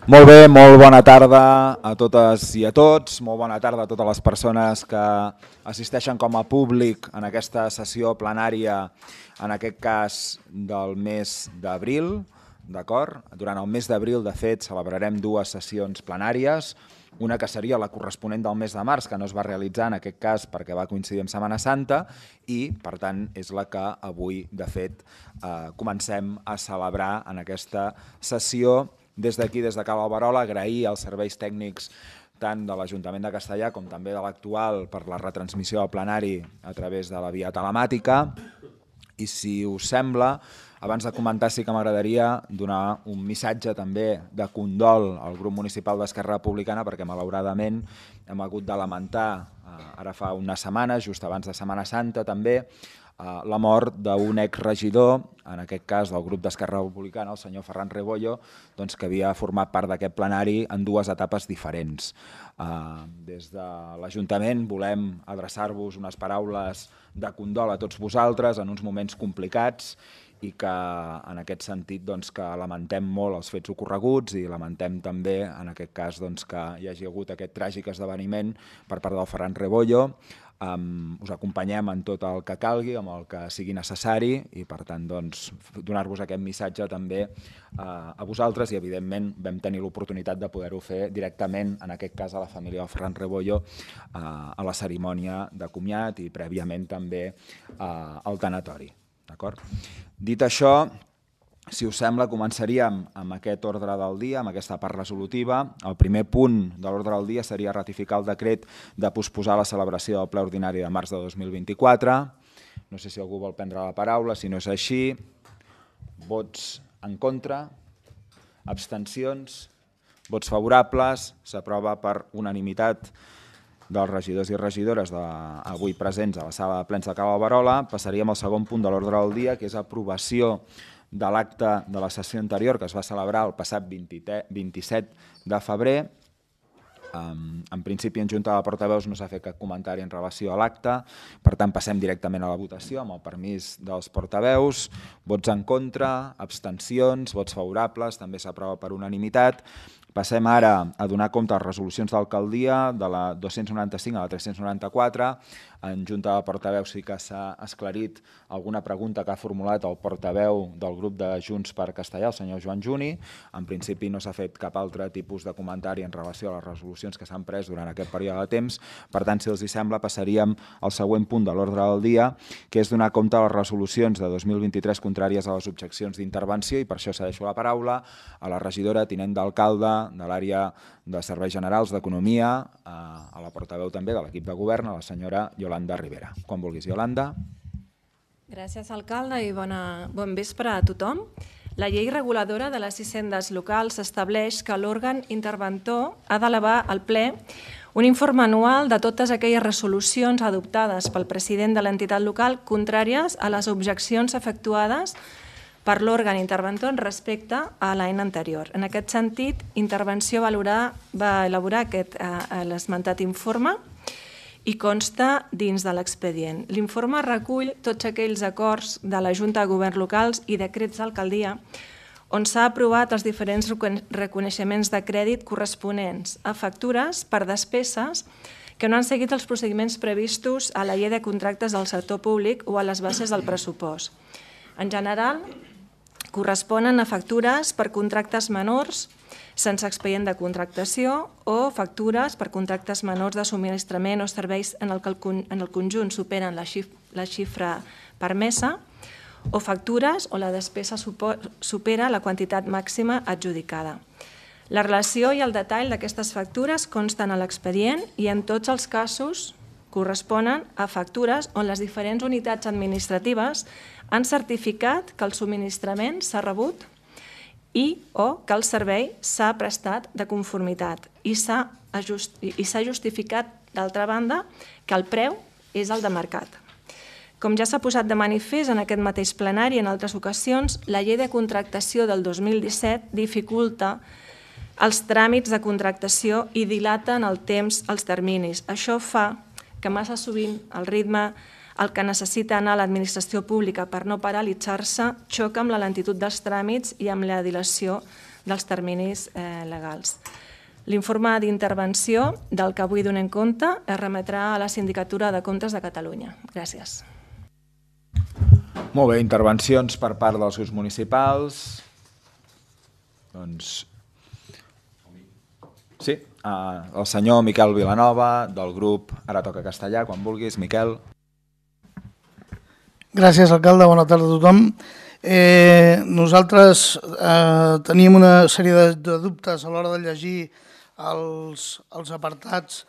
Molt bé, molt bona tarda a totes i a tots, molt bona tarda a totes les persones que assisteixen com a públic en aquesta sessió plenària, en aquest cas del mes d'abril, d'acord? Durant el mes d'abril, de fet, celebrarem dues sessions plenàries, una que seria la corresponent del mes de març, que no es va realitzar en aquest cas perquè va coincidir amb Setmana Santa i, per tant, és la que avui, de fet, comencem a celebrar en aquesta sessió. Des d'aquí, des de Cal Alberola, agrair als serveis tècnics tant de l'Ajuntament de Castellar com també de l'actual per la retransmissió del plenari a través de la via telemàtica. I si us sembla, abans de comentar sí que m'agradaria donar un missatge també de condol al grup municipal d'Esquerra Republicana perquè malauradament hem hagut de lamentar, ara fa unes setmanes, just abans de Setmana Santa també, la mort d'un exregidor, en aquest cas del grup d'Esquerra Republicana, el senyor Ferran Rebollo, que havia format part d'aquest plenari en dues etapes diferents. Des de l'Ajuntament volem adreçar-vos unes paraules de condol a tots vosaltres en uns moments complicats i que en aquest sentit que lamentem molt els fets ocorreguts i lamentem també en aquest cas que hi hagi hagut aquest tràgic esdeveniment per part del Ferran Rebollo. Us acompanyem en tot el que calgui, amb el que sigui necessari i per tant donar-vos aquest missatge també a vosaltres i evidentment vam tenir l'oportunitat de poder-ho fer directament, en aquest cas a la família del Ferran Rebollo, a la cerimònia de comiat i prèviament també al tanatori. Dit això, si us sembla, començaríem amb aquest ordre del dia, amb aquesta part resolutiva. El primer punt de l'ordre del dia seria ratificar el decret de posposar la celebració del ple ordinari de març de 2024. No sé si algú vol prendre la paraula, si no és així. Vots en contra? Abstencions? Vots favorables? S'aprova per unanimitat dels regidors i regidores avui presents a la sala de plens de Cal Alberola. Passaríem al segon punt de l'ordre del dia, que és aprovació de l'acte de la sessió anterior que es va celebrar el passat 27 de febrer. En principi, en Junta de Portaveus no s'ha fet cap comentari en relació a l'acte, per tant passem directament a la votació amb el permís dels portaveus. Vots en contra, abstencions, vots favorables, també s'aprova per unanimitat. Passem ara a donar compte de les resolucions d'alcaldia, de la 295 a la 394. En Junta de Portaveus sí que s'ha esclarit alguna pregunta que ha formulat el portaveu del grup de Junts per Castellar, el senyor Joan Juni. En principi no s'ha fet cap altre tipus de comentari en relació a les resolucions que s'han pres durant aquest període de temps. Per tant, si els hi sembla, passaríem al següent punt de l'ordre del dia, que és donar compte de les resolucions de 2023 contràries a les objeccions d'intervenció i per això cedeixo la paraula a la regidora tinent d'alcalde de l'àrea de Serveis Generals d'Economia, a la portaveu també de l'equip de govern, a la senyora Yolanda Rivera. Quan vulguis, Yolanda. Gràcies, alcalde, i bon vespre a tothom. La llei reguladora de les hisendes locals estableix que l'òrgan interventor ha d'elevar al ple un informe anual de totes aquelles resolucions adoptades pel president de l'entitat local contràries a les objeccions efectuades per l'òrgan interventor respecte a l'any anterior. En aquest sentit, Intervenció va elaborar l'esmentat informe i consta dins de l'expedient. L'informe recull tots aquells acords de la Junta de Governs Locals i decrets d'alcaldia on s'ha aprovat els diferents reconeixements de crèdit corresponents a factures per despeses que no han seguit els procediments previstos a la llei de contractes del sector públic o a les bases del pressupost. En general, corresponen a factures per contractes menors sense expedient de contractació o factures per contractes menors de subministrament o serveis en el que en el conjunt superen la xifra permesa o factures on la despesa supera la quantitat màxima adjudicada. La relació i el detall d'aquestes factures consten a l'expedient i en tots els casos corresponen a factures on les diferents unitats administratives han certificat que el subministrament s'ha rebut i o que el servei s'ha prestat de conformitat i s'ha justificat, d'altra banda, que el preu és el de mercat. Com ja s'ha posat de manifest en aquest mateix plenari i en altres ocasions, la llei de contractació del 2017 dificulta els tràmits de contractació i dilata en el temps els terminis. Això fa que massa sovint el ritme el que necessita anar a l'administració pública per no paralitzar-se xoca amb la lentitud dels tràmits i amb la dilació dels terminis legals. L'informe d'intervenció del que avui donem compte es remetrà a la Sindicatura de Comptes de Catalunya. Gràcies. Molt bé, intervencions per part dels grups municipals. Doncs... Sí, el senyor Miquel Vilanova, del grup Ara Toca Castellà, quan vulguis. Miquel. Gràcies, alcalde. Bona tarda a tothom. Nosaltres teníem una sèrie de dubtes a l'hora de llegir els apartats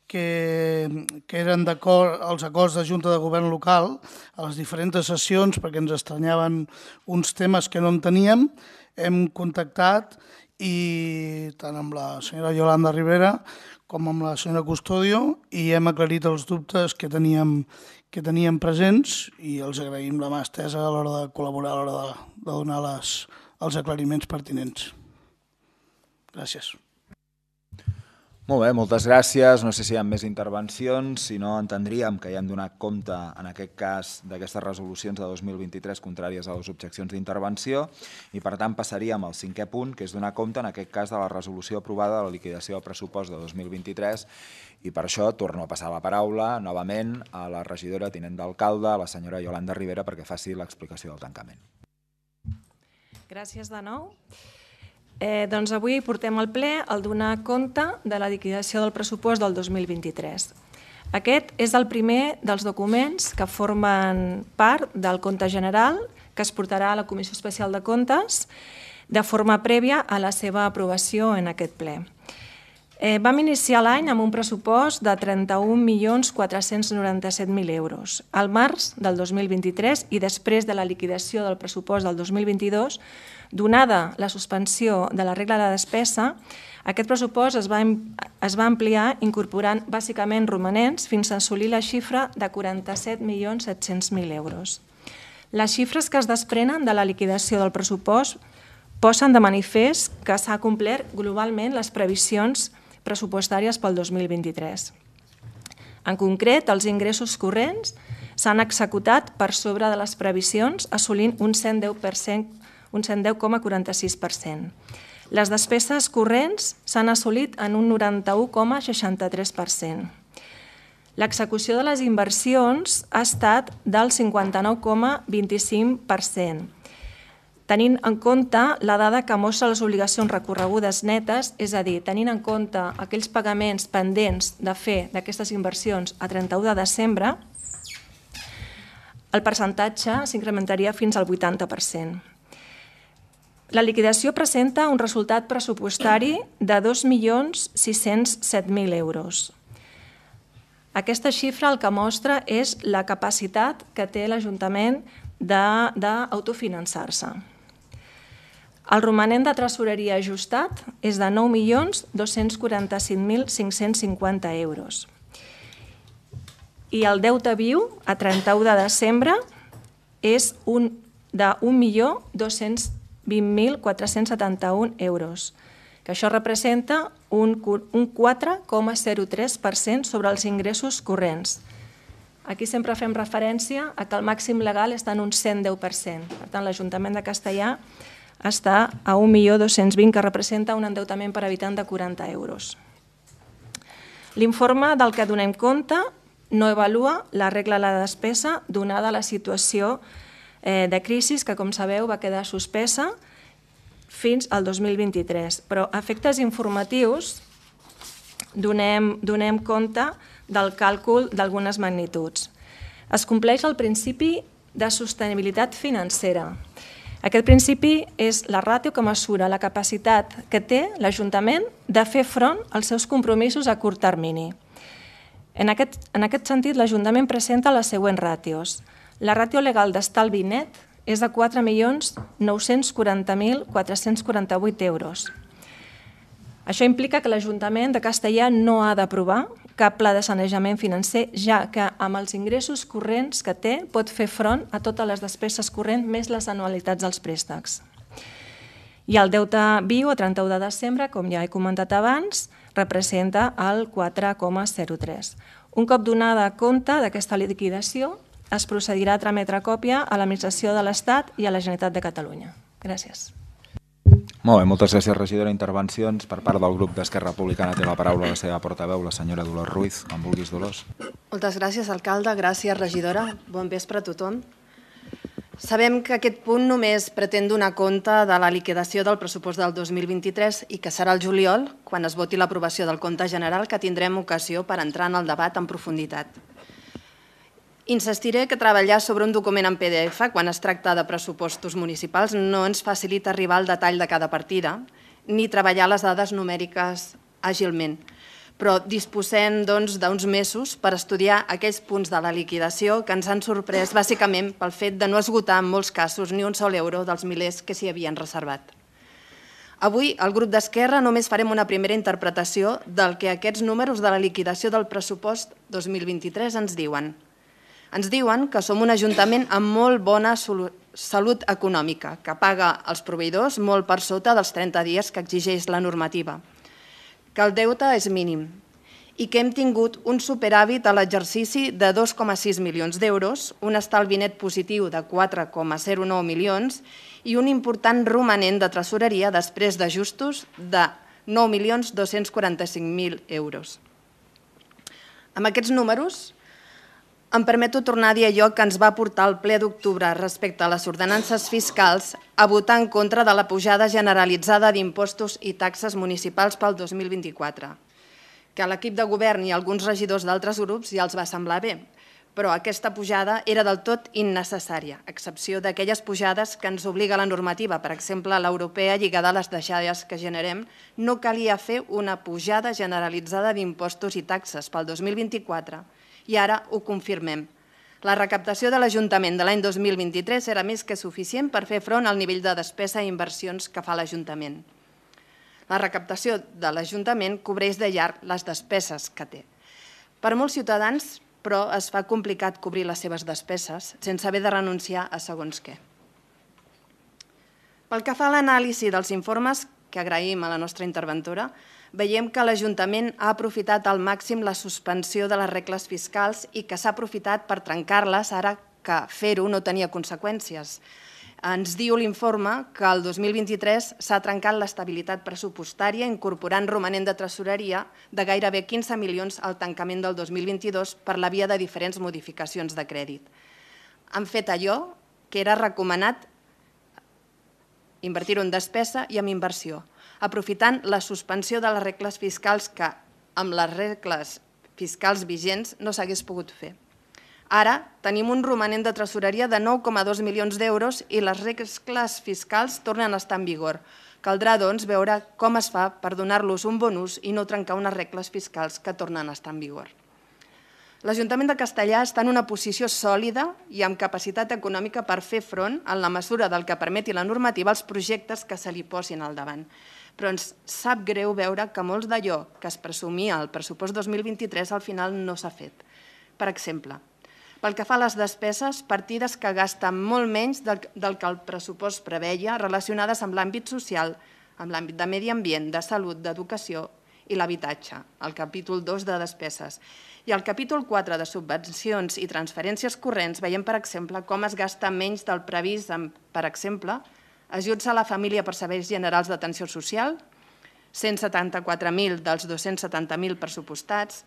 que eren d'acord als acords de Junta de Govern local a les diferents sessions, perquè ens estranyaven uns temes que no en teníem. Hem contactat i tant amb la senyora Yolanda Rivera com amb la senyora Custodio i hem aclarit els dubtes que teníem presents i els agraïm la mà estesa a l'hora de col·laborar, a l'hora de donar els aclariments pertinents. Gràcies. Molt bé, moltes gràcies. No sé si hi ha més intervencions, si no entendríem que ja hem donat compte, en aquest cas, d'aquestes resolucions de 2023 contràries a les objeccions d'intervenció i, per tant, passaríem al 5è punt, que és donar compte, en aquest cas, de la resolució aprovada de la liquidació del pressupost de 2023 i per això torno a passar la paraula novament a la regidora tinent d'alcalde, a la senyora Yolanda Rivera, perquè faci l'explicació del tancament. Gràcies de nou. Doncs avui portem al ple el donar compte de la liquidació del pressupost del 2023. Aquest és el primer dels documents que formen part del compte general que es portarà a la Comissió Especial de Comptes de forma prèvia a la seva aprovació en aquest ple. Vam iniciar l'any amb un pressupost de 31.497.000 euros. Al març del 2023 i després de la liquidació del pressupost del 2022, donada la suspensió de la regla de despesa, aquest pressupost es va ampliar incorporant bàsicament romanents fins a assolir la xifra de 47.700.000 euros. Les xifres que es desprenen de la liquidació del pressupost posen de manifest que s'ha complert globalment les previsions pressupostàries pel 2023. En concret, els ingressos corrents s'han executat per sobre de les previsions, assolint un 110,46%. Les despeses corrents s'han assolit en un 91,63%. L'execució de les inversions ha estat del 59,25%. Tenint en compte la dada que mostra les obligacions recorregudes netes, és a dir, tenint en compte aquells pagaments pendents de fer d'aquestes inversions a 31 de desembre, el percentatge s'incrementaria fins al 80%. La liquidació presenta un resultat pressupostari de 2.607.000 euros. Aquesta xifra el que mostra és la capacitat que té l'Ajuntament d'autofinançar-se. El romanent de tresoreria ajustat és de 9.245.550 euros. I el deute viu a 31 de desembre és de 1.220.471 euros, que això representa un 4,03% sobre els ingressos corrents. Aquí sempre fem referència a que el màxim legal està en un 110%. Per tant, l'Ajuntament de Castellà està a 1.220.000, que representa un endeutament per habitant de 40 euros. L'informe del que donem compte no avalua la regla de la despesa donada la situació de crisi que, com sabeu, va quedar suspesa fins al 2023. Però a efectes informatius donem compte del càlcul d'algunes magnituds. Es compleix el principi de sostenibilitat financera. Aquest principi és la ràtio que mesura la capacitat que té l'Ajuntament de fer front als seus compromisos a curt termini. En aquest sentit, l'Ajuntament presenta les següents ràtios. La ràtio legal d'estalvi net és de 4.940.448 euros. Això implica que l'Ajuntament de Castellà no ha d'aprovar cap pla de sanejament financer, ja que amb els ingressos corrents que té pot fer front a totes les despeses corrents més les anualitats dels préstecs. I el deute viu a 31 de desembre, com ja he comentat abans, representa el 4,03. Un cop donada compte d'aquesta liquidació, es procedirà a trametre còpia a l'Administració de l'Estat i a la Generalitat de Catalunya. Gràcies. Molt bé, moltes gràcies, regidora. Intervencions per part del grup d'Esquerra Republicana. Té la paraula la seva portaveu, la senyora Dolors Ruiz. Quan vulguis, Dolors. Moltes gràcies, alcalde. Gràcies, regidora. Bon vespre a tothom. Sabem que aquest punt només pretén donar compte de la liquidació del pressupost del 2023 i que serà el juliol, quan es voti l'aprovació del compte general, que tindrem ocasió per entrar en el debat en profunditat. Insistiré que treballar sobre un document en PDF quan es tracta de pressupostos municipals no ens facilita arribar al detall de cada partida ni treballar les dades numèriques àgilment, però disposem d'uns mesos per estudiar aquells punts de la liquidació que ens han sorprès bàsicament pel fet de no esgotar en molts casos ni un sol euro dels milers que s'hi havien reservat. Avui, el grup d'Esquerra només farem una primera interpretació del que aquests números de la liquidació del pressupost 2023 ens diuen. Ens diuen que som un ajuntament amb molt bona salut econòmica, que paga els proveïdors molt per sota dels 30 dies que exigeix la normativa, que el deute és mínim i que hem tingut un superàvit a l'exercici de 2,6 milions d'euros, un estalvi net positiu de 4,09 milions i un important romanent de tresoreria després d'ajustos de 9.245.000 euros. Amb aquests números, em permeto tornar a dir allò que ens va portar al ple d'octubre respecte a les ordenances fiscals a votar en contra de la pujada generalitzada d'impostos i taxes municipals pel 2024, que a l'equip de govern i alguns regidors d'altres grups ja els va semblar bé, però aquesta pujada era del tot innecessària, a excepció d'aquelles pujades que ens obliga la normativa, per exemple, l'europea lligada a les deixalles que generem, no calia fer una pujada generalitzada d'impostos i taxes pel 2024, i ara ho confirmem. La recaptació de l'Ajuntament de l'any 2023 era més que suficient per fer front al nivell de despesa i inversions que fa l'Ajuntament. La recaptació de l'Ajuntament cobreix de llarg les despeses que té. Per molts ciutadans, però, es fa complicat cobrir les seves despeses sense haver de renunciar a segons què. Pel que fa a l'anàlisi dels informes, que agraïm a la nostra interventora, veiem que l'Ajuntament ha aprofitat al màxim la suspensió de les regles fiscals i que s'ha aprofitat per trencar-les ara que fer-ho no tenia conseqüències. Ens diu l'informe que el 2023 s'ha trencat l'estabilitat pressupostària incorporant romanent de tresoreria de gairebé 15 milions al tancament del 2022 per la via de diferents modificacions de crèdit. Han fet allò que era recomanat invertir-ho en despesa i en inversió, aprofitant la suspensió de les regles fiscals que, amb les regles fiscals vigents, no s'hagués pogut fer. Ara tenim un romanent de tresoreria de 9,2 milions d'euros i les regles fiscals tornen a estar en vigor. Caldrà, doncs, veure com es fa per donar-los un bon ús i no trencar unes regles fiscals que tornen a estar en vigor. L'Ajuntament de Castellar està en una posició sòlida i amb capacitat econòmica per fer front, en la mesura del que permeti la normativa, als projectes que se li posin al davant. Però ens sap greu veure que molts d'allò que es presumia al pressupost 2023 al final no s'ha fet. Per exemple, pel que fa a les despeses, partides que gasten molt menys del que el pressupost preveia relacionades amb l'àmbit social, amb l'àmbit de medi ambient, de salut, d'educació i l'habitatge, el capítol 2 de despeses. I al capítol 4 de subvencions i transferències corrents veiem, per exemple, com es gasta menys del previst en, per exemple, ajuts a la família per serveis generals d'atenció social, 174.000 dels 270.000 pressupostats,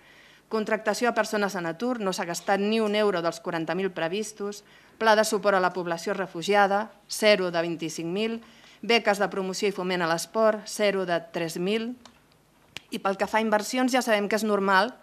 contractació a persones en atur, no s'ha gastat ni un euro dels 40.000 previstos, pla de suport a la població refugiada, 0 de 25.000, beques de promoció i foment a l'esport, 0 de 3.000, i pel que fa a inversions ja sabem que és normal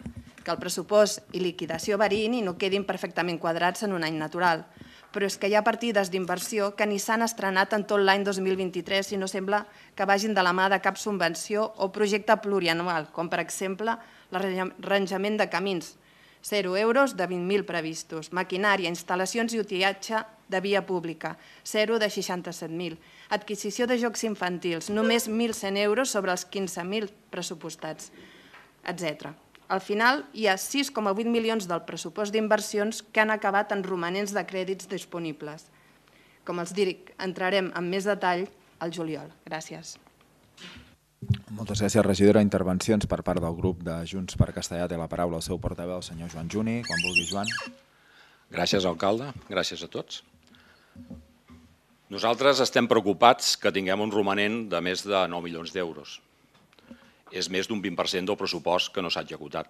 que el pressupost i liquidació variïn i no quedin perfectament quadrats en un any natural. Però és que hi ha partides d'inversió que ni s'han estrenat en tot l'any 2023 i no sembla que vagin de la mà de cap subvenció o projecte plurianual, com per exemple l'arranjament de camins, 0 euros de 20.000 previstos, maquinària, instal·lacions i utillatge de via pública, 0 de 67.000, adquisició de jocs infantils, només 1.100 euros sobre els 15.000 pressupostats, etc. Al final, hi ha 6,8 milions del pressupost d'inversions que han acabat en romanents de crèdits disponibles. Com els dic, entrarem en més detall al juliol. Gràcies. Moltes gràcies, regidora. Intervencions per part del grup de Junts per Castellar. Té la paraula el seu portaveu, el senyor Joan Juni. Quan vulgui, Joan. Gràcies, alcalde. Gràcies a tots. Nosaltres estem preocupats que tinguem un romanent de més de 9 milions d'euros. És més d'un 20% del pressupost que no s'ha executat.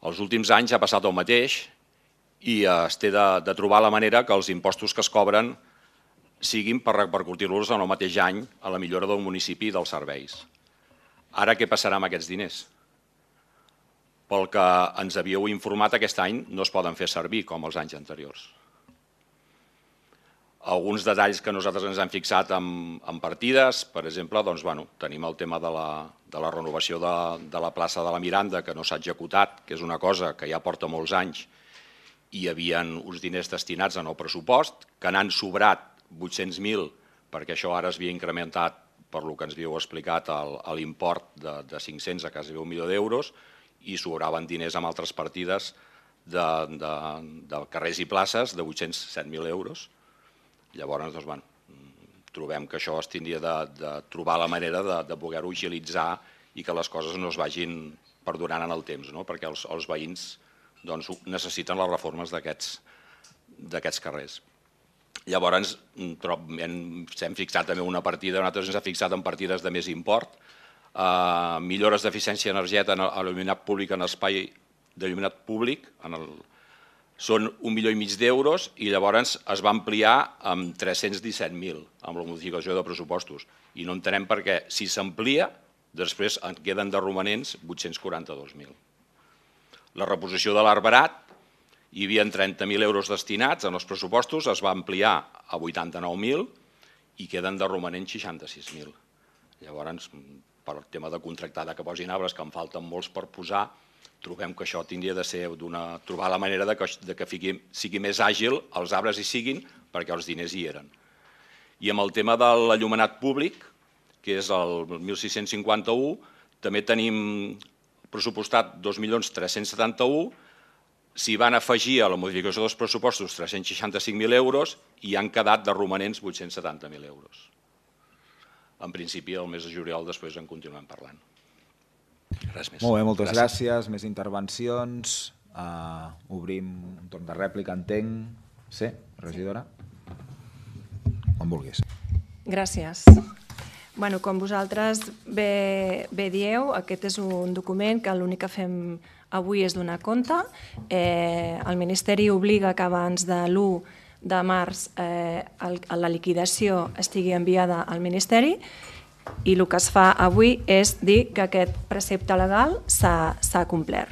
Els últims anys ha passat el mateix i es té de trobar la manera que els impostos que es cobren siguin per repercutir-los en el mateix any a la millora del municipi i dels serveis. Ara què passarà amb aquests diners? Pel que ens havíeu informat, aquest any no es poden fer servir com els anys anteriors. Alguns detalls que nosaltres ens hem fixat en partides, per exemple, tenim el tema de la renovació de la plaça de la Miranda, que no s'ha executat, que és una cosa que ja porta molts anys, i hi havia uns diners destinats en el pressupost, que n'han sobrat 800.000, perquè això ara es havia incrementat, per lo que ens havíeu explicat, l'import de 500 a quasi 1 milió d'euros, i sobraven diners amb altres partides de carrers i places de 807.000 euros. Llavors, trobem que això es tindria de trobar la manera de poder-ho agilitzar i que les coses no es vagin perdurant en el temps, perquè els veïns necessiten les reformes d'aquests carrers. Llavors, s'hem fixat també una partida, nosaltres ens hem fixat en partides de més import, millores d'eficiència energètica en l'il·luminat públic en espai d'il·luminat públic, són 1,5 milió d'euros i llavors es va ampliar amb 317.000 amb la modificació de pressupostos. I no entenem per què, si s'amplia, després en queden de romanents 842.000. La reposició de l'arbrat, hi havia 30.000 euros destinats en els pressupostos, es va ampliar a 89.000 i queden de romanents 66.000. Llavors, per el tema de contractar que posin arbres, que en falten molts per posar, trobem que això tindria de ser trobar la manera que sigui més àgil, els arbres hi siguin, perquè els diners hi eren. I amb el tema de l'enllumenat públic, que és el 1.651, també tenim pressupostat 2.371.000, s'hi van afegir a la modificació dels pressupostos 365.000 euros i han quedat de romanents 870.000 euros. En principi, el mes de juliol després en continuem parlant. Res més. Molt bé, moltes gràcies. Més intervencions. Obrim un torn de rèplica, entenc. Sí, regidora? On vulguis. Gràcies. Com vosaltres bé dieu, aquest és un document que l'únic que fem avui és donar compte. El Ministeri obliga que abans de l'1 de març la liquidació estigui enviada al Ministeri i el que es fa avui és dir que aquest precepte legal s'ha complert.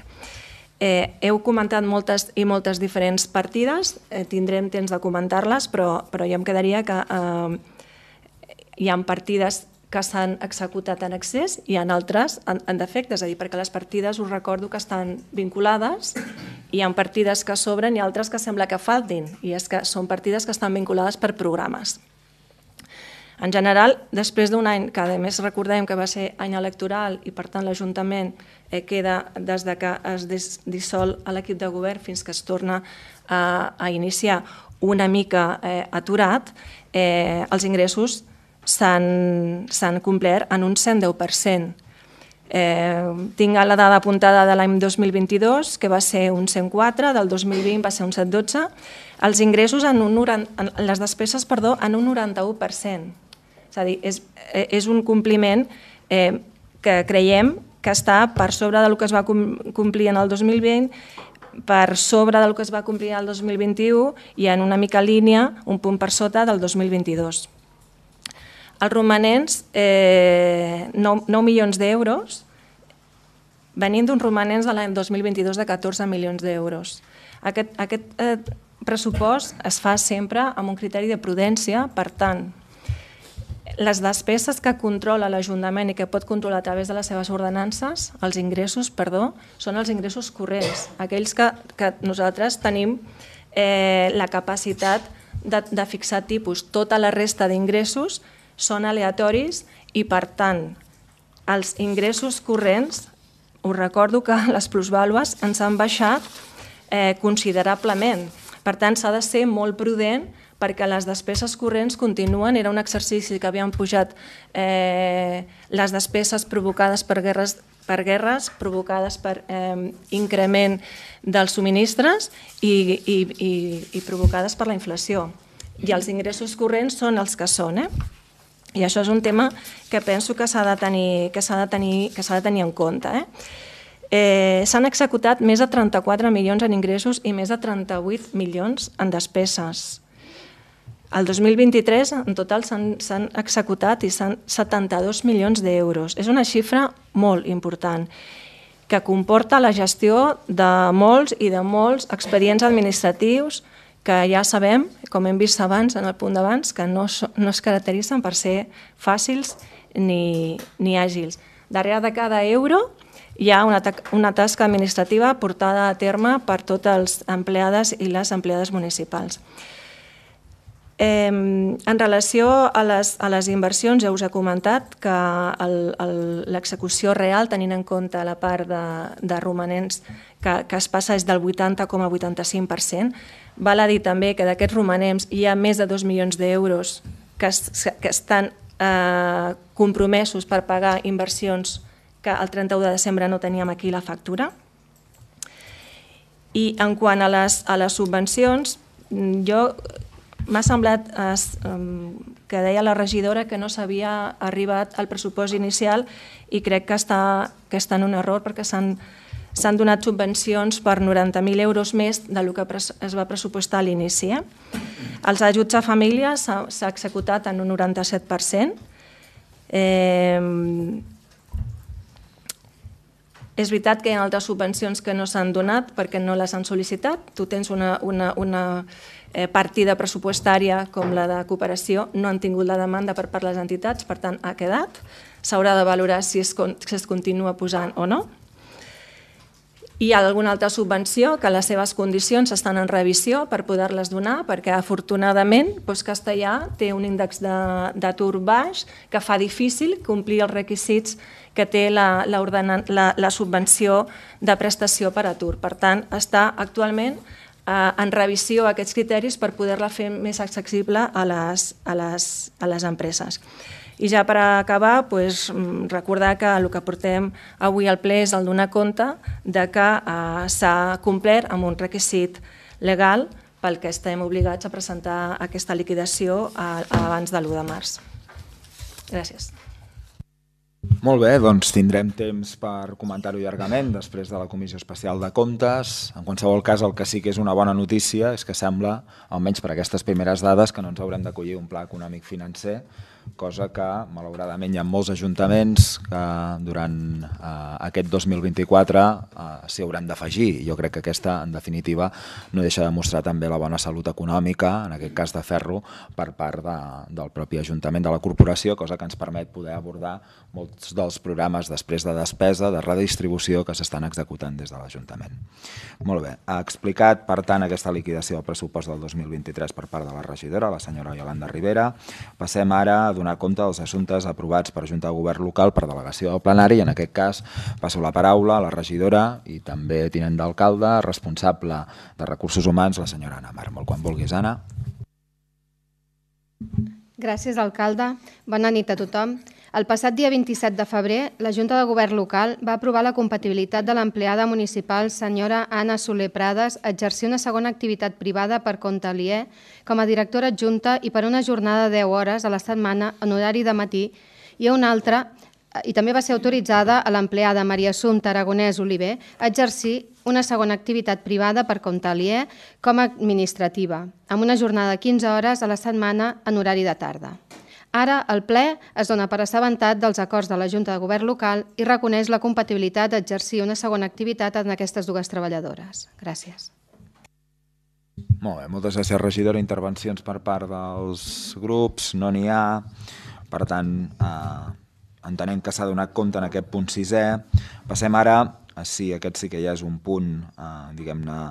Heu comentat moltes i moltes diferents partides, tindrem temps de comentar-les, però jo em quedaria que hi ha partides que s'han executat en excés i hi ha altres en defecte, és a dir, perquè les partides us recordo que estan vinculades, hi ha partides que sobren i altres que sembla que faltin, i és que són partides que estan vinculades per programes. En general, després d'un any, que a més recordem que va ser any electoral i per tant l'Ajuntament queda des que es dissol l'equip de govern fins que es torna a iniciar una mica aturat, els ingressos s'han complert en un 110%. Tinc la dada apuntada de l'any 2022, que va ser un 104, del 2020 va ser un 112, els ingressos les despeses, en un 91%. És a dir, és un compliment que creiem que està per sobre del que es va complir en el 2020, per sobre del que es va complir el 2021 i en una mica línia, un punt per sota del 2022. Els romanents, 9 milions d'euros, venint d'uns romanents de l'any 2022 de 14 milions d'euros. Aquest pressupost es fa sempre amb un criteri de prudència, per tant, les despeses que controla l'Ajuntament i que pot controlar a través de les seves ordenances, els ingressos, són els ingressos corrents, aquells que nosaltres tenim la capacitat de fixar tipus. Tota la resta d'ingressos són aleatoris i, per tant, els ingressos corrents, us recordo que les plusvàlues ens han baixat considerablement. Per tant, s'ha de ser molt prudent perquè les despeses corrents continuen. Era un exercici que havien pujat les despeses provocades per guerres, provocades per increment dels subministres i provocades per la inflació. i els ingressos corrents són els que són. I això és un tema que penso que s'ha de tenir en compte. S'han executat més de 34 milions en ingressos i més de 38 milions en despeses. El 2023, en total, s'han executat 72 milions d'euros. És una xifra molt important, que comporta la gestió de molts expedients administratius que ja sabem, com hem vist abans en el punt d'abans, que no es caracteritzen per ser fàcils ni àgils. Darrere de cada euro hi ha una tasca administrativa portada a terme per totes els empleades i les empleades municipals. En relació a les inversions, ja us he comentat que l'execució real, tenint en compte la part de romanents que es passa és del 80,85%. Val a dir també que d'aquests romanents hi ha més de 2 milions d'euros que estan compromesos per pagar inversions que el 31 de desembre no teníem aquí la factura. I en quant a les subvencions, m'ha semblat que deia la regidora que no s'havia arribat al pressupost inicial i crec que està en un error perquè s'han donat subvencions per 90.000 euros més del que es va pressupostar a l'inici. Els ajuts a famílies s'ha executat en un 97%. És veritat que hi ha altres subvencions que no s'han donat perquè no les han sol·licitat. Tu tens una partida pressupostària com la de cooperació, no han tingut la demanda per part de les entitats, per tant ha quedat. S'haurà de valorar si es continua posant o no. Hi ha alguna altra subvenció que les seves condicions estan en revisió per poder-les donar, perquè afortunadament Castellà té un índex d'atur baix que fa difícil complir els requisits que té la subvenció de prestació per atur. Per tant, està actualment en revisió aquests criteris per poder-la fer més accessible a les empreses. I ja per acabar, recordar que el que portem avui al ple és el donar compte que s'ha complert amb un requisit legal pel que estem obligats a presentar aquesta liquidació abans de l'1 de març. Gràcies. Molt bé, doncs tindrem temps per comentar-ho llargament després de la Comissió Especial de Comptes. En qualsevol cas, el que sí que és una bona notícia és que sembla, almenys per aquestes primeres dades, que no ens haurem d'acollir un pla econòmic financer, cosa que, malauradament, hi ha molts ajuntaments que durant aquest 2024 s'hi hauran d'afegir. Jo crec que aquesta, en definitiva, no deixa de mostrar també la bona salut econòmica, en aquest cas de ferro, per part del propi Ajuntament de la Corporació, cosa que ens permet poder abordar molts dels programes després de despesa, de redistribució que s'estan executant des de l'Ajuntament. Molt bé. Ha explicat, per tant, aquesta liquidació del pressupost del 2023 per part de la regidora, la senyora Yolanda Rivera. Passem ara a donar compte dels assumptes aprovats per Junta de Govern Local per delegació del plenari i en aquest cas passo la paraula a la regidora i també tinent d'alcalde, responsable de Recursos Humans, la senyora Anna Mar. Molt quan vulguis, Anna. Gràcies, alcalde. Bona nit a tothom. El passat dia 27 de febrer, la Junta de Govern Local va aprovar la compatibilitat de l'empleada municipal senyora Anna Soler Prades a exercir una segona activitat privada per compte aliè com a directora adjunta i per una jornada de 10 hores a la setmana en horari de matí i a una altra, i també va ser autoritzada a l'empleada Maria Assumpta Aragonès Oliver a exercir una segona activitat privada per compte aliè com a administrativa, amb una jornada de 15 hores a la setmana en horari de tarda. Ara, el ple es dona per assabentat dels acords de la Junta de Govern Local i reconeix la compatibilitat d'exercir una segona activitat en aquestes dues treballadores. Gràcies. Molt bé, moltes gràcies, regidora. Intervencions per part dels grups, no n'hi ha. Per tant, entenem que s'ha donat compte en aquest punt 6è. Passem ara, aquest sí que ja és un punt, diguem-ne,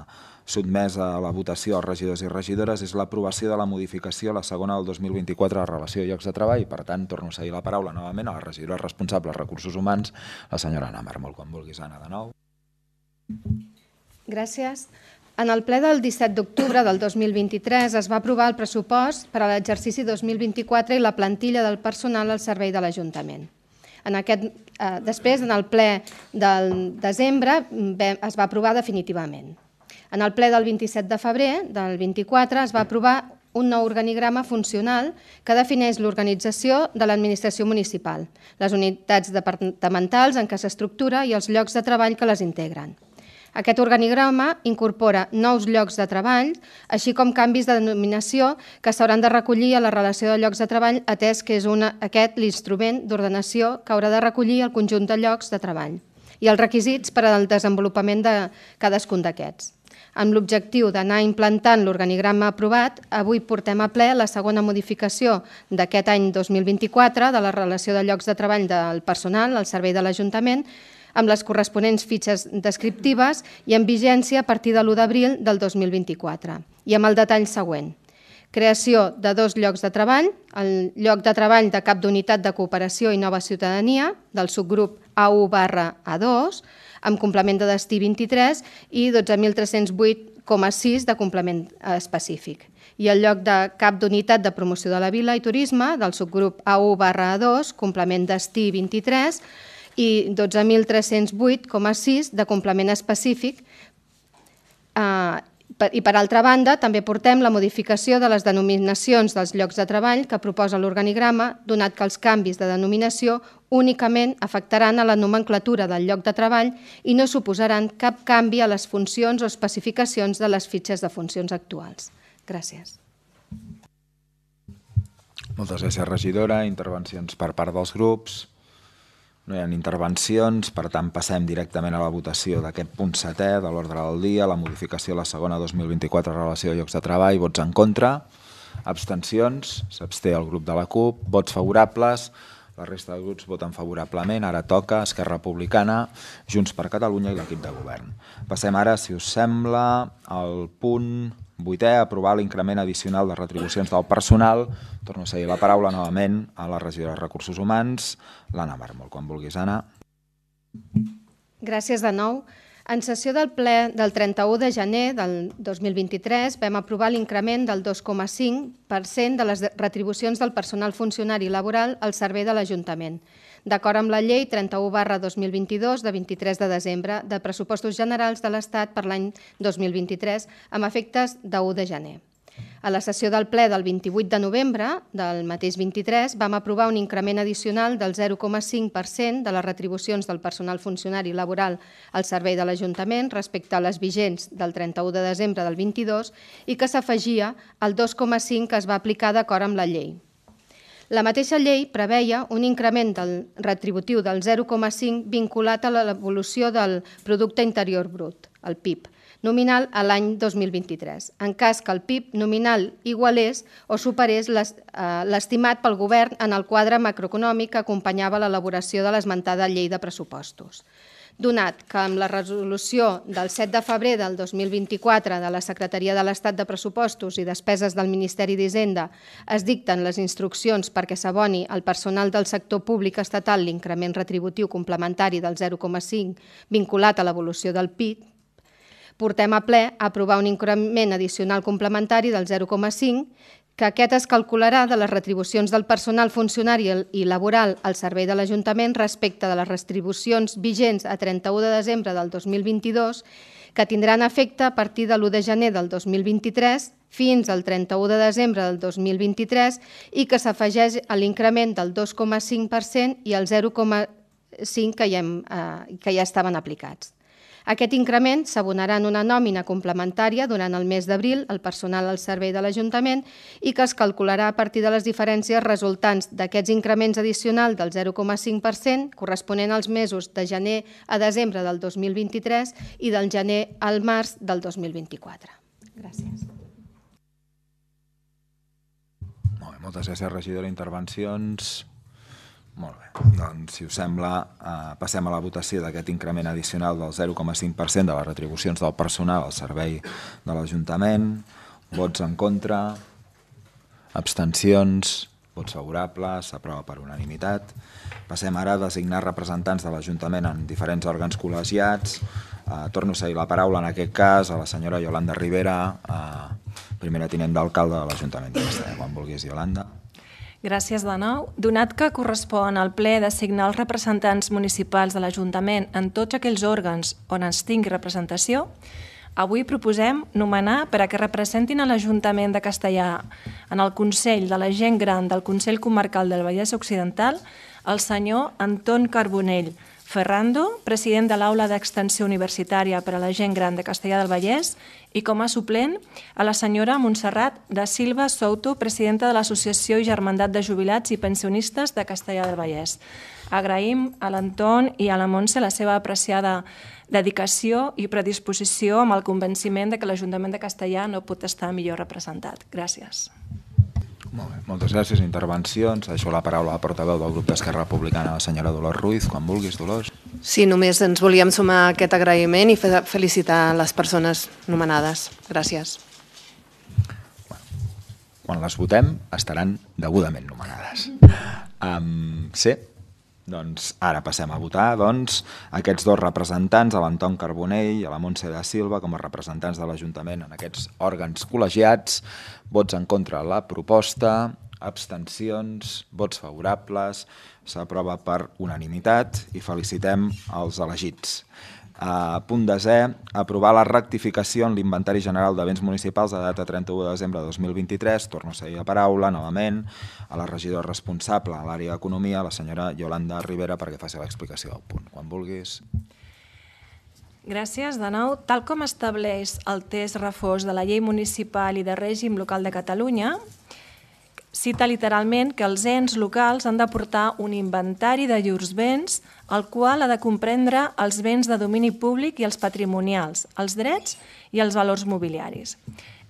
sotmès a la votació als regidors i regidores, és l'aprovació de la modificació, la segona del 2024, de la relació de llocs de treball. Per tant, torno a cedir la paraula novament a la regidora responsable de Recursos Humans, la senyora Anna Mar. Molt quan vulguis, Anna, de nou. Gràcies. En el ple del 17 d'octubre del 2023 es va aprovar el pressupost per a l'exercici 2024 i la plantilla del personal al servei de l'Ajuntament. Després, en el ple del desembre, es va aprovar definitivament. En el ple del 27 de febrer del 24 es va aprovar un nou organigrama funcional que defineix l'organització de l'administració municipal, les unitats departamentals en què s'estructura i els llocs de treball que les integren. Aquest organigrama incorpora nous llocs de treball, així com canvis de denominació que s'hauran de recollir a la relació de llocs de treball, atès que és aquest l'instrument d'ordenació que haurà de recollir el conjunt de llocs de treball i els requisits per al desenvolupament de cadascun d'aquests. Amb l'objectiu d'anar implantant l'organigrama aprovat, avui portem a ple la segona modificació d'aquest any 2024 de la relació de llocs de treball del personal al servei de l'Ajuntament, amb les corresponents fitxes descriptives i en vigència a partir de l'1 d'abril del 2024. I amb el detall següent. Creació de 2 llocs de treball, el lloc de treball de cap d'unitat de cooperació i nova ciutadania, del subgrup A1/A2, amb complement de destí 23 i 12.308,6 de complement específic. I el lloc de cap d'unitat de promoció de la vila i turisme, del subgrup A1/A2, complement destí 23, i 12.308,6 de complement específic. I per altra banda, també portem la modificació de les denominacions dels llocs de treball que proposa l'organigrama, donat que els canvis de denominació únicament afectaran a la nomenclatura del lloc de treball i no suposaran cap canvi a les funcions o especificacions de les fitxes de funcions actuals. Gràcies. Moltes gràcies, regidora. Intervencions per part dels grups. No hi ha intervencions, per tant passem directament a la votació d'aquest punt 7è de l'ordre del dia, la modificació de la segona 2024 relació de llocs de treball. Vots en contra, abstencions, s'absté el grup de la CUP, vots favorables, la resta de grups voten favorablement. Ara toca Esquerra Republicana, Junts per Catalunya i l'equip de govern. Passem ara, si us sembla, al punt 8è, aprovar l'increment addicional de retribucions del personal. Torno a cedir la paraula novament a la regidora de Recursos Humans, l'Anna Mármol. Quan vulguis, Anna. Gràcies de nou. En sessió del ple del 31 de gener del 2023 vam aprovar l'increment del 2,5% de les retribucions del personal funcionari laboral al servei de l'Ajuntament, d'acord amb la llei 31/2022 de 23 de desembre de pressupostos generals de l'Estat per l'any 2023 amb efectes de 1 de gener. A la sessió del ple del 28 de novembre del mateix 23 vam aprovar un increment addicional del 0,5% de les retribucions del personal funcionari laboral al servei de l'Ajuntament respecte a les vigents del 31 de desembre del 22 i que s'afegia al 2,5% que es va aplicar d'acord amb la llei. La mateixa llei preveia un increment del retributiu del 0,5% vinculat a l'evolució del Producte Interior Brut, el PIB, nominal a l'any 2023, en cas que el PIB nominal igualés o superés l'estimat pel govern en el quadre macroeconòmic que acompanyava l'elaboració de l'esmentada llei de pressupostos. Donat que amb la resolució del 7 de febrer del 2024 de la Secretaria de l'Estat de Pressupostos i Despeses del Ministeri d'Hisenda es dicten les instruccions perquè s'aboni al personal del sector públic estatal l'increment retributiu complementari del 0,5 vinculat a l'evolució del PIB, portem a ple a aprovar un increment addicional complementari del 0,5, que aquest es calcularà de les retribucions del personal funcionari i laboral al servei de l'Ajuntament respecte de les retribucions vigents a 31 de desembre del 2022, que tindran efecte a partir de l'1 de gener del 2023 fins al 31 de desembre del 2023 i que s'afegeix a l'increment del 2,5% i el 0,5% que ja estaven aplicats. Aquest increment s'abonarà en una nòmina complementària durant el mes d'abril al personal al servei de l'Ajuntament i que es calcularà a partir de les diferències resultants d'aquests increments addicionals del 0,5% corresponent als mesos de gener a desembre del 2023 i del gener al març del 2024. Gràcies. Molt bé, moltes gràcies, regidora. Intervencions? Molt bé, doncs si us sembla passem a la votació d'aquest increment addicional del 0,5% de les retribucions del personal al servei de l'Ajuntament. Vots en contra, abstencions, vots favorables, s'aprova per unanimitat. Passem ara a designar representants de l'Ajuntament en diferents òrgans col·legiats. Torno a cedir la paraula en aquest cas a la senyora Yolanda Rivera, primera tinent d'alcalde de l'Ajuntament de Castellar. Quan vulguis, Yolanda. Gràcies de nou. Donat que correspon al ple designar els representants municipals de l'Ajuntament en tots aquells òrgans on es tingui representació, Avui proposem nomenar per a que representin a l'Ajuntament de Castellar en el Consell de la Gent Gran del Consell Comarcal del Vallès Occidental el senyor Anton Carbonell Ferrando, president de l'Aula d'Extensió Universitària per a la Gent Gran de Castellar del Vallès, i com a suplent a la senyora Montserrat da Silva Souto, presidenta de l'Associació i Germandat de Jubilats i Pensionistes de Castellar del Vallès. Agraïm a l'Anton i a la Montse la seva apreciada dedicació i predisposició amb el convenciment de que l'Ajuntament de Castellar no pot estar millor representat. Gràcies. Molt bé, moltes gràcies. Intervencions. Deixo la paraula a la portaveu del grup d'Esquerra Republicana, la senyora Dolors Ruiz. Quan vulguis, Dolors. Sí, només ens volíem sumar a aquest agraïment i felicitar les persones nomenades. Gràcies. Quan les votem, estaran degudament nomenades. Sí? Doncs ara passem a votar aquests dos representants, a l'Anton Carbonell i a la Montse da Silva, com a representants de l'Ajuntament en aquests òrgans col·legiats. Vots en contra de la proposta, abstencions, vots favorables, s'aprova per unanimitat i felicitem els elegits. Punt 10è, aprovar la rectificació en l'Inventari General de Béns Municipals de data 31 de desembre de 2023. Torno a cedir la paraula novament a la regidora responsable a l'àrea d'Economia, la senyora Yolanda Rivera, perquè faci l'explicació del punt. Quan vulguis. Gràcies. De nou, tal com estableix el text refós de la Llei Municipal i de Règim Local de Catalunya, cita literalment que els ens locals han d'aportar un inventari de llurs béns, el qual ha de comprendre els béns de domini públic i els patrimonials, els drets i els valors mobiliaris.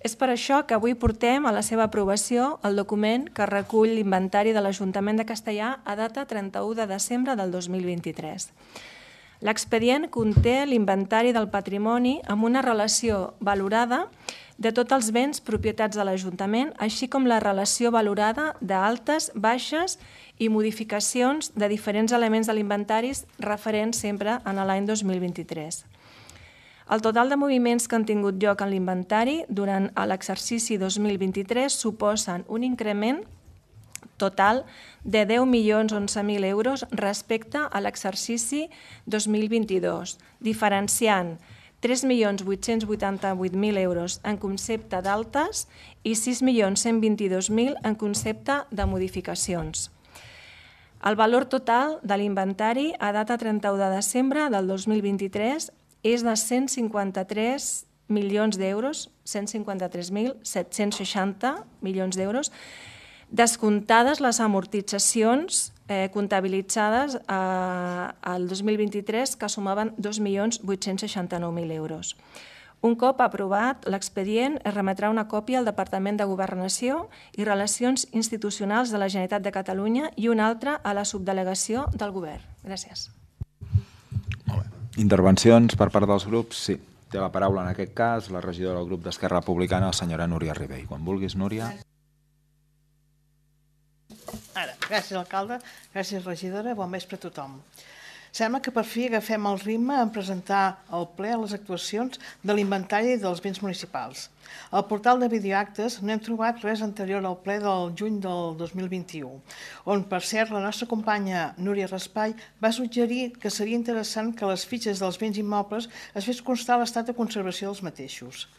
És per això que avui portem a la seva aprovació el document que recull l'inventari de l'Ajuntament de Castellar a data 31 de desembre del 2023. L'expedient conté l'inventari del patrimoni amb una relació valorada de tots els béns propietats de l'Ajuntament, així com la relació valorada d'altes, baixes i modificacions de diferents elements de l'inventari referents sempre a l'any 2023. El total de moviments que han tingut lloc en l'inventari durant l'exercici 2023 suposen un increment total de 10.011.000 euros respecte a l'exercici 2022, diferenciant 3.888.000 euros en concepte d'altes i 6.122.000 en concepte de modificacions. El valor total de l'inventari a data 31 de desembre del 2023 és de 153 milions d'euros, 153.760 milions d'euros, descomptades les amortitzacions comptabilitzades al 2023, que sumaven 2.869.000 euros. Un cop aprovat l'expedient, es remetrà una còpia al Departament de Governació i Relacions Institucionals de la Generalitat de Catalunya i una altra a la subdelegació del Govern. Gràcies. Molt bé. Intervencions per part dels grups? Sí. Té la paraula en aquest cas la regidora del grup d'Esquerra Republicana, la senyora Núria Ribell. Quan vulguis, Núria. Gràcies, alcalde, gràcies, regidora, bon vespre a tothom. Sembla que per fi agafem el ritme en presentar al ple les actuacions de l'inventari dels béns municipals. Al portal de videoactes no hem trobat res anterior al ple del juny del 2021, on, per cert, la nostra companya Núria Raspall va suggerir que seria interessant que les fitxes dels béns immobles es fes constar l'estat de conservació dels mateixos.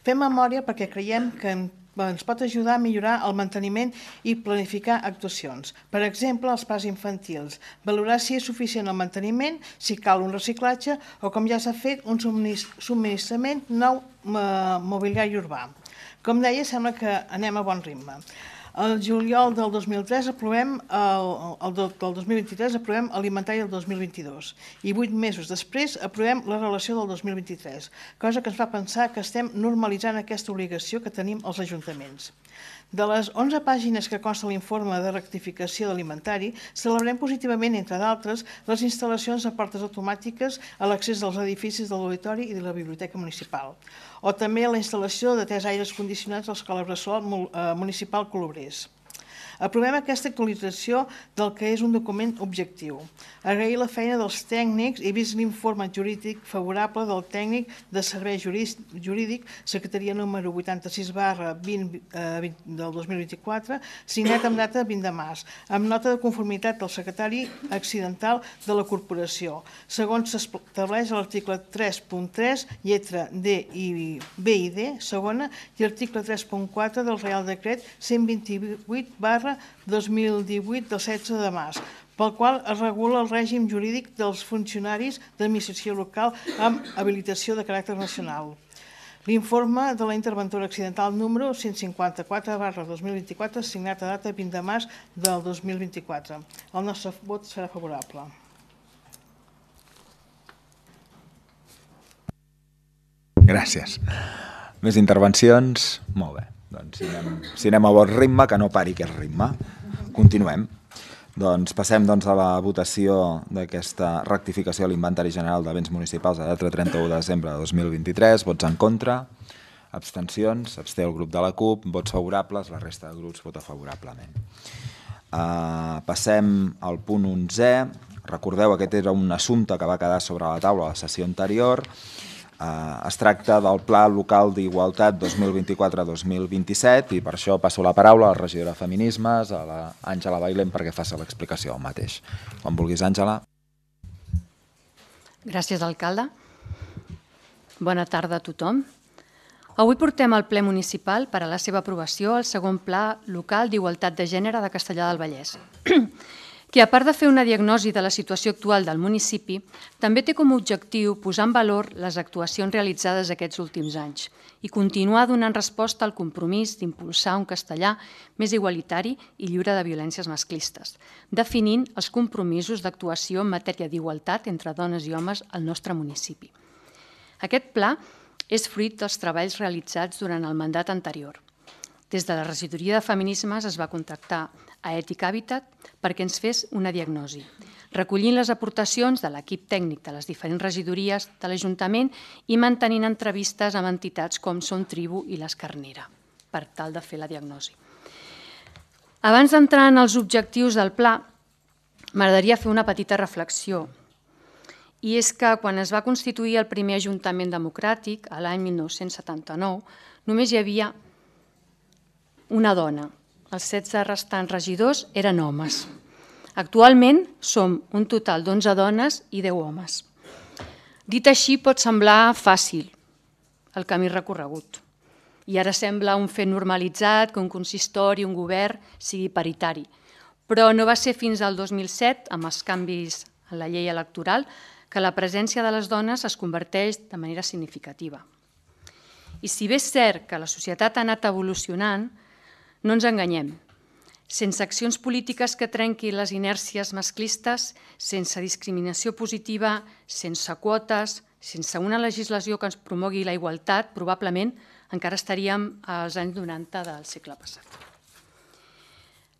Fem memòria perquè creiem que ens pot ajudar a millorar el manteniment i planificar actuacions. Per exemple, els parcs infantils, valorar si és suficient el manteniment, si cal un reciclatge o, com ja s'ha fet, un subministrament nou mobiliari urbà. Com deia, sembla que anem a bon ritme. El juliol del 2023 aprovem l'inventari del 2022 i 8 mesos després aprovem la relació del 2023, cosa que ens fa pensar que estem normalitzant aquesta obligació que tenim els ajuntaments. De les 11 pàgines que consta l'informe de rectificació de l'inventari, celebrem positivament, entre d'altres, les instal·lacions de portes automàtiques a l'accés dels edificis de l'auditori i de la biblioteca municipal, o també la instal·lació de 3 aires condicionats a l'escola bressol municipal Colobrers. Aprovem aquesta actualització del que és un document objectiu. Agrair la feina dels tècnics i vist l'informe jurídic favorable del tècnic de servei jurídic, secretaria número 86/20 del 2024, signat amb data 20 de març, amb nota de conformitat del secretari accidental de la corporació, segons s'estableix a l'article 3.3, lletra D i B i D, segona, i article 3.4 del Reial Decret 128/2018 del 16 de març, pel qual es regula el règim jurídic dels funcionaris d'administració local amb habilitació de caràcter nacional. L'informe de la interventora accidental número 154/2024, signat a data 20 de març del 2024. El nostre vot serà favorable. Gràcies. Més intervencions? Molt bé. Doncs si anem a bon ritme, que no pari aquest ritme. Continuem. Doncs passem a la votació d'aquesta rectificació a l'Inventari General de Béns Municipals a data 31 de desembre de 2023. Vots en contra, abstencions, s'absté el grup de la CUP, vots favorables, la resta de grups vota favorablement. Passem al punt 11è. Recordeu, aquest era un assumpte que va quedar sobre la taula a la sessió anterior. Es tracta del Pla Local d'Igualtat 2024-2027 i per això passo la paraula a la regidora de Feminismes, a l'Àngela Bailén, perquè faci l'explicació del mateix. Quan vulguis, Àngela. Gràcies, alcalde. Bona tarda a tothom. Avui portem al ple municipal per a la seva aprovació el segon Pla Local d'Igualtat de Gènere de Castellar del Vallès, que a part de fer una diagnosi de la situació actual del municipi, també té com a objectiu posar en valor les actuacions realitzades aquests últims anys i continuar donant resposta al compromís d'impulsar un castellà més igualitari i lliure de violències masclistes, definint els compromisos d'actuació en matèria d'igualtat entre dones i homes al nostre municipi. Aquest pla és fruit dels treballs realitzats durant el mandat anterior. Des de la regidoria de Feminismes es va contactar a Ètic Hàbitat perquè ens fes una diagnosi, recollint les aportacions de l'equip tècnic de les diferents regidories de l'Ajuntament i mantenint entrevistes amb entitats com Som Tribu i l'Escarnera, per tal de fer la diagnosi. Abans d'entrar en els objectius del pla, m'agradaria fer una petita reflexió. I és que quan es va constituir el primer Ajuntament democràtic, a l'any 1979, només hi havia una dona. Els 16 restants regidors eren homes. Actualment som un total d'11 dones i 10 homes. Dit així pot semblar fàcil el camí recorregut. I ara sembla un fet normalitzat que un consistori, un govern, sigui paritari. Però no va ser fins al 2007, amb els canvis en la llei electoral, que la presència de les dones es converteix de manera significativa. I si bé és cert que la societat ha anat evolucionant, no ens enganyem. Sense accions polítiques que trenquin les inèrcies masclistes, sense discriminació positiva, sense quotes, sense una legislació que ens promogui la igualtat, probablement encara estaríem als anys 90 del segle passat.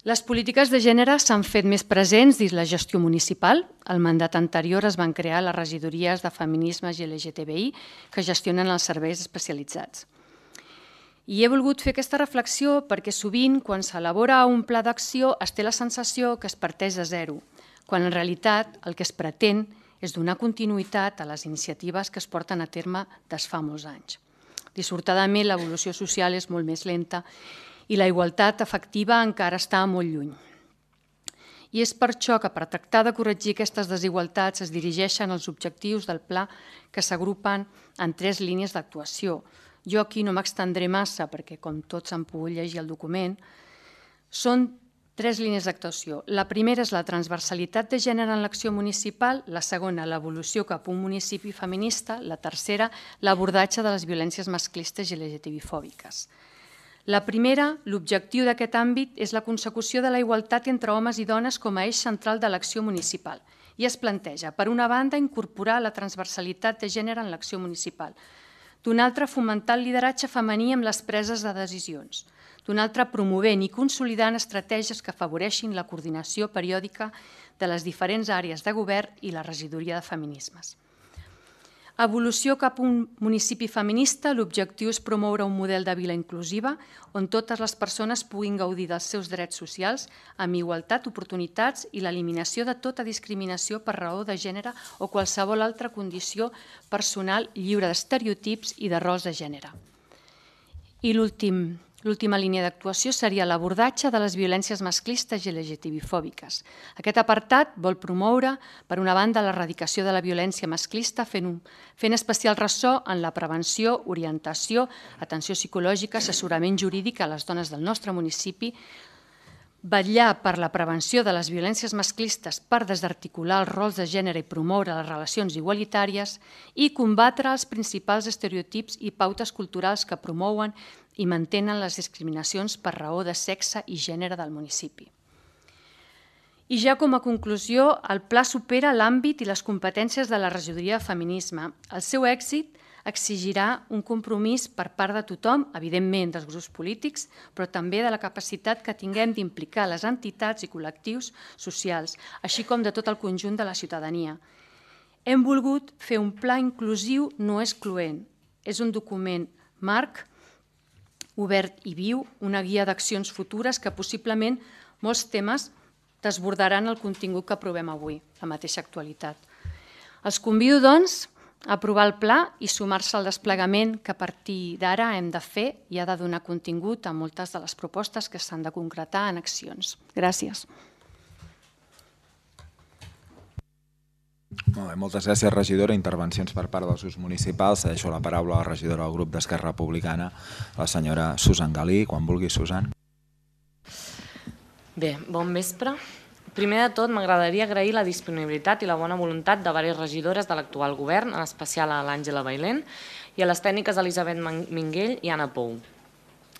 Les polítiques de gènere s'han fet més presents dins la gestió municipal. Al mandat anterior es van crear les regidories de Feminismes i LGTBI que gestionen els serveis especialitzats. I he volgut fer aquesta reflexió perquè sovint, quan s'elabora un pla d'acció, es té la sensació que es parteix de zero, quan en realitat el que es pretén és donar continuïtat a les iniciatives que es porten a terme des fa molts anys. Dissortadament, l'evolució social és molt més lenta i la igualtat efectiva encara està molt lluny. I és per això que per tractar de corregir aquestes desigualtats es dirigeixen els objectius del pla que s'agrupen en 3 línies d'actuació. Jo aquí no m'extendré massa perquè, com tots han pogut llegir el document, són 3 línies d'actuació. La primera és la transversalitat de gènere en l'acció municipal, la segona, l'evolució cap a un municipi feminista, la tercera, l'abordatge de les violències masclistes i LGTBI-fòbiques. La primera, l'objectiu d'aquest àmbit és la consecució de la igualtat entre homes i dones com a eix central de l'acció municipal i es planteja, per una banda, incorporar la transversalitat de gènere en l'acció municipal, d'una altra, fomentar el lideratge femení amb les preses de decisions, d'una altra, promovent i consolidant estratègies que afavoreixin la coordinació periòdica de les diferents àrees de govern i la regidoria de Feminismes. Evolució cap a un municipi feminista, l'objectiu és promoure un model de vila inclusiva on totes les persones puguin gaudir dels seus drets socials amb igualtat, oportunitats i l'eliminació de tota discriminació per raó de gènere o qualsevol altra condició personal lliure d'estereotips i de rols de gènere. I l'última línia d'actuació seria l'abordatge de les violències masclistes i LGTBI-fòbiques. Aquest apartat vol promoure, per una banda, l'erradicació de la violència masclista fent especial ressò en la prevenció, orientació, atenció psicològica, assessorament jurídic a les dones del nostre municipi, vetllar per la prevenció de les violències masclistes per desarticular els rols de gènere i promoure les relacions igualitàries i combatre els principals estereotips i pautes culturals que promouen i mantenen les discriminacions per raó de sexe i gènere del municipi. I ja com a conclusió, el pla supera l'àmbit i les competències de la regidoria de feminisme. El seu èxit exigirà un compromís per part de tothom, evidentment dels grups polítics, però també de la capacitat que tinguem d'implicar les entitats i col·lectius socials, així com de tot el conjunt de la ciutadania. Hem volgut fer un pla inclusiu no excloent. És un document marc, obert i viu, una guia d'accions futures que possiblement molts temes desbordaran el contingut que aprovem avui, la mateixa actualitat. Els convido, doncs, a aprovar el pla i sumar-se al desplegament que a partir d'ara hem de fer i ha de donar contingut a moltes de les propostes que s'han de concretar en accions. Gràcies. Molt bé, moltes gràcies, regidora. Intervencions per part dels grups municipals. Cedeixo la paraula a la regidora del grup d'Esquerra Republicana, la senyora Susan Galí. Quan vulgui, Susan. Bé, bon vespre. Primer de tot, m'agradaria agrair la disponibilitat i la bona voluntat de diverses regidores de l'actual govern, en especial a l'Àngela Bailén, i a les tècniques Elisabet Minguell i Anna Pou.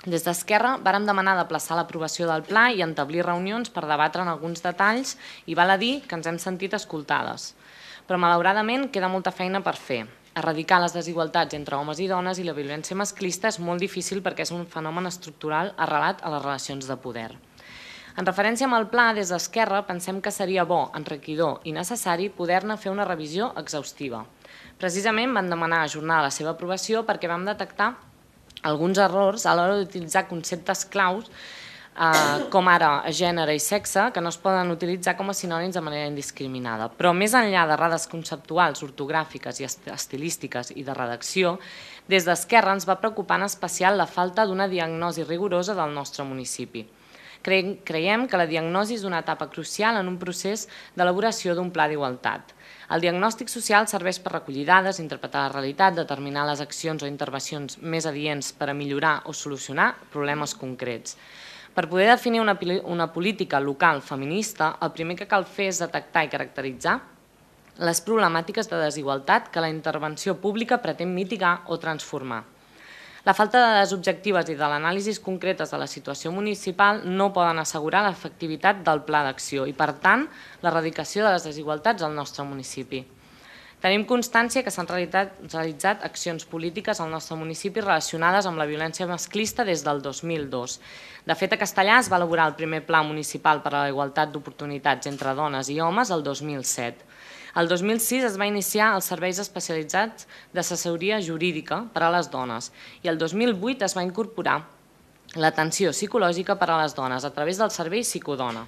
Des d'Esquerra vàrem demanar d'aplaçar l'aprovació del pla i establir reunions per debatre en alguns detalls i val a dir que ens hem sentit escoltades. Però malauradament queda molta feina per fer. Erradicar les desigualtats entre homes i dones i la violència masclista és molt difícil perquè és un fenomen estructural arrelat a les relacions de poder. En referència amb el pla, des d'Esquerra pensem que seria bo, enriquidor i necessari poder-ne fer una revisió exhaustiva. Precisament vam demanar ajornar la seva aprovació perquè vam detectar alguns errors a l'hora d'utilitzar conceptes claus com ara gènere i sexe, que no es poden utilitzar com a sinònims de manera indiscriminada. Però més enllà d'errades conceptuals, ortogràfiques i estilístiques i de redacció, des d'Esquerra ens va preocupar en especial la falta d'una diagnosi rigorosa del nostre municipi. Creiem que la diagnosi és una etapa crucial en un procés d'elaboració d'un pla d'igualtat. El diagnòstic social serveix per recollir dades, interpretar la realitat, determinar les accions o intervencions més adients per a millorar o solucionar problemes concrets. Per poder definir una política local feminista, el primer que cal fer és detectar i caracteritzar les problemàtiques de desigualtat que la intervenció pública pretén mitigar o transformar. La falta de dades objectives i de l'anàlisi concretes de la situació municipal no poden assegurar l'efectivitat del pla d'acció i, per tant, l'erradicació de les desigualtats al nostre municipi. Tenim constància que s'han realitzat accions polítiques al nostre municipi relacionades amb la violència masclista des del 2002. De fet, a Castellà es va elaborar el primer pla municipal per a la igualtat d'oportunitats entre dones i homes el 2007. El 2006 es va iniciar els serveis especialitzats d'assessoria jurídica per a les dones i el 2008 es va incorporar l'atenció psicològica per a les dones a través del servei Psicodona.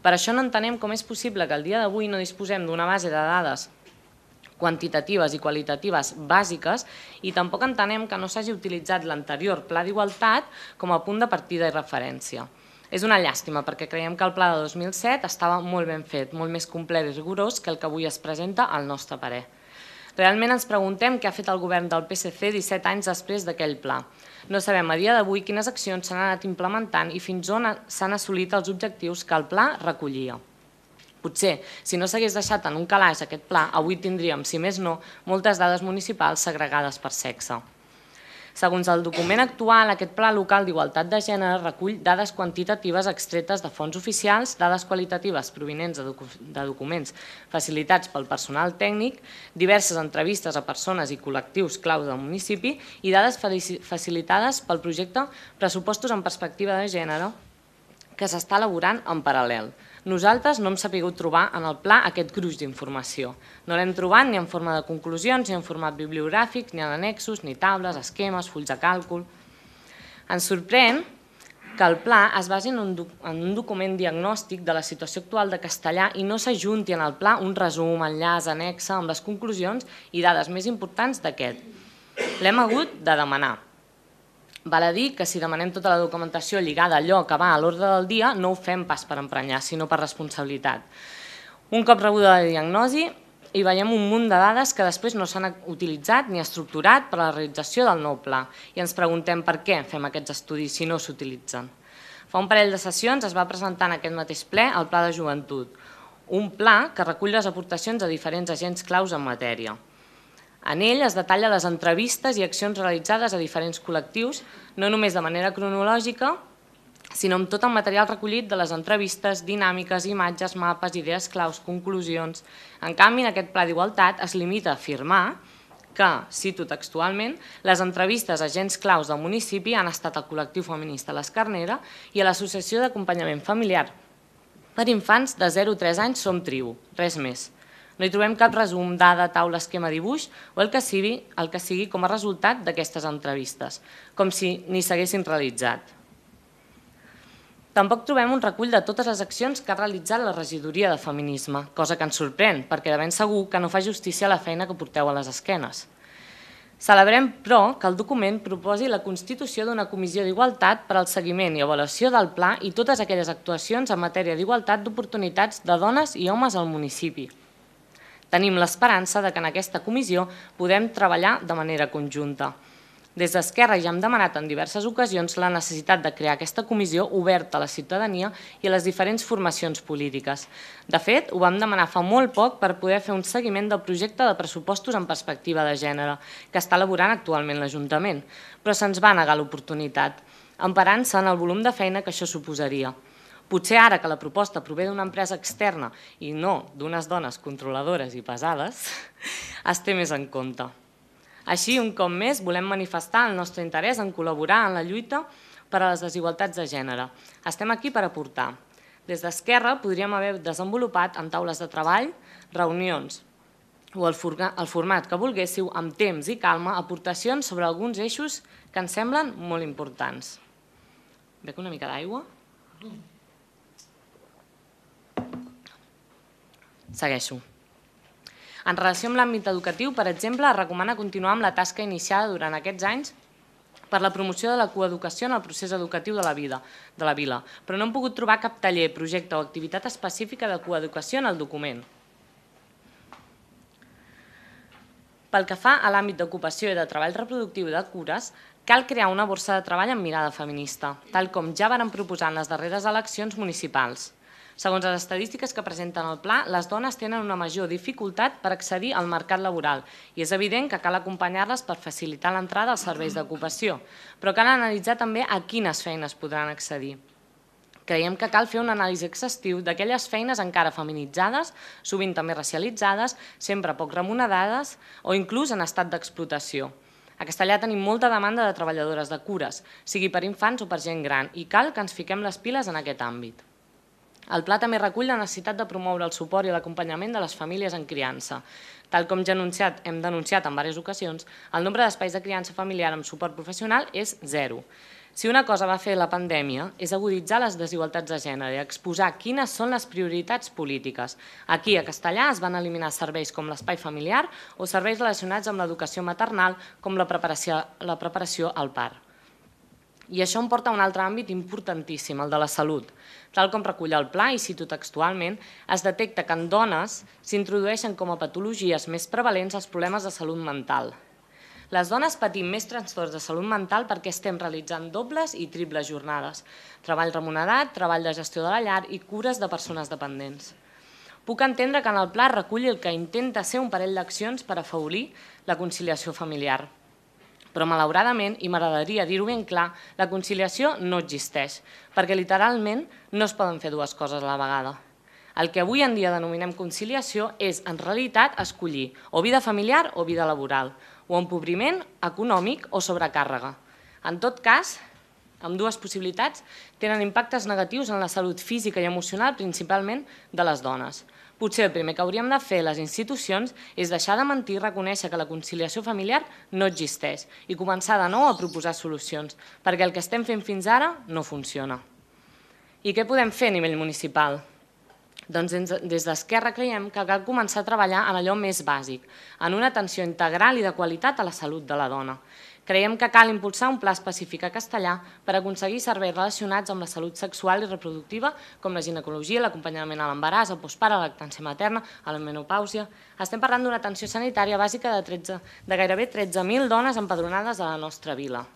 Per això no entenem com és possible que al dia d'avui no disposem d'una base de dades quantitatives i qualitatives bàsiques i tampoc entenem que no s'hagi utilitzat l'anterior pla d'igualtat com a punt de partida i referència. És una llàstima perquè creiem que el pla de 2007 estava molt ben fet, molt més complet i rigorós que el que avui es presenta al nostre parer. Realment ens preguntem què ha fet el govern del PSC 17 anys després d'aquell pla. No sabem a dia d'avui quines accions s'han anat implementant i fins on s'han assolit els objectius que el pla recollia. Potser, si no s'hagués deixat en un calaix aquest pla, avui tindríem, si més no, moltes dades municipals segregades per sexe. Segons el document actual, aquest Pla Local d'Igualtat de Gènere recull dades quantitatives extretes de fonts oficials, dades qualitatives provinents de documents facilitats pel personal tècnic, diverses entrevistes a persones i col·lectius clau del municipi i dades facilitades pel projecte Pressupostos en Perspectiva de Gènere que s'està elaborant en paral·lel. Nosaltres no hem sabut trobar en el pla aquest gruix d'informació. No l'hem trobat ni en forma de conclusions, ni en format bibliogràfic, ni en annexos, ni taules, esquemes, fulls de càlcul. Ens sorprèn que el pla es basi en un document diagnòstic de la situació actual de castellà i no s'ajunti en el pla un resum, enllaç, anexa amb les conclusions i dades més importants d'aquest. L'hem hagut de demanar. Val a dir que si demanem tota la documentació lligada a allò que va a l'ordre del dia, no ho fem pas per emprenyar, sinó per responsabilitat. Un cop rebuda la diagnosi, hi veiem un munt de dades que després no s'han utilitzat ni estructurat per a la realització del nou pla i ens preguntem per què fem aquests estudis si no s'utilitzen. Fa un parell de sessions es va presentar en aquest mateix ple el Pla de Joventut, un pla que recull les aportacions de diferents agents claus en matèria. En ell es detalla les entrevistes i accions realitzades a diferents col·lectius, no només de manera cronològica, sinó amb tot el material recollit de les entrevistes, dinàmiques, imatges, mapes, idees claus, conclusions. En canvi, en aquest Pla d'Igualtat es limita a afirmar que, cito textualment, les entrevistes a agents claus del municipi han estat al col·lectiu feminista l'Escarnera i a l'Associació d'Acompanyament Familiar per infants de 0 a 3 anys Som Tribu, res més. No hi trobem cap resum, dada, taula, esquema, dibuix o el que sigui com a resultat d'aquestes entrevistes, com si ni s'haguessin realitzat. Tampoc trobem un recull de totes les accions que ha realitzat la regidoria de feminisme, cosa que ens sorprèn, perquè de ben segur que no fa justícia a la feina que porteu a les esquenes. Celebrem, però, que el document proposi la constitució d'una comissió d'igualtat per al seguiment i avaluació del pla i totes aquelles actuacions en matèria d'igualtat d'oportunitats de dones i homes al municipi. Tenim l'esperança que en aquesta comissió podem treballar de manera conjunta. Des d'Esquerra ja hem demanat en diverses ocasions la necessitat de crear aquesta comissió oberta a la ciutadania i a les diferents formacions polítiques. De fet, ho vam demanar fa molt poc per poder fer un seguiment del projecte de pressupostos en perspectiva de gènere, que està elaborant actualment l'Ajuntament, però se'ns va negar l'oportunitat, emparant-se en el volum de feina que això suposaria. Potser ara que la proposta prové d'una empresa externa i no d'unes dones controladores i pesades, es té més en compte. Així, un cop més, volem manifestar el nostre interès en col·laborar en la lluita per a les desigualtats de gènere. Estem aquí per aportar. Des d'Esquerra podríem haver desenvolupat en taules de treball, reunions o el format que volguéssiu, amb temps i calma, aportacions sobre alguns eixos que ens semblen molt importants. Bec una mica d'aigua? Segueixo. En relació amb l'àmbit educatiu, per exemple, es recomana continuar amb la tasca iniciada durant aquests anys per la promoció de la coeducació en el procés educatiu de la vila, però no hem pogut trobar cap taller, projecte o activitat específica de coeducació en el document. Pel que fa a l'àmbit d'ocupació i de treball reproductiu i de cures, cal crear una borsa de treball amb mirada feminista, tal com ja varen proposar en les darreres eleccions municipals. Segons les estadístiques que presenten el pla, les dones tenen una major dificultat per accedir al mercat laboral i és evident que cal acompanyar-les per facilitar l'entrada als serveis d'ocupació, però cal analitzar també a quines feines podran accedir. Creiem que cal fer un anàlisi exhaustiu d'aquelles feines encara feminitzades, sovint també racialitzades, sempre poc remunerades o inclús en estat d'explotació. A Castellà tenim molta demanda de treballadores de cures, sigui per infants o per gent gran, i cal que ens fiquem les piles en aquest àmbit. El pla també recull la necessitat de promoure el suport i l'acompanyament de les famílies en criança. Tal com ja hem denunciat en diverses ocasions, el nombre d'espais de criança familiar amb suport professional és 0. Si una cosa va fer la pandèmia és aguditzar les desigualtats de gènere i exposar quines són les prioritats polítiques. Aquí, a Castellà, es van eliminar serveis com l'espai familiar o serveis relacionats amb l'educació maternal, com la preparació al part. I això em porta a un altre àmbit importantíssim, el de la salut. Tal com recull el pla, i cito textualment, es detecta que en dones s'introdueixen com a patologies més prevalents els problemes de salut mental. Les dones patim més trastorns de salut mental perquè estem realitzant dobles i triples jornades, treball remunerat, treball de gestió de la llar i cures de persones dependents. Puc entendre que en el pla reculli el que intenta ser un parell d'accions per afavorir la conciliació familiar. Però malauradament, i m'agradaria dir-ho ben clar, la conciliació no existeix, perquè literalment no es poden fer dues coses a la vegada. El que avui en dia denominem conciliació és, en realitat, escollir o vida familiar o vida laboral, o empobriment econòmic o sobrecàrrega. En tot cas, Ambdues possibilitats tenen impactes negatius en la salut física i emocional, principalment de les dones. Potser el primer que hauríem de fer les institucions és deixar de mentir i reconèixer que la conciliació familiar no existeix i començar de nou a proposar solucions, perquè el que estem fent fins ara no funciona. I què podem fer a nivell municipal? Doncs des d'Esquerra creiem que cal començar a treballar en allò més bàsic, en una atenció integral i de qualitat a la salut de la dona. Creiem que cal impulsar un pla específic a castellà per aconseguir serveis relacionats amb la salut sexual i reproductiva, com la ginecologia, l'acompanyament a l'embaràs, el postpart, la lactància materna, a la menopàusia. Estem parlant d'una atenció sanitària bàsica de gairebé 13.000 dones empadronades a la nostra vila.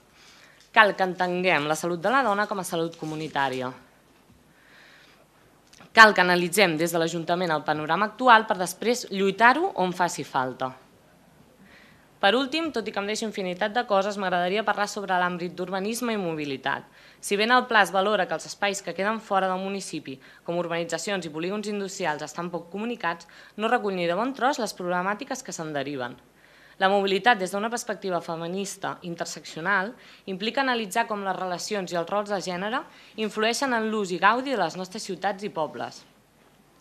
Cal que entenguem la salut de la dona com a salut comunitària. Cal que analitzem des de l'Ajuntament el panorama actual per després lluitar-ho on faci falta. Per últim, tot i que em deixo infinitat de coses, m'agradaria parlar sobre l'àmbit d'urbanisme i mobilitat. Si bé en el pla es valora que els espais que queden fora del municipi, com urbanitzacions i polígons industrials, estan poc comunicats, no recull ni de bon tros les problemàtiques que se'n deriven. La mobilitat des d'una perspectiva feminista interseccional implica analitzar com les relacions i els rols de gènere influeixen en l'ús i gaudi de les nostres ciutats i pobles,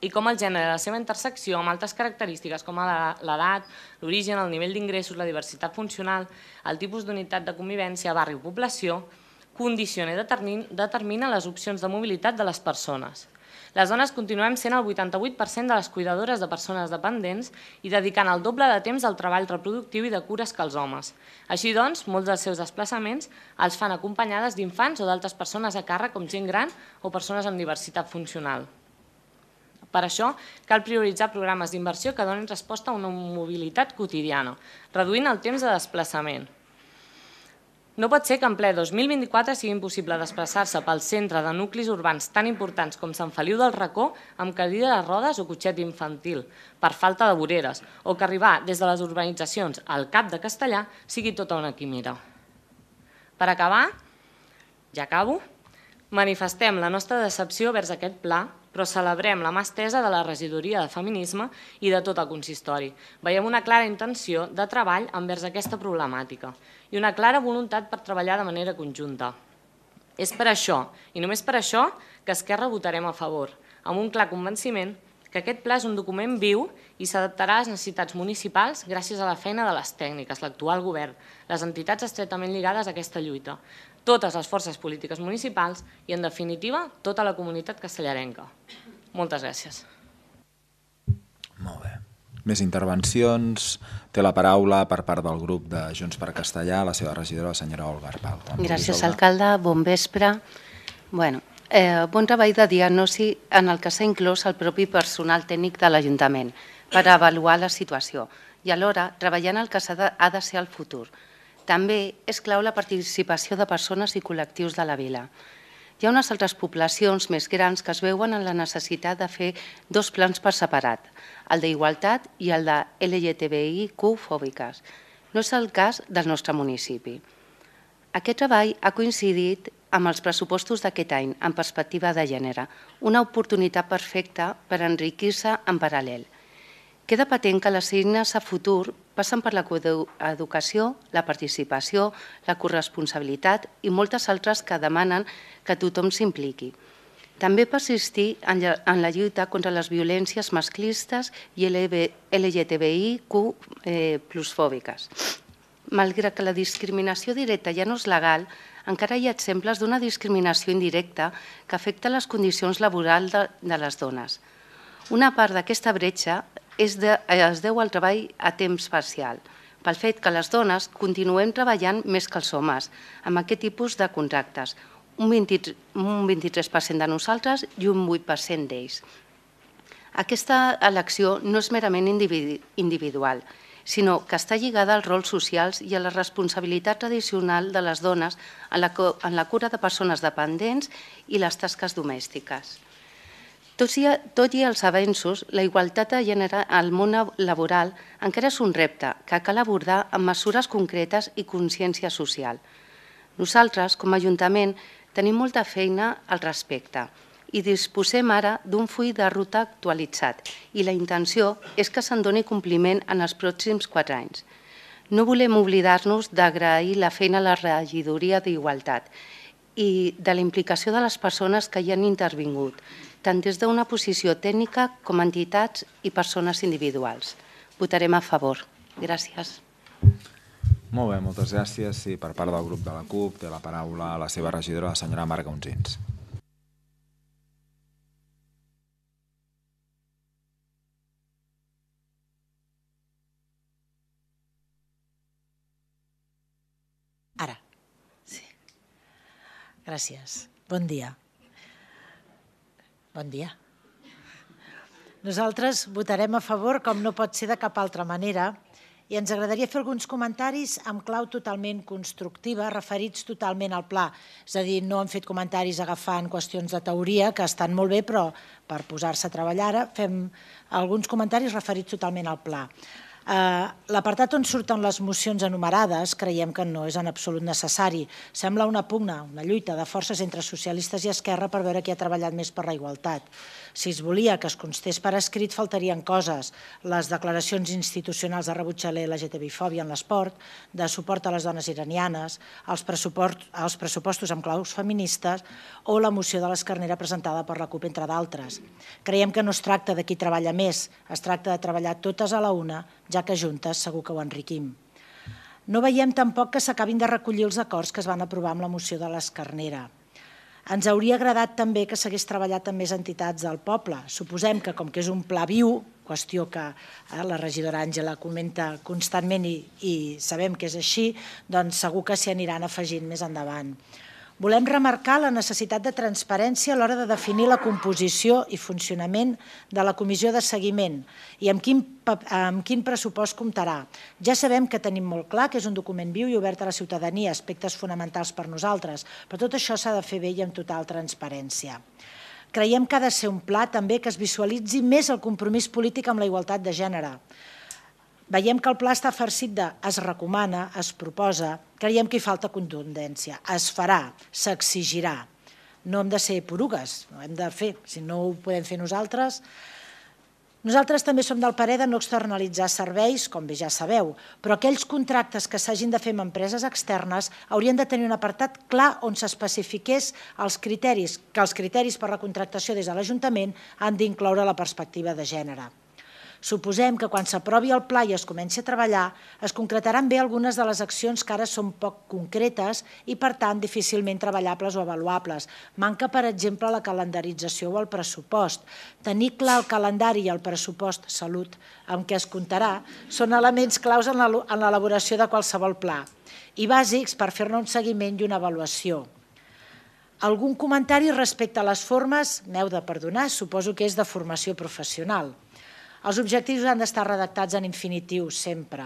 i com el gènere i la seva intersecció amb altres característiques com l'edat, l'origen, el nivell d'ingressos, la diversitat funcional, el tipus d'unitat de convivència, barri o població, condiciona i determina les opcions de mobilitat de les persones. Les dones continuem sent el 88% de les cuidadores de persones dependents i dedicant el doble de temps al treball reproductiu i de cures que els homes. Així doncs, molts dels seus desplaçaments els fan acompanyades d'infants o d'altres persones a càrrec com gent gran o persones amb diversitat funcional. Per això, cal prioritzar programes d'inversió que donin resposta a una mobilitat quotidiana, reduint el temps de desplaçament. No pot ser que en ple 2024 sigui impossible desplaçar-se pel centre de nuclis urbans tan importants com Sant Feliu del Racó amb cadira de rodes o cotxet infantil, per falta de voreres, o que arribar des de les urbanitzacions al Cap de Castellà sigui tota una quimera. Per acabar, ja acabo, manifestem la nostra decepció vers aquest pla, però celebrem la mà estesa de la regidoria de feminisme i de tot el consistori. Veiem una clara intenció de treball envers aquesta problemàtica i una clara voluntat per treballar de manera conjunta. És per això, i només per això, que Esquerra votarem a favor, amb un clar convenciment que aquest pla és un document viu i s'adaptarà a les necessitats municipals gràcies a la feina de les tècniques, l'actual govern, les entitats estretament lligades a aquesta lluita, totes les forces polítiques municipals i, en definitiva, tota la comunitat castellarenca. Moltes gràcies. Molt bé. Més intervencions. Té la paraula per part del grup de Junts per Castellà, la seva regidora, la senyora Olga Arpal. Gràcies, alcalde. Bon vespre. Bon treball de diagnosi en el que s'ha inclòs el propi personal tècnic de l'Ajuntament per avaluar la situació i alhora treballar en el que ha de ser el futur. També és clau la participació de persones i col·lectius de la vila. Hi ha unes altres poblacions més grans que es veuen en la necessitat de fer dos plans per separat, el d'igualtat i el de LGTBIQ-fòbiques. No és el cas del nostre municipi. Aquest treball ha coincidit amb els pressupostos d'aquest any en perspectiva de gènere, una oportunitat perfecta per enriquir-se en paral·lel. Queda patent que les eines a futur passen per la coeducació, la participació, la corresponsabilitat i moltes altres que demanen que tothom s'impliqui. També persistir en la lluita contra les violències masclistes i LGTBIQ+fòbiques. Malgrat que la discriminació directa ja no és legal, encara hi ha exemples d'una discriminació indirecta que afecta les condicions laborals de les dones. Una part d'aquesta bretxa es deu al treball a temps parcial, pel fet que les dones continuem treballant més que els homes amb aquest tipus de contractes, un 23% de nosaltres i un 8% d'ells. Aquesta elecció no és merament individual, sinó que està lligada als rols socials i a la responsabilitat tradicional de les dones en la cura de persones dependents i les tasques domèstiques. Tot i els avenços, la igualtat de gènere al món laboral encara és un repte que cal abordar amb mesures concretes i consciència social. Nosaltres, com a Ajuntament, tenim molta feina al respecte i disposem ara d'un full de ruta actualitzat i la intenció és que se'n doni compliment en els pròxims 4 anys. No volem oblidar-nos d'agrair la feina a la regidoria d'Igualtat i de la implicació de les persones que hi han intervingut, tant des d'una posició tècnica com entitats i persones individuals. Votarem a favor. Gràcies. Molt bé, moltes gràcies. Sí, per part del grup de la CUP té la paraula la seva regidora, la senyora Marga Unsins. Ara. Sí. Gràcies. Bon dia. Bon dia. Nosaltres votarem a favor, com no pot ser de cap altra manera, i ens agradaria fer alguns comentaris amb clau totalment constructiva, referits totalment al pla. És a dir, no hem fet comentaris agafant qüestions de teoria, que estan molt bé, però per posar-se a treballar ara fem alguns comentaris referits totalment al pla. L'apartat on surten les mocions enumerades creiem que no és en absolut necessari. Sembla una pugna, una lluita de forces entre socialistes i Esquerra per veure qui ha treballat més per la igualtat. Si es volia que es constés per escrit, faltarien coses. Les declaracions institucionals de rebuig a l'LGTBI-fòbia en l'esport, de suport a les dones iranianes, els pressupostos amb claus feministes o la moció de l'Escarnera presentada per la CUP, entre d'altres. Creiem que no es tracta de qui treballa més, es tracta de treballar totes a la una, ja que juntes segur que ho enriquim. No veiem tampoc que s'acabin de recollir els acords que es van aprovar amb la moció de l'Escarnera. Ens hauria agradat també que s'hagués treballat amb més entitats del poble. Suposem que, com que és un pla viu, qüestió que la regidora Àngela comenta constantment i sabem que és així, doncs segur que s'hi aniran afegint més endavant. Volem remarcar la necessitat de transparència a l'hora de definir la composició i funcionament de la comissió de seguiment i amb quin pressupost comptarà. Ja sabem que tenim molt clar que és un document viu i obert a la ciutadania, aspectes fonamentals per nosaltres, però tot això s'ha de fer bé i amb total transparència. Creiem que ha de ser un pla també que es visualitzi més el compromís polític amb la igualtat de gènere. Veiem que el pla està farcit de es recomana, es proposa, creiem que hi falta contundència, es farà, s'exigirà. No hem de ser porugues, ho hem de fer, si no ho podem fer nosaltres. Nosaltres també som del parer de no externalitzar serveis, com bé ja sabeu, però aquells contractes que s'hagin de fer amb empreses externes haurien de tenir un apartat clar on s'especifiqués els criteris, que els criteris per la contractació des de l'Ajuntament han d'incloure la perspectiva de gènere. Suposem que quan s'aprovi el pla i es comenci a treballar, es concretaran bé algunes de les accions que ara són poc concretes i, per tant, difícilment treballables o avaluables. Manca, per exemple, la calendarització o el pressupost. Tenir clar el calendari i el pressupost salut amb què es comptarà són elements claus en l'elaboració de qualsevol pla i bàsics per fer-ne un seguiment i una avaluació. Algun comentari respecte a les formes, m'heu de perdonar, suposo que és de formació professional. Els objectius han d'estar redactats en infinitiu, sempre.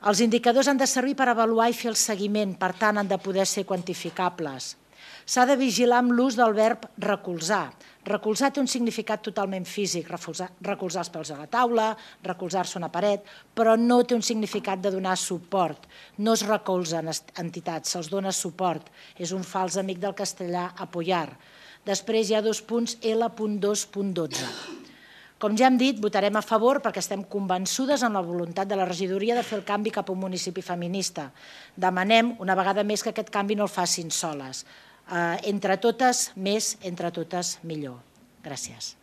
Els indicadors han de servir per avaluar i fer el seguiment, per tant, han de poder ser quantificables. S'ha de vigilar amb l'ús del verb recolzar. Recolzar té un significat totalment físic, recolzar els peus a la taula, recolzar-se una paret, però no té un significat de donar suport. No es recolzen entitats, se'ls dona suport. És un fals amic del castellà apoyar. Després hi ha 2 punts, L.2.12. Com ja hem dit, votarem a favor perquè estem convençudes en la voluntat de la regidoria de fer el canvi cap a un municipi feminista. Demanem una vegada més que aquest canvi no el facin soles. Entre totes, més, entre totes, millor. Gràcies.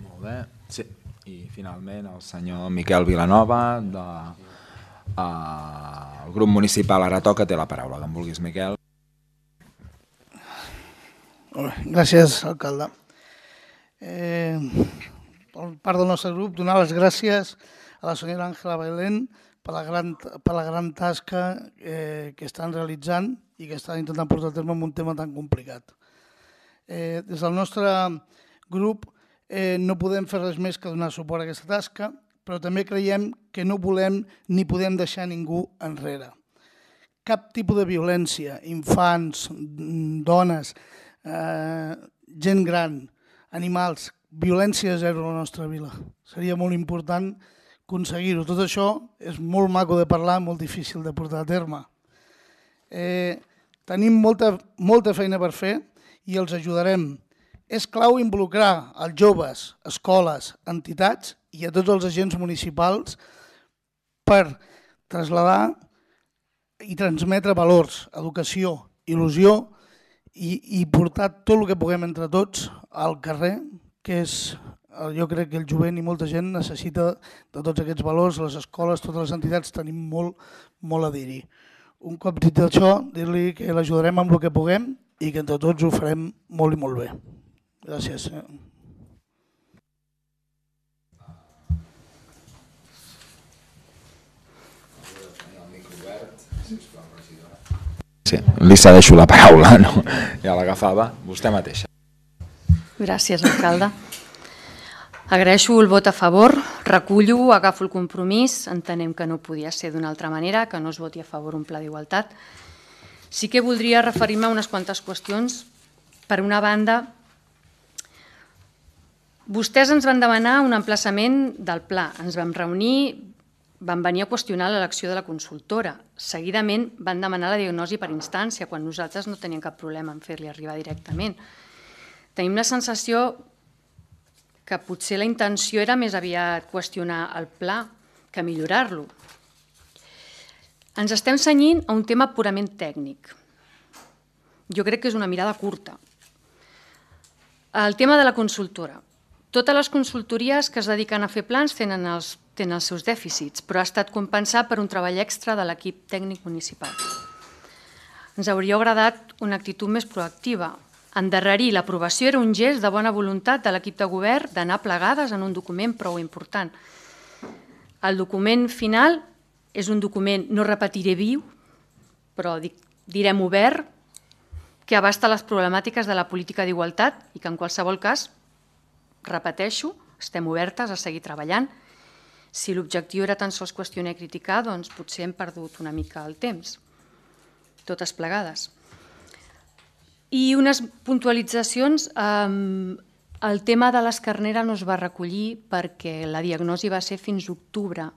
Molt bé. Sí. I finalment el senyor Miquel Vilanova, del grup municipal Ara Toca, té la paraula. Que en vulguis, Miquel. Gràcies, alcalde. Per part del nostre grup, donar les gràcies a la senyora Àngela Bailén per la gran tasca que estan realitzant i que estan intentant portar a terme en un tema tan complicat. Des del nostre grup no podem fer res més que donar suport a aquesta tasca, però també creiem que no volem ni podem deixar ningú enrere. Cap tipus de violència, infants, dones, gent gran, animals, violència zero a la nostra vila. Seria molt important aconseguir-ho. Tot això és molt maco de parlar, molt difícil de portar a terme. Tenim molta feina per fer i els ajudarem. És clau involucrar els joves, escoles, entitats i a tots els agents municipals per traslladar i transmetre valors, educació il·lusió i portar tot el que puguem entre tots al carrer, que és, jo crec que el jovent i molta gent necessita de tots aquests valors, les escoles, totes les entitats tenim molt a dir-hi. Un cop dit això, dir-li que l'ajudarem amb el que puguem i que entre tots ho farem molt i molt bé. Gràcies. Sí, li cedeixo la paraula, no? Ja l'agafava vostè mateixa. Gràcies, alcalde. Agraeixo el vot a favor, recullo, agafo el compromís, entenem que no podia ser d'una altra manera, que no es voti a favor un pla d'igualtat. Sí que voldria referir-me a unes quantes qüestions. Per una banda, vostès ens van demanar un emplaçament del pla, ens vam reunir, van venir a qüestionar l'elecció de la consultora. Seguidament van demanar la diagnosi per instància, quan nosaltres no teníem cap problema en fer-li arribar directament. Tenim la sensació que potser la intenció era més aviat qüestionar el pla que millorar-lo. Ens estem cenyint a un tema purament tècnic. Jo crec que és una mirada curta. El tema de la consultora. Totes les consultories que es dediquen a fer plans tenen els seus dèficits, però ha estat compensat per un treball extra de l'equip tècnic municipal. Ens hauria agradat una actitud més proactiva. Endarrerir l'aprovació era un gest de bona voluntat de l'equip de govern d'anar plegades en un document prou important. El document final és un document, no repetiré viu, però direm obert, que abasta les problemàtiques de la política d'igualtat i que en qualsevol cas, repeteixo, estem obertes a seguir treballant. Si l'objectiu era tan sols qüestionar i criticar, doncs potser hem perdut una mica el temps, totes plegades. I unes puntualitzacions, el tema de l'Escarnera no es va recollir perquè la diagnosi va ser fins octubre,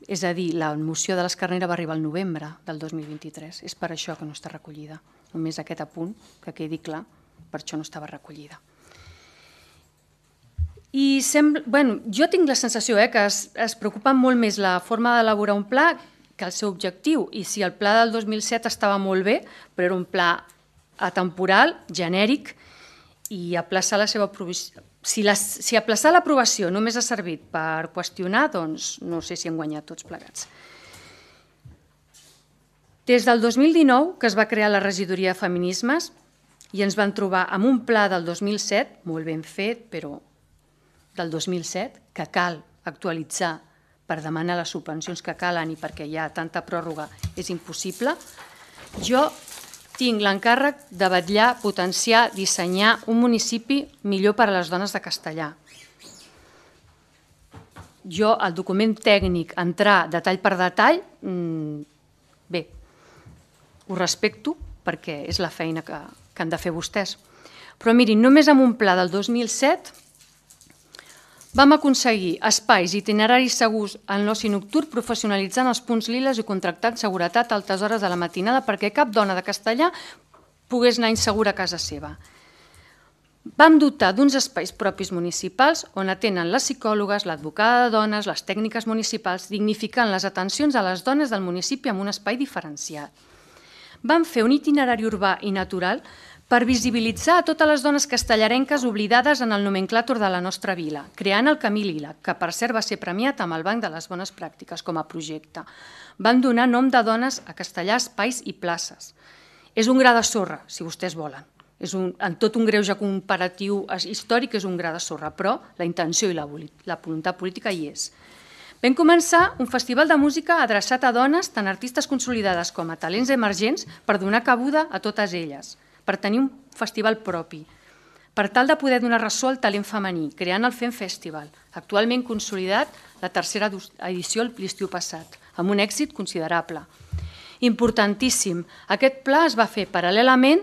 és a dir, la moció de l'Escarnera va arribar al novembre del 2023, és per això que no està recollida, només aquest apunt, que quedi clar, per això no estava recollida. I jo tinc la sensació que es preocupa molt més la forma d'elaborar un pla que el seu objectiu. I si el pla del 2007 estava molt bé, però era un pla atemporal, genèric, i aplaçar la seva aprovació. Si aplaçar l'aprovació només ha servit per qüestionar, doncs no sé si hem guanyat tots plegats. Des del 2019, que es va crear la regidoria de feminismes, i ens van trobar amb un pla del 2007, molt ben fet, però del 2007, que cal actualitzar per demanar les subvencions que calen i perquè hi ha tanta pròrroga és impossible. Jo tinc l'encàrrec de vetllar, potenciar, dissenyar un municipi millor per a les dones de Castellar. Jo, el document tècnic, entrar detall per detall, bé, ho respecto perquè és la feina que han de fer vostès. Però mirin, només amb un pla del 2007 vam aconseguir espais i itineraris segurs en l'oci nocturn professionalitzant els punts liles i contractant seguretat a altes hores de la matinada perquè cap dona de Castellar pogués anar insegura a casa seva. Vam dotar d'uns espais propis municipals on atenen les psicòlogues, l'advocada de dones, les tècniques municipals, dignificant les atencions a les dones del municipi amb un espai diferenciat. Vam fer un itinerari urbà i natural per visibilitzar a totes les dones castellarenques oblidades en el nomenclàtor de la nostra vila, creant el Camí Lila, que per cert va ser premiat amb el Banc de les Bones Pràctiques com a projecte. Van donar nom de dones a Castellar, espais i places. És un gra de sorra, si vostès volen. En tot un greuge comparatiu històric és un gra de sorra, però la intenció i la voluntat política hi és. Vam començar un festival de música adreçat a dones, tant artistes consolidades com a talents emergents, per donar cabuda a totes elles, per tenir un festival propi, per tal de poder donar ressò al talent femení, creant el FEM Festival, actualment consolidat la tercera edició l'estiu passat, amb un èxit considerable. Importantíssim, aquest pla es va fer paral·lelament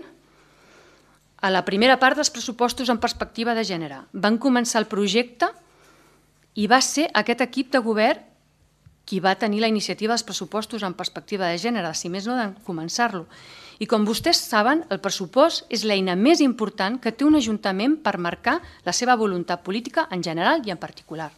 a la primera part dels pressupostos en perspectiva de gènere. Van començar el projecte i va ser aquest equip de govern qui va tenir la iniciativa dels pressupostos en perspectiva de gènere, si més no de començar-lo. I com vostès saben, el pressupost és l'eina més important que té un ajuntament per marcar la seva voluntat política en general i en particular.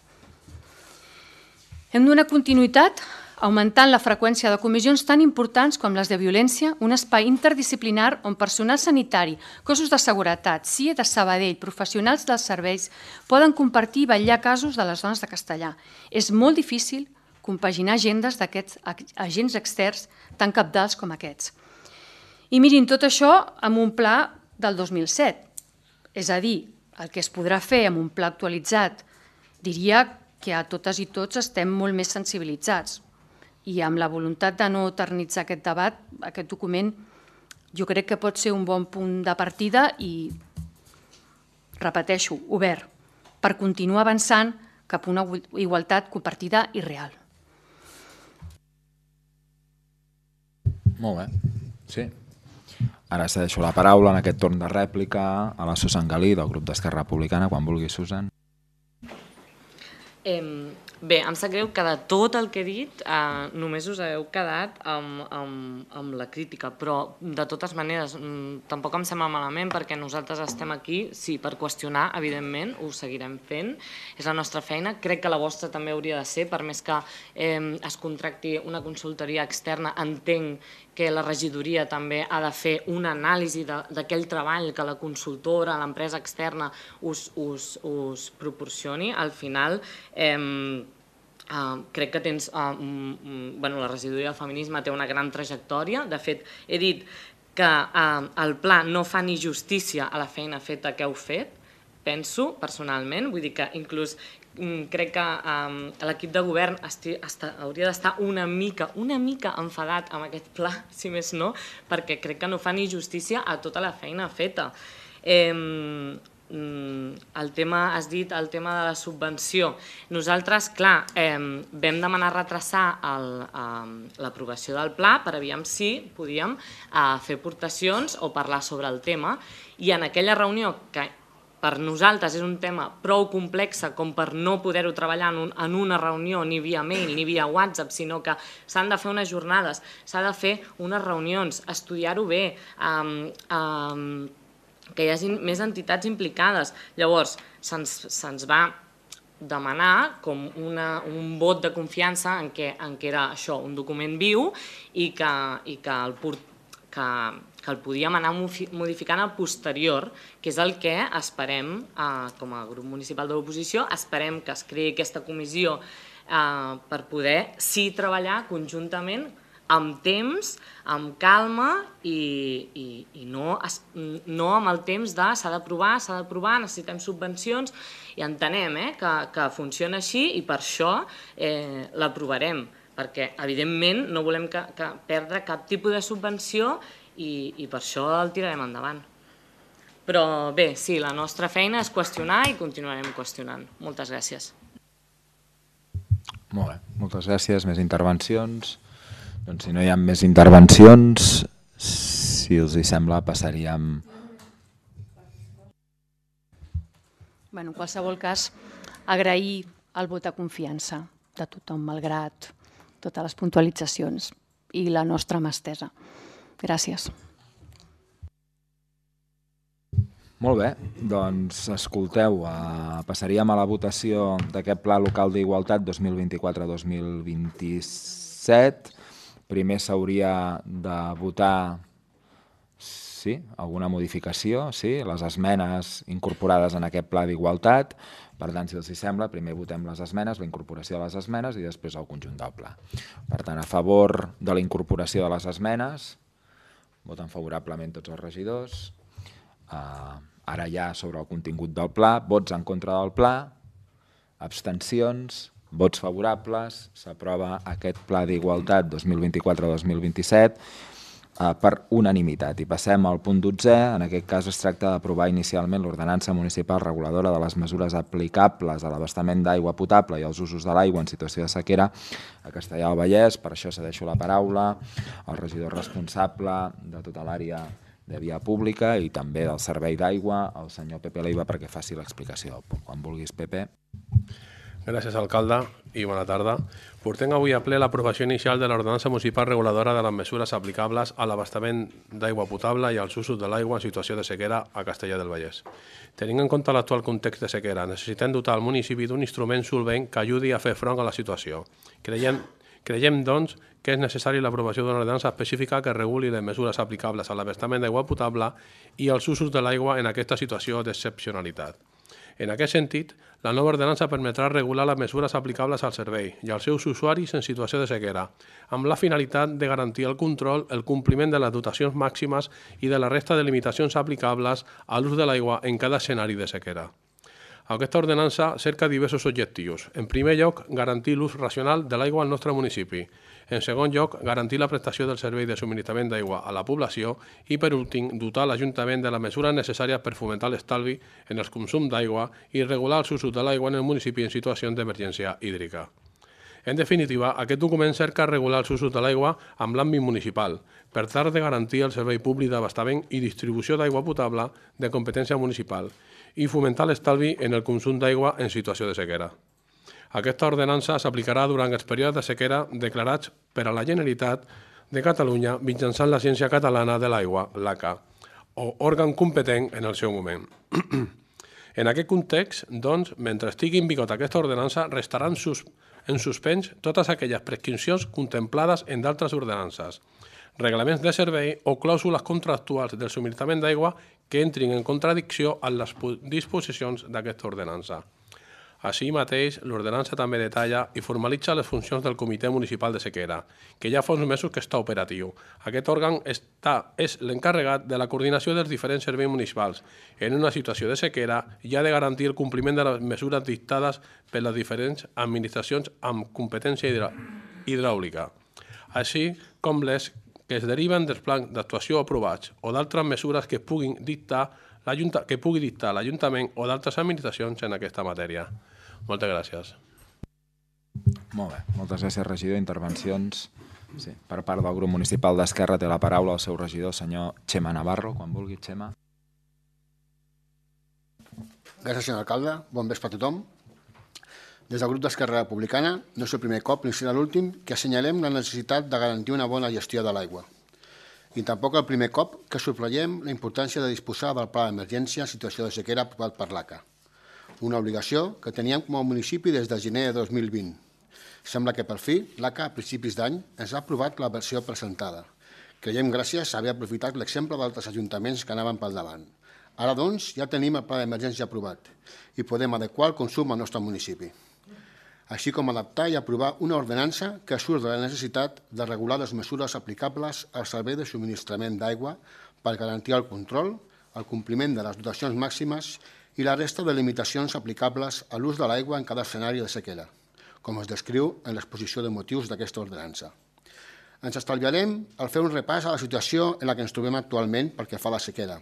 Hem donat continuïtat augmentant la freqüència de comissions tan importants com les de violència, un espai interdisciplinar on personal sanitari, cossos de seguretat, CIE de Sabadell, professionals dels serveis, poden compartir i vetllar casos de les dones de Castellar. És molt difícil compaginar agendes d'aquests agents externs tan cabdals com aquests. I mirin, tot això amb un pla del 2007. És a dir, el que es podrà fer amb un pla actualitzat, diria que a totes i tots estem molt més sensibilitzats. I amb la voluntat de no eternitzar aquest debat, aquest document jo crec que pot ser un bon punt de partida i, repeteixo, obert, per continuar avançant cap a una igualtat compartida i real. Molt bé, sí. Ara cedeixo la paraula en aquest torn de rèplica a la Susan Galí del grup d'Esquerra Republicana. Quan vulgui, Susan. Bé, em sap greu que de tot el que he dit només us heu quedat amb la crítica, però de totes maneres tampoc em sembla malament perquè nosaltres estem aquí, sí, per qüestionar, evidentment, ho seguirem fent, és la nostra feina, crec que la vostra també hauria de ser, per més que es contracti una consultoria externa, entenc que la regidoria també ha de fer una anàlisi d'aquell treball que la consultora, l'empresa externa us proporcioni. Al final, crec que tens... La regidoria del feminisme té una gran trajectòria. De fet, he dit que el pla no fa ni justícia a la feina feta que heu fet, penso, personalment. Vull dir que inclús crec que l'equip de govern hauria d'estar una mica enfadat amb aquest pla, si més no, perquè crec que no fa ni justícia a tota la feina feta. El tema, has dit, el tema de la subvenció. Nosaltres, clar, vam demanar retrasar l'aprovació del pla per aviam si podíem fer aportacions o parlar sobre el tema, i en aquella reunió que per nosaltres és un tema prou complex com per no poder-ho treballar en una reunió ni via mail ni via WhatsApp, sinó que s'han de fer unes jornades, s'ha de fer unes reunions, estudiar-ho bé, que hi hagi més entitats implicades. Llavors, se'ns va demanar com un vot de confiança en què era això, un document viu i que el podíem anar modificant a posterior, que és el que esperem, com a grup municipal de l'oposició, esperem que es creï aquesta comissió per poder sí treballar conjuntament amb temps, amb calma i no amb el temps de s'ha d'aprovar, necessitem subvencions, i entenem que funciona així i per això l'aprovarem, perquè evidentment no volem perdre cap tipus de subvenció i per això el tirarem endavant. Però bé, sí, la nostra feina és qüestionar i continuarem qüestionant. Moltes gràcies. Molt bé, moltes gràcies. Més intervencions? Doncs si no hi ha més intervencions, si us hi sembla, passaríem... En qualsevol cas, agrair el vot de confiança de tothom, malgrat totes les puntualitzacions i la nostra mà estesa. Gràcies. Molt bé, doncs escolteu, passaríem a la votació d'aquest Pla Local d'Igualtat 2024-2027. Primer s'hauria de votar alguna modificació, les esmenes incorporades en aquest Pla d'Igualtat. Per tant, si els sembla, primer votem les esmenes, la incorporació de les esmenes i després el conjunt del pla. Per tant, a favor de la incorporació de les esmenes, voten favorablement tots els regidors. Ara ja sobre el contingut del pla, vots en contra del pla, abstencions, vots favorables, s'aprova aquest Pla d'Igualtat 2024-2027 per unanimitat. I passem al punt 12, en aquest cas es tracta d'aprovar inicialment l'ordenança municipal reguladora de les mesures aplicables a l'abastament d'aigua potable i als usos de l'aigua en situació de sequera a Castellar del Vallès. Per això cedeixo la paraula al regidor responsable de tota l'àrea de via pública i també del servei d'aigua, el senyor Pepe Leiva, perquè faci l'explicació. Quan vulguis, Pepe. Gràcies, alcalde, i bona tarda. Portem avui a ple l'aprovació inicial de l'ordenança municipal reguladora de les mesures aplicables a l'abastament d'aigua potable i als usos de l'aigua en situació de sequera a Castellar del Vallès. Tenint en compte l'actual context de sequera, necessitem dotar el municipi d'un instrument solvent que ajudi a fer front a la situació. Creiem Creiem, doncs, que és necessari l'aprovació d'una ordenança específica que reguli les mesures aplicables a l'abastament d'aigua potable i els usos de l'aigua en aquesta situació d'excepcionalitat. En aquest sentit, la nova ordenança permetrà regular les mesures aplicables al servei i als seus usuaris en situació de sequera, amb la finalitat de garantir el control, el compliment de les dotacions màximes i de la resta de limitacions aplicables a l'ús de l'aigua en cada escenari de sequera. Aquesta ordenança cerca diversos objectius. En primer lloc, garantir l'ús racional de l'aigua al nostre municipi. En segon lloc, garantir la prestació del servei de subministrament d'aigua a la població i, per últim, dotar l'Ajuntament de les mesures necessàries per fomentar l'estalvi en el consum d'aigua i regular els usos de l'aigua en el municipi en situacions d'emergència hídrica. En definitiva, aquest document cerca regular els usos de l'aigua amb l'àmbit municipal, per tal de garantir el servei públic d'abastament i distribució d'aigua potable de competència municipal i fomentar l'estalvi en el consum d'aigua en situació de sequera. Aquesta ordenança s'aplicarà durant els períodes de sequera declarats per a la Generalitat de Catalunya mitjançant l'Agència Catalana de l'Aigua, l'ACA, o òrgan competent en el seu moment. En aquest context, doncs, mentre estigui en vigor aquesta ordenança, restaran en suspens totes aquelles prescripcions contemplades en d'altres ordenances, reglaments de servei o clàusules contractuals del subministrament d'aigua que entrin en contradicció amb les disposicions d'aquesta ordenança. Així mateix, l'ordenança també detalla i formalitza les funcions del Comitè Municipal de Sequera, que ja fa uns mesos que està operatiu. Aquest òrgan és l'encarregat de la coordinació dels diferents serveis municipals en una situació de sequera i ha de garantir el compliment de les mesures dictades per les diferents administracions amb competència hidràulica, així com les que es deriven dels plans d'actuació aprovats o d'altres mesures que pugui dictar l'Ajuntament o d'altres administracions en aquesta matèria. Moltes gràcies. Molt bé, moltes gràcies, regidor. Intervencions. Sí, per part del grup municipal d'Esquerra té la paraula el seu regidor, senyor Xema Navarro. Quan vulgui, Xema. Gràcies, senyor alcalde. Bon vespre a tothom. Des del grup d'Esquerra Republicana no és el primer cop ni serà l'últim que assenyalem la necessitat de garantir una bona gestió de l'aigua. I tampoc el primer cop que subratllem la importància de disposar del pla d'emergència en situació de sequera aprovat per l'ACA. Una obligació que teníem com a municipi des de gener de 2020. Sembla que per fi l'ACA a principis d'any ens ha aprovat la versió presentada. Creiem gràcies a haver aprofitat l'exemple d'altres ajuntaments que anaven pel davant. Ara, doncs, ja tenim el pla d'emergència aprovat i podem adequar el consum al nostre municipi, així com adaptar i aprovar una ordenança que surt de la necessitat de regular les mesures aplicables al servei de subministrament d'aigua per garantir el control, el compliment de les dotacions màximes i la resta de limitacions aplicables a l'ús de l'aigua en cada escenari de sequera, com es descriu en l'exposició de motius d'aquesta ordenança. Ens estalviarem al fer un repàs a la situació en la que ens trobem actualment pel que fa a la sequera,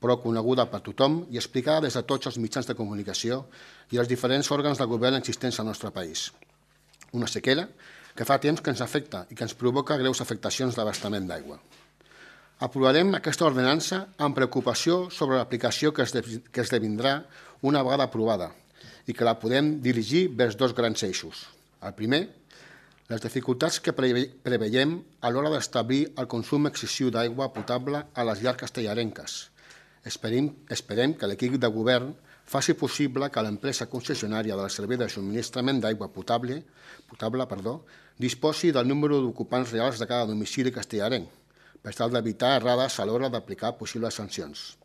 però coneguda per tothom i explicada des de tots els mitjans de comunicació i els diferents òrgans de govern existents al nostre país. Una sequera que fa temps que ens afecta i que ens provoca greus afectacions d'abastament d'aigua. Aprovarem aquesta ordenança amb preocupació sobre l'aplicació que esdevindrà una vegada aprovada i que la podem dirigir vers dos grans eixos. El primer, les dificultats que preveiem a l'hora d'establir el consum excessiu d'aigua potable a les llars castellarenques. Esperem que l'equip de govern faci possible que l'empresa concessionària del servei de subministrament d'aigua potable disposi del número d'ocupants reals de cada domicili castellarenc, per tal d'evitar errades a l'hora d'aplicar possibles sancions.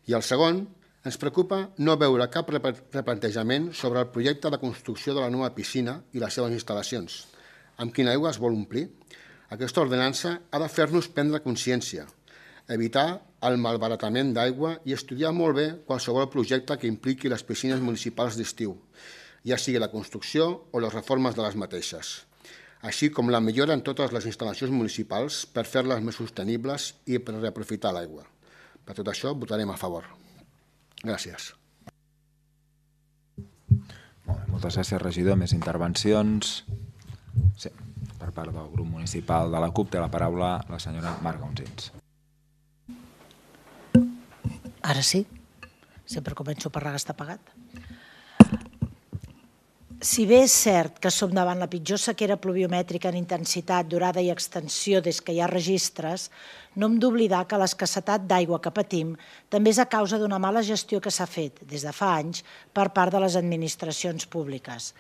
I el segon, ens preocupa no veure cap replantejament sobre el projecte de construcció de la nova piscina i les seves instal·lacions. Amb quina aigua es vol omplir? Aquesta ordenança ha de fer-nos prendre consciència, evitar el malbaratament d'aigua i estudiar molt bé qualsevol projecte que impliqui les piscines municipals d'estiu, ja sigui la construcció o les reformes de les mateixes, així com la millora en totes les instal·lacions municipals per fer-les més sostenibles i per reaprofitar l'aigua. Per tot això, votarem a favor. Gràcies. Moltes gràcies, regidor. Més intervencions? Sí, per part del grup municipal de la CUP té la paraula la senyora Marga Onsins. Ara sí? Sempre començo per regar està pagat. Si bé és cert que som davant la pitjor sequera pluviomètrica en intensitat, durada i extensió des que hi ha registres, no hem d'oblidar que l'escassetat d'aigua que patim també és a causa d'una mala gestió que s'ha fet des de fa anys per part de les administracions públiques.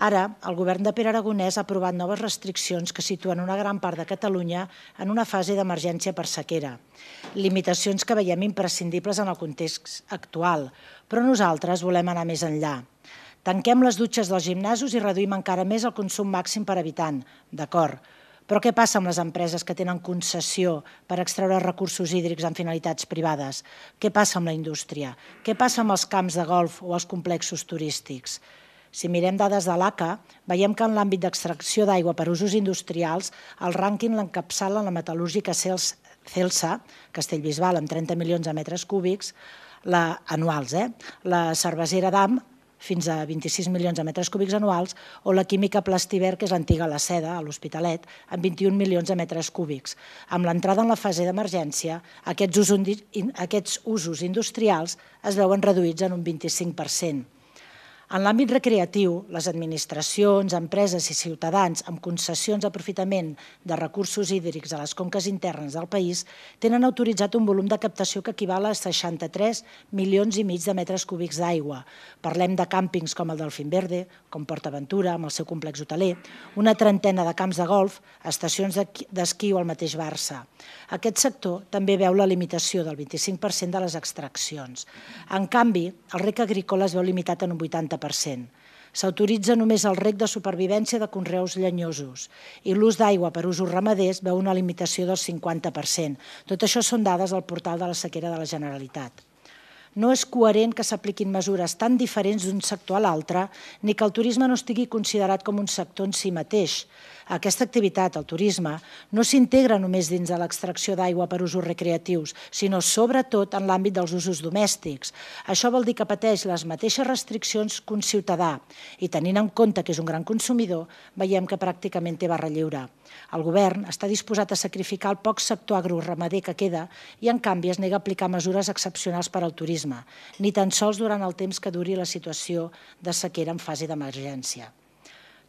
Ara, el govern de Pere Aragonès ha aprovat noves restriccions que situen una gran part de Catalunya en una fase d'emergència per sequera. Limitacions que veiem imprescindibles en el context actual, però nosaltres volem anar més enllà. Tanquem les dutxes dels gimnasos i reduïm encara més el consum màxim per habitant, d'acord. Però què passa amb les empreses que tenen concessió per extreure recursos hídrics en finalitats privades? Què passa amb la indústria? Què passa amb els camps de golf o els complexos turístics? Si mirem dades de l'ACA, veiem que en l'àmbit d'extracció d'aigua per usos industrials, el rànquing l'encapçala la metal·lúrgica Celsa, Castellbisbal, amb 30 milions de metres cúbics anuals, la cervesera Damm, fins a 26 milions de metres cúbics anuals, o la química Plastiver, que és l'antiga La Seda, a l'Hospitalet, amb 21 milions de metres cúbics. Amb l'entrada en la fase d'emergència, aquests usos industrials es veuen reduïts en un 25%. En l'àmbit recreatiu, les administracions, empreses i ciutadans amb concessions d'aprofitament de recursos hídrics a les conques internes del país tenen autoritzat un volum de captació que equival a 63 milions i mig de metres cúbics d'aigua. Parlem de càmpings com el del Finverde, com PortAventura, amb el seu complex hoteler, una trentena de camps de golf, estacions d'esquí o el mateix Barça. Aquest sector també veu la limitació del 25% de les extraccions. En canvi, el rec agrícola es veu limitat en un 80%. S'autoritza només el rec de supervivència de conreus llenyosos i l'ús d'aigua per usos ramaders veu una limitació del 50%. Tot això són dades al portal de la sequera de la Generalitat. No és coherent que s'apliquin mesures tan diferents d'un sector a l'altre ni que el turisme no estigui considerat com un sector en si mateix. Aquesta activitat, el turisme, no s'integra només dins de l'extracció d'aigua per usos recreatius, sinó sobretot en l'àmbit dels usos domèstics. Això vol dir que pateix les mateixes restriccions que un ciutadà i, tenint en compte que és un gran consumidor, veiem que pràcticament té barra lliure. El govern està disposat a sacrificar el poc sector agroramader que queda i, en canvi, es nega a aplicar mesures excepcionals per al turisme, ni tan sols durant el temps que duri la situació de sequera en fase d'emergència.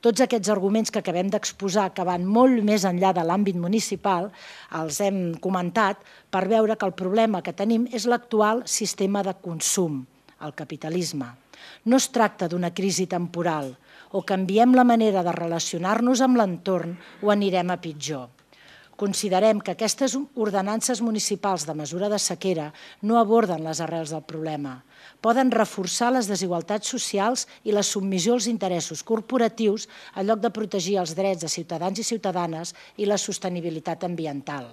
Tots aquests arguments que acabem d'exposar, que van molt més enllà de l'àmbit municipal, els hem comentat per veure que el problema que tenim és l'actual sistema de consum, el capitalisme. No es tracta d'una crisi temporal, o canviem la manera de relacionar-nos amb l'entorn o anirem a pitjor. Considerem que aquestes ordenances municipals de mesura de sequera no aborden les arrels del problema. Poden reforçar les desigualtats socials i la submissió als interessos corporatius en lloc de protegir els drets de ciutadans i ciutadanes i la sostenibilitat ambiental.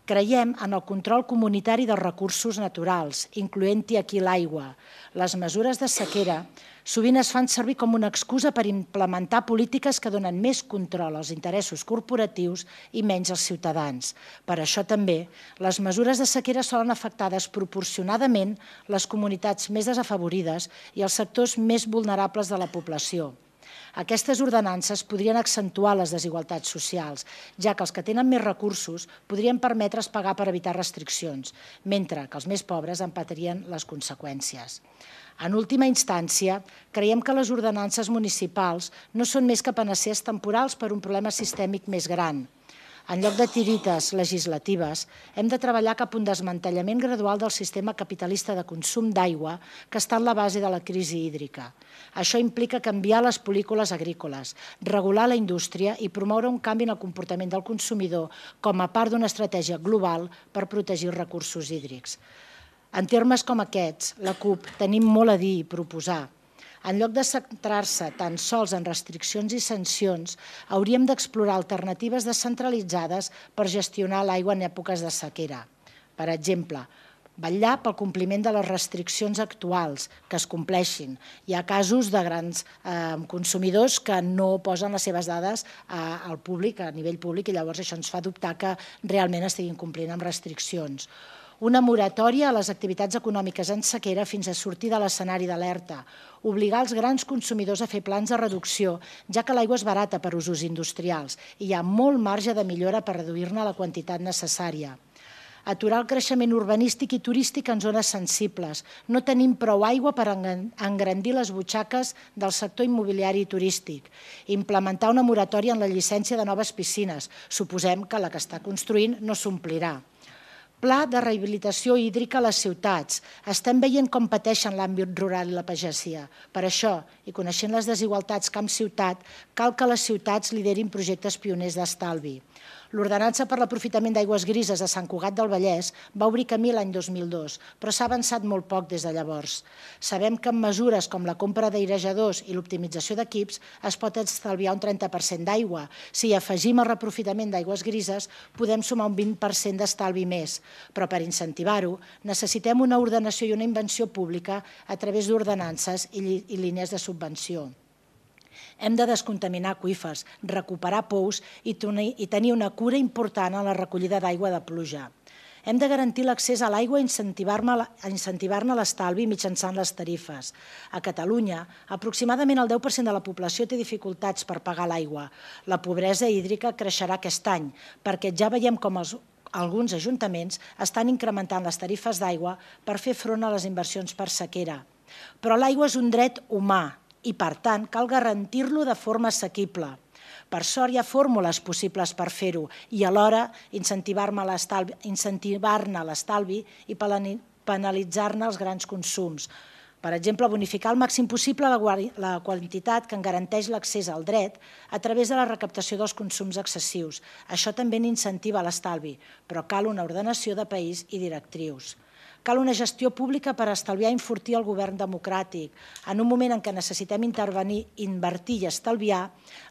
Creiem en el control comunitari dels recursos naturals, incloent-hi aquí l'aigua. Les mesures de sequera sovint es fan servir com una excusa per implementar polítiques que donen més control als interessos corporatius i menys als ciutadans. Per això també, les mesures de sequera solen afectar desproporcionadament les comunitats més desafavorides i els sectors més vulnerables de la població. Aquestes ordenances podrien accentuar les desigualtats socials, ja que els que tenen més recursos podrien permetre's pagar per evitar restriccions, mentre que els més pobres en patirien les conseqüències. En última instància, creiem que les ordenances municipals no són més que panacees temporals per un problema sistèmic més gran. En lloc de tirites legislatives, hem de treballar cap a un desmantellament gradual del sistema capitalista de consum d'aigua que està en la base de la crisi hídrica. Això implica canviar les polítiques agrícoles, regular la indústria i promoure un canvi en el comportament del consumidor com a part d'una estratègia global per protegir els recursos hídrics. En termes com aquests, la CUP tenim molt a dir i proposar. En lloc de centrar-se tan sols en restriccions i sancions, hauríem d'explorar alternatives descentralitzades per gestionar l'aigua en èpoques de sequera. Per exemple, vetllar pel compliment de les restriccions actuals, que es compleixin. Hi ha casos de grans consumidors que no posen les seves dades al públic, a nivell públic, i llavors això ens fa dubtar que realment estiguin complint amb restriccions. Una moratòria a les activitats econòmiques en sequera fins a sortir de l'escenari d'alerta, obligar els grans consumidors a fer plans de reducció, ja que l'aigua és barata per usos industrials i hi ha molt marge de millora per reduir-ne la quantitat necessària. Aturar el creixement urbanístic i turístic en zones sensibles. No tenim prou aigua per engrandir les butxaques del sector immobiliari i turístic. Implementar una moratòria en la llicència de noves piscines. Suposem que la que està construint no s'omplirà. Pla de rehabilitació hídrica a les ciutats. Estem veient com pateixen l'àmbit rural i la pagesia. Per això, i coneixent les desigualtats camp-ciutat, cal que les ciutats liderin projectes pioners d'estalvi. L'Ordenança per l'aprofitament d'aigües grises de Sant Cugat del Vallès va obrir camí l'any 2002, però s'ha avançat molt poc des de llavors. Sabem que amb mesures com la compra d'airejadors i l'optimització d'equips es pot estalviar un 30% d'aigua. Si afegim el reaprofitament d'aigües grises, podem sumar un 20% d'estalvi més. Però per incentivar-ho, necessitem una ordenació i una invenció pública a través d'ordenances i línies de subvenció. Hem de descontaminar aqüífers, recuperar pous i tenir una cura important en la recollida d'aigua de pluja. Hem de garantir l'accés a l'aigua i incentivar-ne l'estalvi mitjançant les tarifes. A Catalunya, aproximadament el 10% de la població té dificultats per pagar l'aigua. La pobresa hídrica creixerà aquest any, perquè ja veiem com alguns ajuntaments estan incrementant les tarifes d'aigua per fer front a les inversions per sequera. Però l'aigua és un dret humà, i, per tant, cal garantir-lo de forma assequible. Per sort, hi ha fórmules possibles per fer-ho i alhora incentivar-ne l'estalvi i penalitzar-ne els grans consums. Per exemple, bonificar al màxim possible la quantitat que en garanteix l'accés al dret a través de la recaptació dels consums excessius. Això també n'incentiva l'estalvi, però cal una ordenació de país i directrius. Cal una gestió pública per estalviar i enfortir el govern democràtic. En un moment en què necessitem intervenir, invertir i estalviar,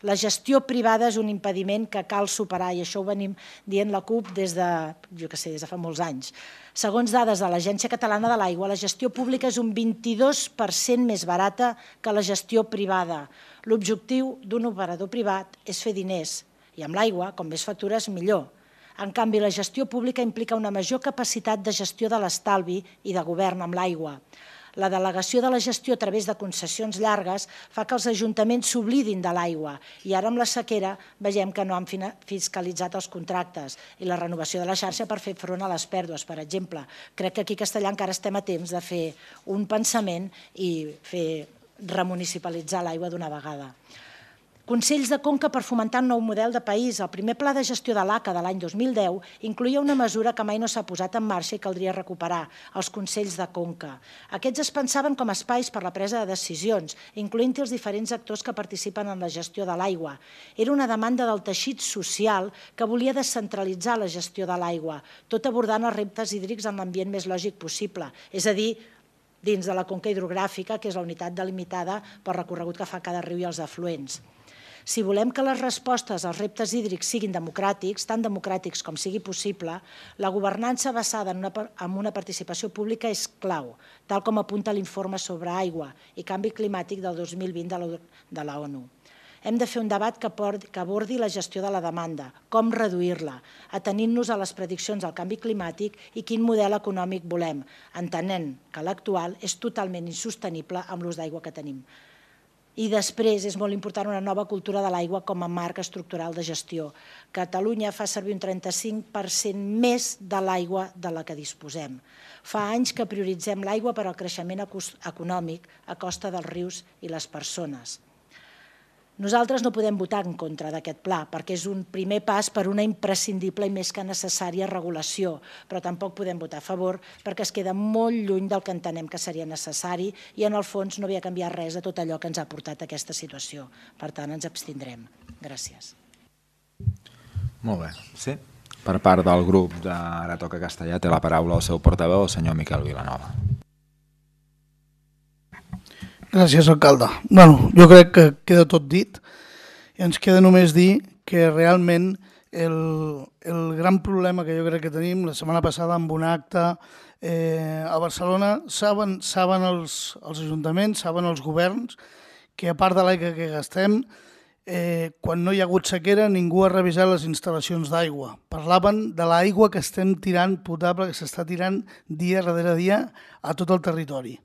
la gestió privada és un impediment que cal superar, i això ho venim dient la CUP des de fa molts anys. Segons dades de l'Agència Catalana de l'Aigua, la gestió pública és un 22% més barata que la gestió privada. L'objectiu d'un operador privat és fer diners, i amb l'aigua, com més factures, millor. En canvi, la gestió pública implica una major capacitat de gestió de l'estalvi i de govern amb l'aigua. La delegació de la gestió a través de concessions llargues fa que els ajuntaments s'oblidin de l'aigua i ara amb la sequera veiem que no han fiscalitzat els contractes i la renovació de la xarxa per fer front a les pèrdues, per exemple. Crec que aquí a Castellà encara estem a temps de fer un pensament i remunicipalitzar l'aigua d'una vegada. Consells de Conca per fomentar un nou model de país. El primer pla de gestió de l'ACA de l'any 2010 incloïa una mesura que mai no s'ha posat en marxa i caldria recuperar, els Consells de Conca. Aquests es pensaven com a espais per la presa de decisions, incloent-hi els diferents actors que participen en la gestió de l'aigua. Era una demanda del teixit social que volia descentralitzar la gestió de l'aigua, tot abordant els reptes hídrics en l'ambient més lògic possible, és a dir, dins de la conca hidrogràfica, que és la unitat delimitada pel recorregut que fa cada riu i els afluents. Si volem que les respostes als reptes hídrics siguin democràtics, tan democràtics com sigui possible, la governança basada en una participació pública és clau, tal com apunta l'informe sobre aigua i canvi climàtic del 2020 de la ONU. Hem de fer un debat que abordi la gestió de la demanda, com reduir-la, atenint-nos a les prediccions del canvi climàtic i quin model econòmic volem, entenent que l'actual és totalment insostenible amb l'ús d'aigua que tenim. I després és molt important una nova cultura de l'aigua com a marc estructural de gestió. Catalunya fa servir un 35% més de l'aigua de la que disposem. Fa anys que prioritzem l'aigua per al creixement econòmic a costa dels rius i les persones. Nosaltres no podem votar en contra d'aquest pla perquè és un primer pas per una imprescindible i més que necessària regulació, però tampoc podem votar a favor perquè es queda molt lluny del que entenem que seria necessari i en el fons no havia canviat res de tot allò que ens ha portat a aquesta situació. Per tant, ens abstindrem. Gràcies. Molt bé. Sí? Per part del grup d'Ara Toca Castellà té la paraula el seu portaveu, el senyor Miquel Vilanova. Gràcies, alcalde. Jo crec que queda tot dit i ens queda només dir que realment el gran problema que jo crec que tenim, la setmana passada amb un acte a Barcelona, saben els ajuntaments, saben els governs, que a part de l'aigua que gastem, quan no hi ha hagut sequera ningú ha revisat les instal·lacions d'aigua. Parlaven de l'aigua que estem tirant potable, que s'està tirant dia darrere dia a tot el territori.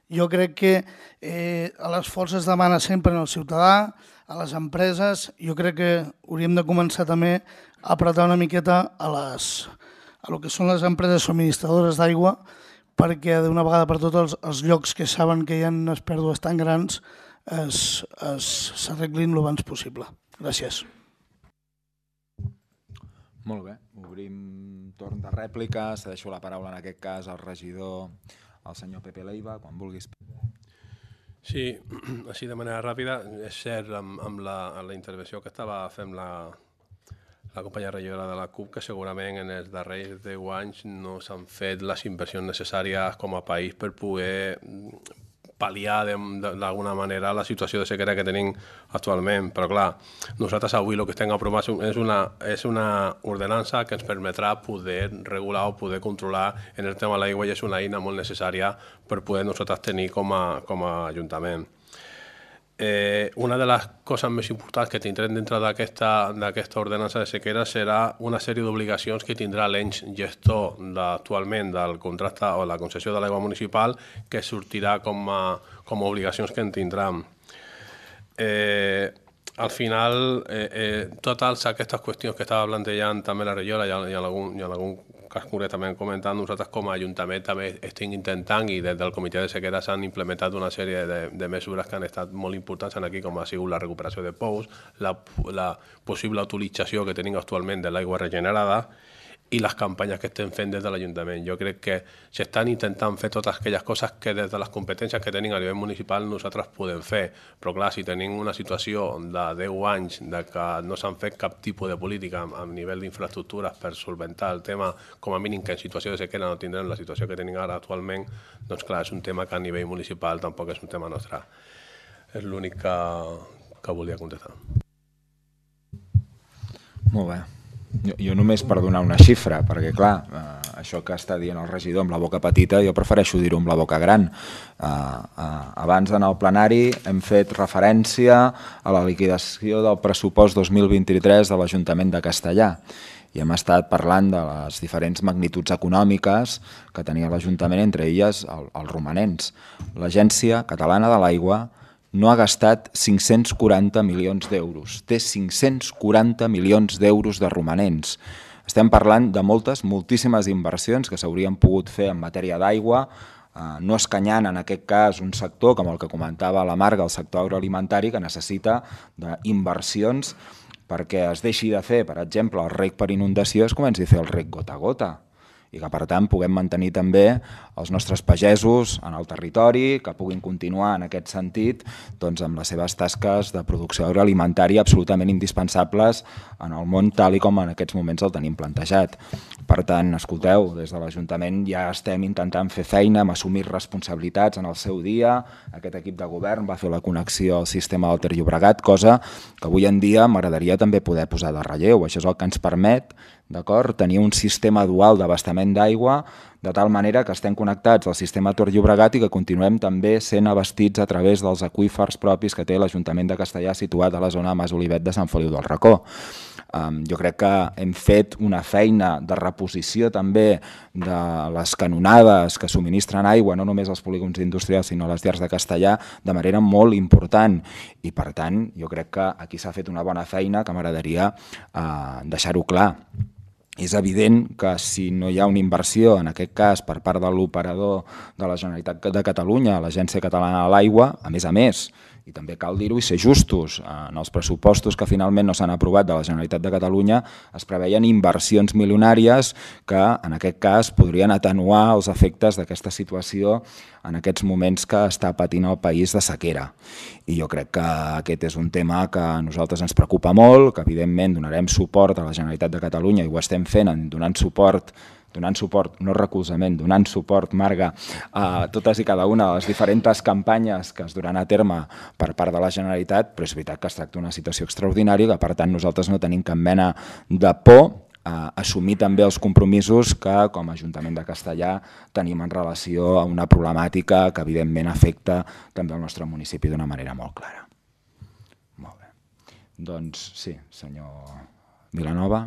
Jo crec que l'esforç es demana sempre en el ciutadà, a les empreses. Jo crec que hauríem de començar també a apretar una miqueta a el que són les empreses subministradores d'aigua perquè d'una vegada per totes els llocs que saben que hi ha unes pèrdues tan grans s'arreglin el abans possible. Gràcies. Molt bé, obrim torn de rèplica, cedeixo la paraula en aquest cas al regidor, al senyor Pepe Leiva, quan vulguis. Sí, així de manera ràpida, és cert amb la intervenció que estava fent la companya regidora de la CUP, que segurament en els darrers 10 anys no s'han fet les inversions necessàries com a país per poder pal·liar d'alguna manera la situació de sequera que tenim actualment. Però clar, nosaltres avui el que estem aprovant és una ordenança que ens permetrà poder regular o poder controlar en el tema de l'aigua, i és una eina molt necessària per poder nosaltres tenir com a Ajuntament. Una de les coses més importants que tindrem dintre d'aquesta ordenança de sequera serà una sèrie d'obligacions que tindrà l'ens gestor actualment del contracte o la concessió de l'aigua municipal, que sortirà com a obligacions que en tindran. Al final, totes aquestes qüestions que estava plantejant també la regidora i en algun cas concretament comentant, nosaltres com a Ajuntament també estem intentant, i des del Comitè de Sequera s'han implementat una sèrie de mesures que han estat molt importants aquí, com ha sigut la recuperació de pous, la possible utilització que tenim actualment de l'aigua regenerada i les campanyes que estem fent des de l'Ajuntament. Jo crec que s'estan intentant fer totes aquelles coses que des de les competències que tenim a nivell municipal nosaltres podem fer, però clar, si tenim una situació de 10 anys de que no s'han fet cap tipus de política a nivell d'infraestructures per solventar el tema, com a mínim que en situació de sequera no tindrem la situació que tenim ara actualment, doncs clar, és un tema que a nivell municipal tampoc és un tema nostre. És l'únic que volia contestar. Molt bé. Jo només per donar una xifra, perquè clar, això que està dient el regidor amb la boca petita, jo prefereixo dir-ho amb la boca gran. Abans en el plenari hem fet referència a la liquidació del pressupost 2023 de l'Ajuntament de Castellà i hem estat parlant de les diferents magnituds econòmiques que tenia l'Ajuntament, entre elles els romanents. L'Agència Catalana de l'Aigua no ha gastat 540 milions d'euros. Té 540 milions d'euros de romanents. Estem parlant de moltíssimes inversions que s'haurien pogut fer en matèria d'aigua, no escanyant en aquest cas un sector com el que comentava la Marga, el sector agroalimentari, que necessita d'inversions perquè es deixi de fer, per exemple, el reg per inundació, es comenci a fer el reg gota a gota, i que per tant puguem mantenir també els nostres pagesos en el territori, que puguin continuar en aquest sentit amb les seves tasques de producció agroalimentària absolutament indispensables en el món tal i com en aquests moments el tenim plantejat. Per tant, escolteu, des de l'Ajuntament ja estem intentant fer feina, hem assumit responsabilitats en el seu dia, aquest equip de govern va fer la connexió al sistema del Ter Llobregat, cosa que avui en dia m'agradaria també poder posar de relleu. Això és el que ens permet tenir un sistema dual d'abastament d'aigua, de tal manera que estem connectats al sistema Ter Llobregat i que continuem també sent abastits a través dels aqüífers propis que té l'Ajuntament de Castellà situat a la zona de Mas Olivet de Sant Feliu del Racó. Jo crec que hem fet una feina de reposició també de les canonades que subministren aigua, no només als polígons industrials sinó a les llars de Castellà, de manera molt important. I per tant, jo crec que aquí s'ha fet una bona feina que m'agradaria deixar-ho clar. És evident que si no hi ha una inversió, en aquest cas per part de l'operador de la Generalitat de Catalunya, l'Agència Catalana de l'Aigua, a més, i també cal dir-ho i ser justos, en els pressupostos que finalment no s'han aprovat de la Generalitat de Catalunya es preveien inversions milionàries que en aquest cas podrien atenuar els efectes d'aquesta situació en aquests moments que està patint el país de sequera. I jo crec que aquest és un tema que a nosaltres ens preocupa molt, que evidentment donarem suport a la Generalitat de Catalunya i ho estem fent donant suport, no recolzament, donant suport, Marga, a totes i cada una de les diferents campanyes que es duran a terme per part de la Generalitat, però és veritat que es tracta d'una situació extraordinària i que per tant nosaltres no tenim cap mena de por a assumir també els compromisos que com a Ajuntament de Castellà tenim en relació a una problemàtica que evidentment afecta també el nostre municipi d'una manera molt clara. Molt bé. Doncs sí, senyor Vilanova.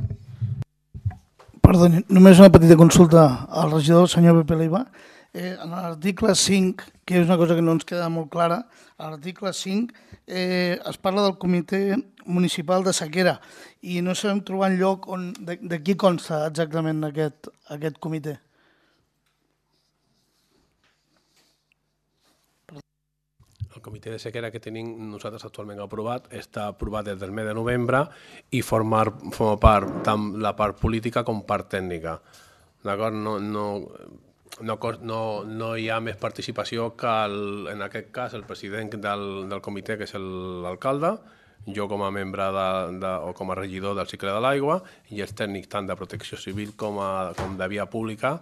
Perdoni, només una petita consulta al regidor, el senyor Pepe Leiva. En l'article 5, que és una cosa que no ens queda molt clara, a l'article 5 es parla del Comitè Municipal de Sequera i no sabem trobar enlloc de qui consta exactament aquest comitè. El comitè de sequera que tenim nosaltres actualment aprovat està aprovat des del mes de novembre i forma part tant la part política com part tècnica. D'acord? No hi ha més participació que, en aquest cas, el president del comitè, que és l'alcalde, jo com a membre o com a regidor del cicle de l'aigua i els tècnics tant de protecció civil com de via pública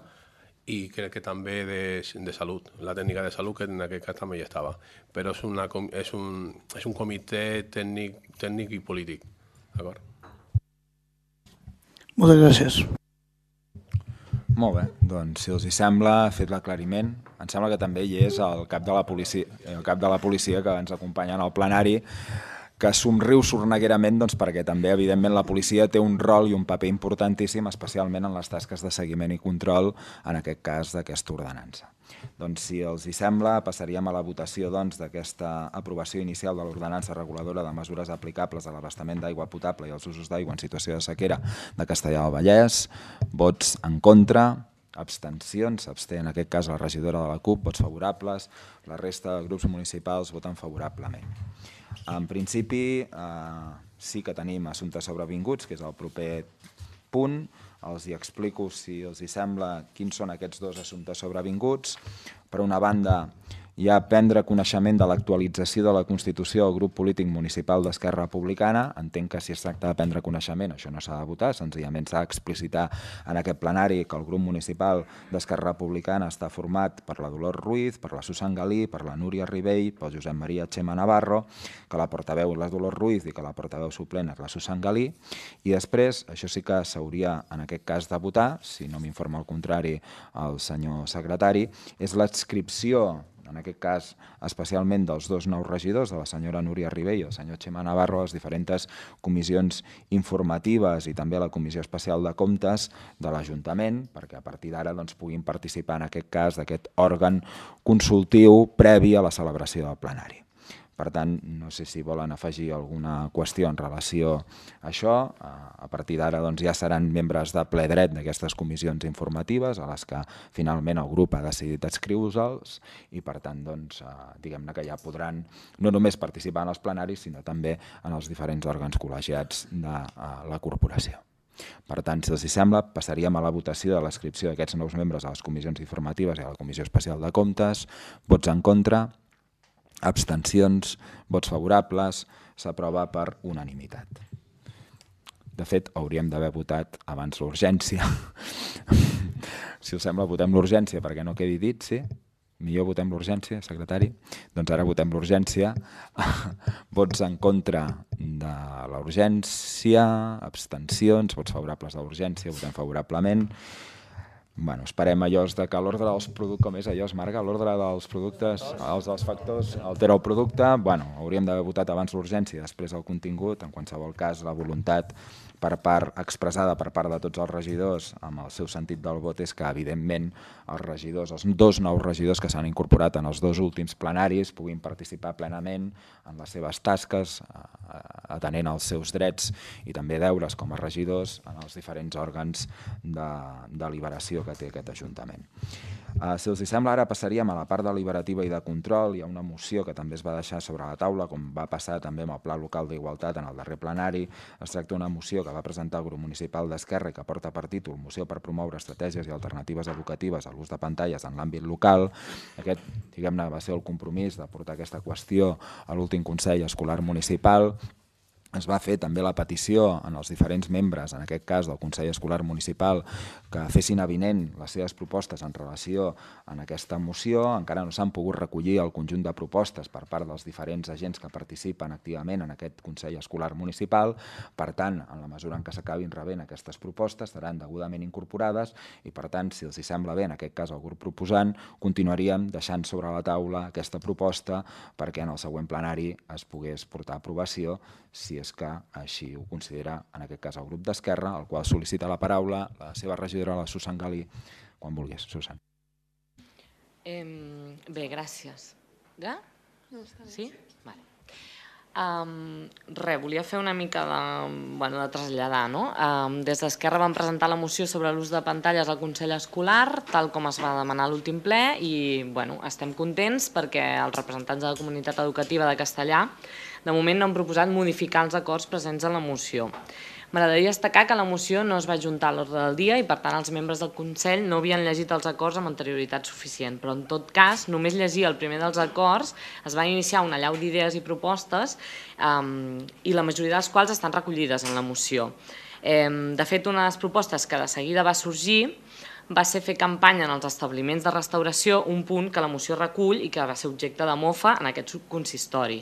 i crec que també de salut, la tècnica de salut, que en aquest cas també hi estava. Però és un comitè tècnic i polític. D'acord? Moltes gràcies. Molt bé, doncs si els hi sembla, fet l'aclariment. Em sembla que també hi és el cap de la policia que ens acompanya en el plenari, que somriu sorneguerament perquè també, evidentment, la policia té un rol i un paper importantíssim, especialment en les tasques de seguiment i control, en aquest cas d'aquesta ordenança. Doncs, si els hi sembla, passaríem a la votació d'aquesta aprovació inicial de l'ordenança reguladora de mesures aplicables a l'abastament d'aigua potable i als usos d'aigua en situació de sequera de Castellar del Vallès. Vots en contra, abstencions, s'absté en aquest cas la regidora de la CUP, vots favorables, la resta de grups municipals voten favorablement. En principi, sí que tenim assumptes sobrevinguts, que és el proper punt. Els hi explico, si els hi sembla, quins són aquests dos assumptes sobrevinguts. Per una banda, hi ha prendre coneixement de l'actualització de la Constitució del grup polític municipal d'Esquerra Republicana. Entenc que si es tracta de prendre coneixement, això no s'ha de votar, senzillament s'ha d'explicitar en aquest plenari que el grup municipal d'Esquerra Republicana està format per la Dolors Ruiz, per la Susan Galí, per la Núria Ribell, pel Josep Maria Chema Navarro, que la portaveu és la Dolors Ruiz i que la portaveu suplent és la Susan Galí. I després, això sí que s'hauria en aquest cas de votar, si no m'informa el contrari el senyor secretari, és l'adscripció, en aquest cas especialment dels dos nous regidors, de la senyora Núria Ribell i el senyor Chema Navarro, a les diferents comissions informatives i també a la Comissió Especial de Comptes de l'Ajuntament, perquè a partir d'ara puguin participar en aquest cas d'aquest òrgan consultiu previ a la celebració del plenari. Per tant, no sé si volen afegir alguna qüestió en relació a això. A partir d'ara ja seran membres de ple dret d'aquestes comissions informatives a les que finalment el grup ha decidit adscriure-se'ls i per tant, diguem-ne que ja podran no només participar en els plenaris, sinó també en els diferents òrgans col·legiats de la corporació. Per tant, si els hi sembla, passaríem a la votació de l'adscripció d'aquests nous membres a les comissions informatives i a la Comissió Especial de Comptes. Vots en contra, abstencions, vots favorables, s'aprova per unanimitat. De fet, hauríem d'haver votat abans l'urgència. Si us sembla, votem l'urgència perquè no quedi dit, sí? Millor votem l'urgència, secretari? Doncs ara votem l'urgència. Vots en contra de l'urgència, abstencions, vots favorables de l'urgència, votem favorablement. Esperem allò que l'ordre dels productes, com és allò, es marca l'ordre dels productes, els dels factors, altera el producte, hauríem d'haver votat abans l'urgència i després el contingut, en qualsevol cas la voluntat expressada per part de tots els regidors amb el seu sentit del vot és que evidentment els regidors, els dos nous regidors que s'han incorporat en els dos últims plenaris puguin participar plenament en les seves tasques, atenent als seus drets i també deures com a regidors en els diferents òrgans de deliberació que té aquest Ajuntament. Si els sembla, ara passaríem a la part deliberativa i de control. Hi ha una moció que també es va deixar sobre la taula, com va passar també amb el Pla Local d'Igualtat en el darrer plenari. Es tracta d'una moció que va presentar el grup municipal d'Esquerra i que porta per títol Moció per promoure estratègies i alternatives educatives a l'ús de pantalles en l'àmbit local. Aquest, diguem-ne, va ser el compromís de portar aquesta qüestió a l'últim Consell Escolar Municipal. Es va fer també la petició en els diferents membres, en aquest cas del Consell Escolar Municipal, que fessin avinent les seves propostes en relació amb aquesta moció. Encara no s'han pogut recollir el conjunt de propostes per part dels diferents agents que participen activament en aquest Consell Escolar Municipal. Per tant, en la mesura en què s'acabin rebent aquestes propostes, seran degudament incorporades i, per tant, si els sembla bé, en aquest cas el grup proposant, continuaríem deixant sobre la taula aquesta proposta perquè en el següent plenari es pogués portar a aprovació, si és que així ho considera, en aquest cas, el grup d'Esquerra, el qual sol·licita la paraula la seva regidora, la Susan Galí, quan vulguis, Susan. Bé, gràcies. Ja? Sí? Vale. Volia fer una mica de traslladar. Des d'Esquerra vam presentar la moció sobre l'ús de pantalles al Consell Escolar, tal com es va demanar a l'últim ple, i estem contents perquè els representants de la comunitat educativa de Castellar de moment no han proposat modificar els acords presents en la moció. M'agradaria destacar que la moció no es va ajuntar a l'ordre del dia i, per tant, els membres del Consell no havien llegit els acords amb anterioritat suficient, però, en tot cas, només llegir el primer dels acords es va iniciar una allau d'idees i propostes i la majoria de les quals estan recollides en la moció. De fet, una de les propostes que de seguida va sorgir va ser fer campanya en els establiments de restauració, un punt que la moció recull i que va ser objecte de mofa en aquest consistori.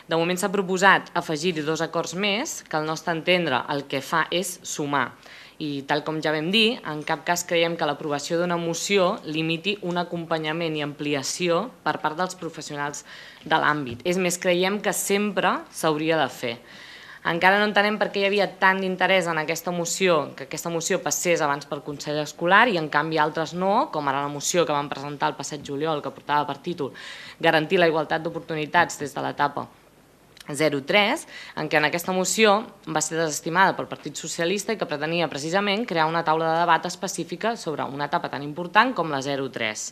De moment s'ha proposat afegir-hi 2 acords més, que al nostre entendre el que fa és sumar. I tal com ja vam dir, en cap cas creiem que l'aprovació d'una moció limiti un acompanyament i ampliació per part dels professionals de l'àmbit. És més, creiem que sempre s'hauria de fer. Encara no entenem per què hi havia tant d'interès en aquesta moció, que aquesta moció passés abans pel Consell Escolar i en canvi altres no, com ara la moció que vam presentar el passat juliol, que portava per títol Garantir la igualtat d'oportunitats des de l'etapa 03, en què en aquesta moció va ser desestimada pel Partit Socialista i que pretenia precisament crear una taula de debat específica sobre una etapa tan important com la 03.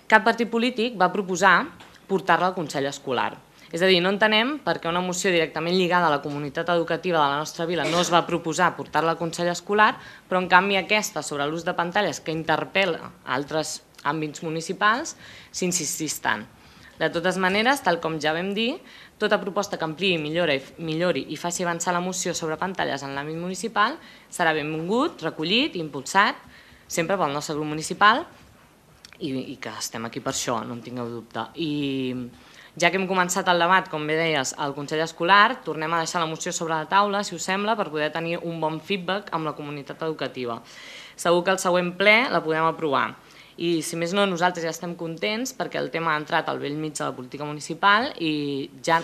Cap partit polític va proposar portar-la al Consell Escolar. És a dir, no entenem per què una moció directament lligada a la comunitat educativa de la nostra vila no es va proposar portar-la al Consell Escolar, però en canvi aquesta sobre l'ús de pantalles que interpel·la altres àmbits municipals s'insistís tant. De totes maneres, tal com ja vam dir, tota proposta que ampliï, millori i faci avançar la moció sobre pantalles en l'àmbit municipal serà benvingut, recollit i impulsat, sempre pel nostre grup municipal i que estem aquí per això, no en tingueu dubte. I ja que hem començat el debat, com bé deies, al Consell Escolar, tornem a deixar la moció sobre la taula, si us sembla, per poder tenir un bon feedback amb la comunitat educativa. Segur que el següent ple la podem aprovar. I, si més no, nosaltres ja estem contents perquè el tema ha entrat al bell mig de la política municipal i ja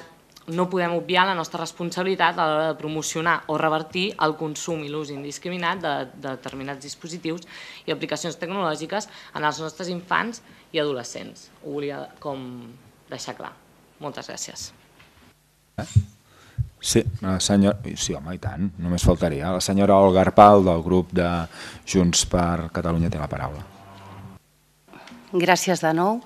no podem obviar la nostra responsabilitat a l'hora de promocionar o revertir el consum i l'ús indiscriminat de determinats dispositius i aplicacions tecnològiques en els nostres infants i adolescents. Ho volia com deixar clar. Moltes gràcies. Sí, home, i tant, només faltaria. La senyora Olga Arpal, del grup de Junts per Catalunya, té la paraula. Gràcies de nou.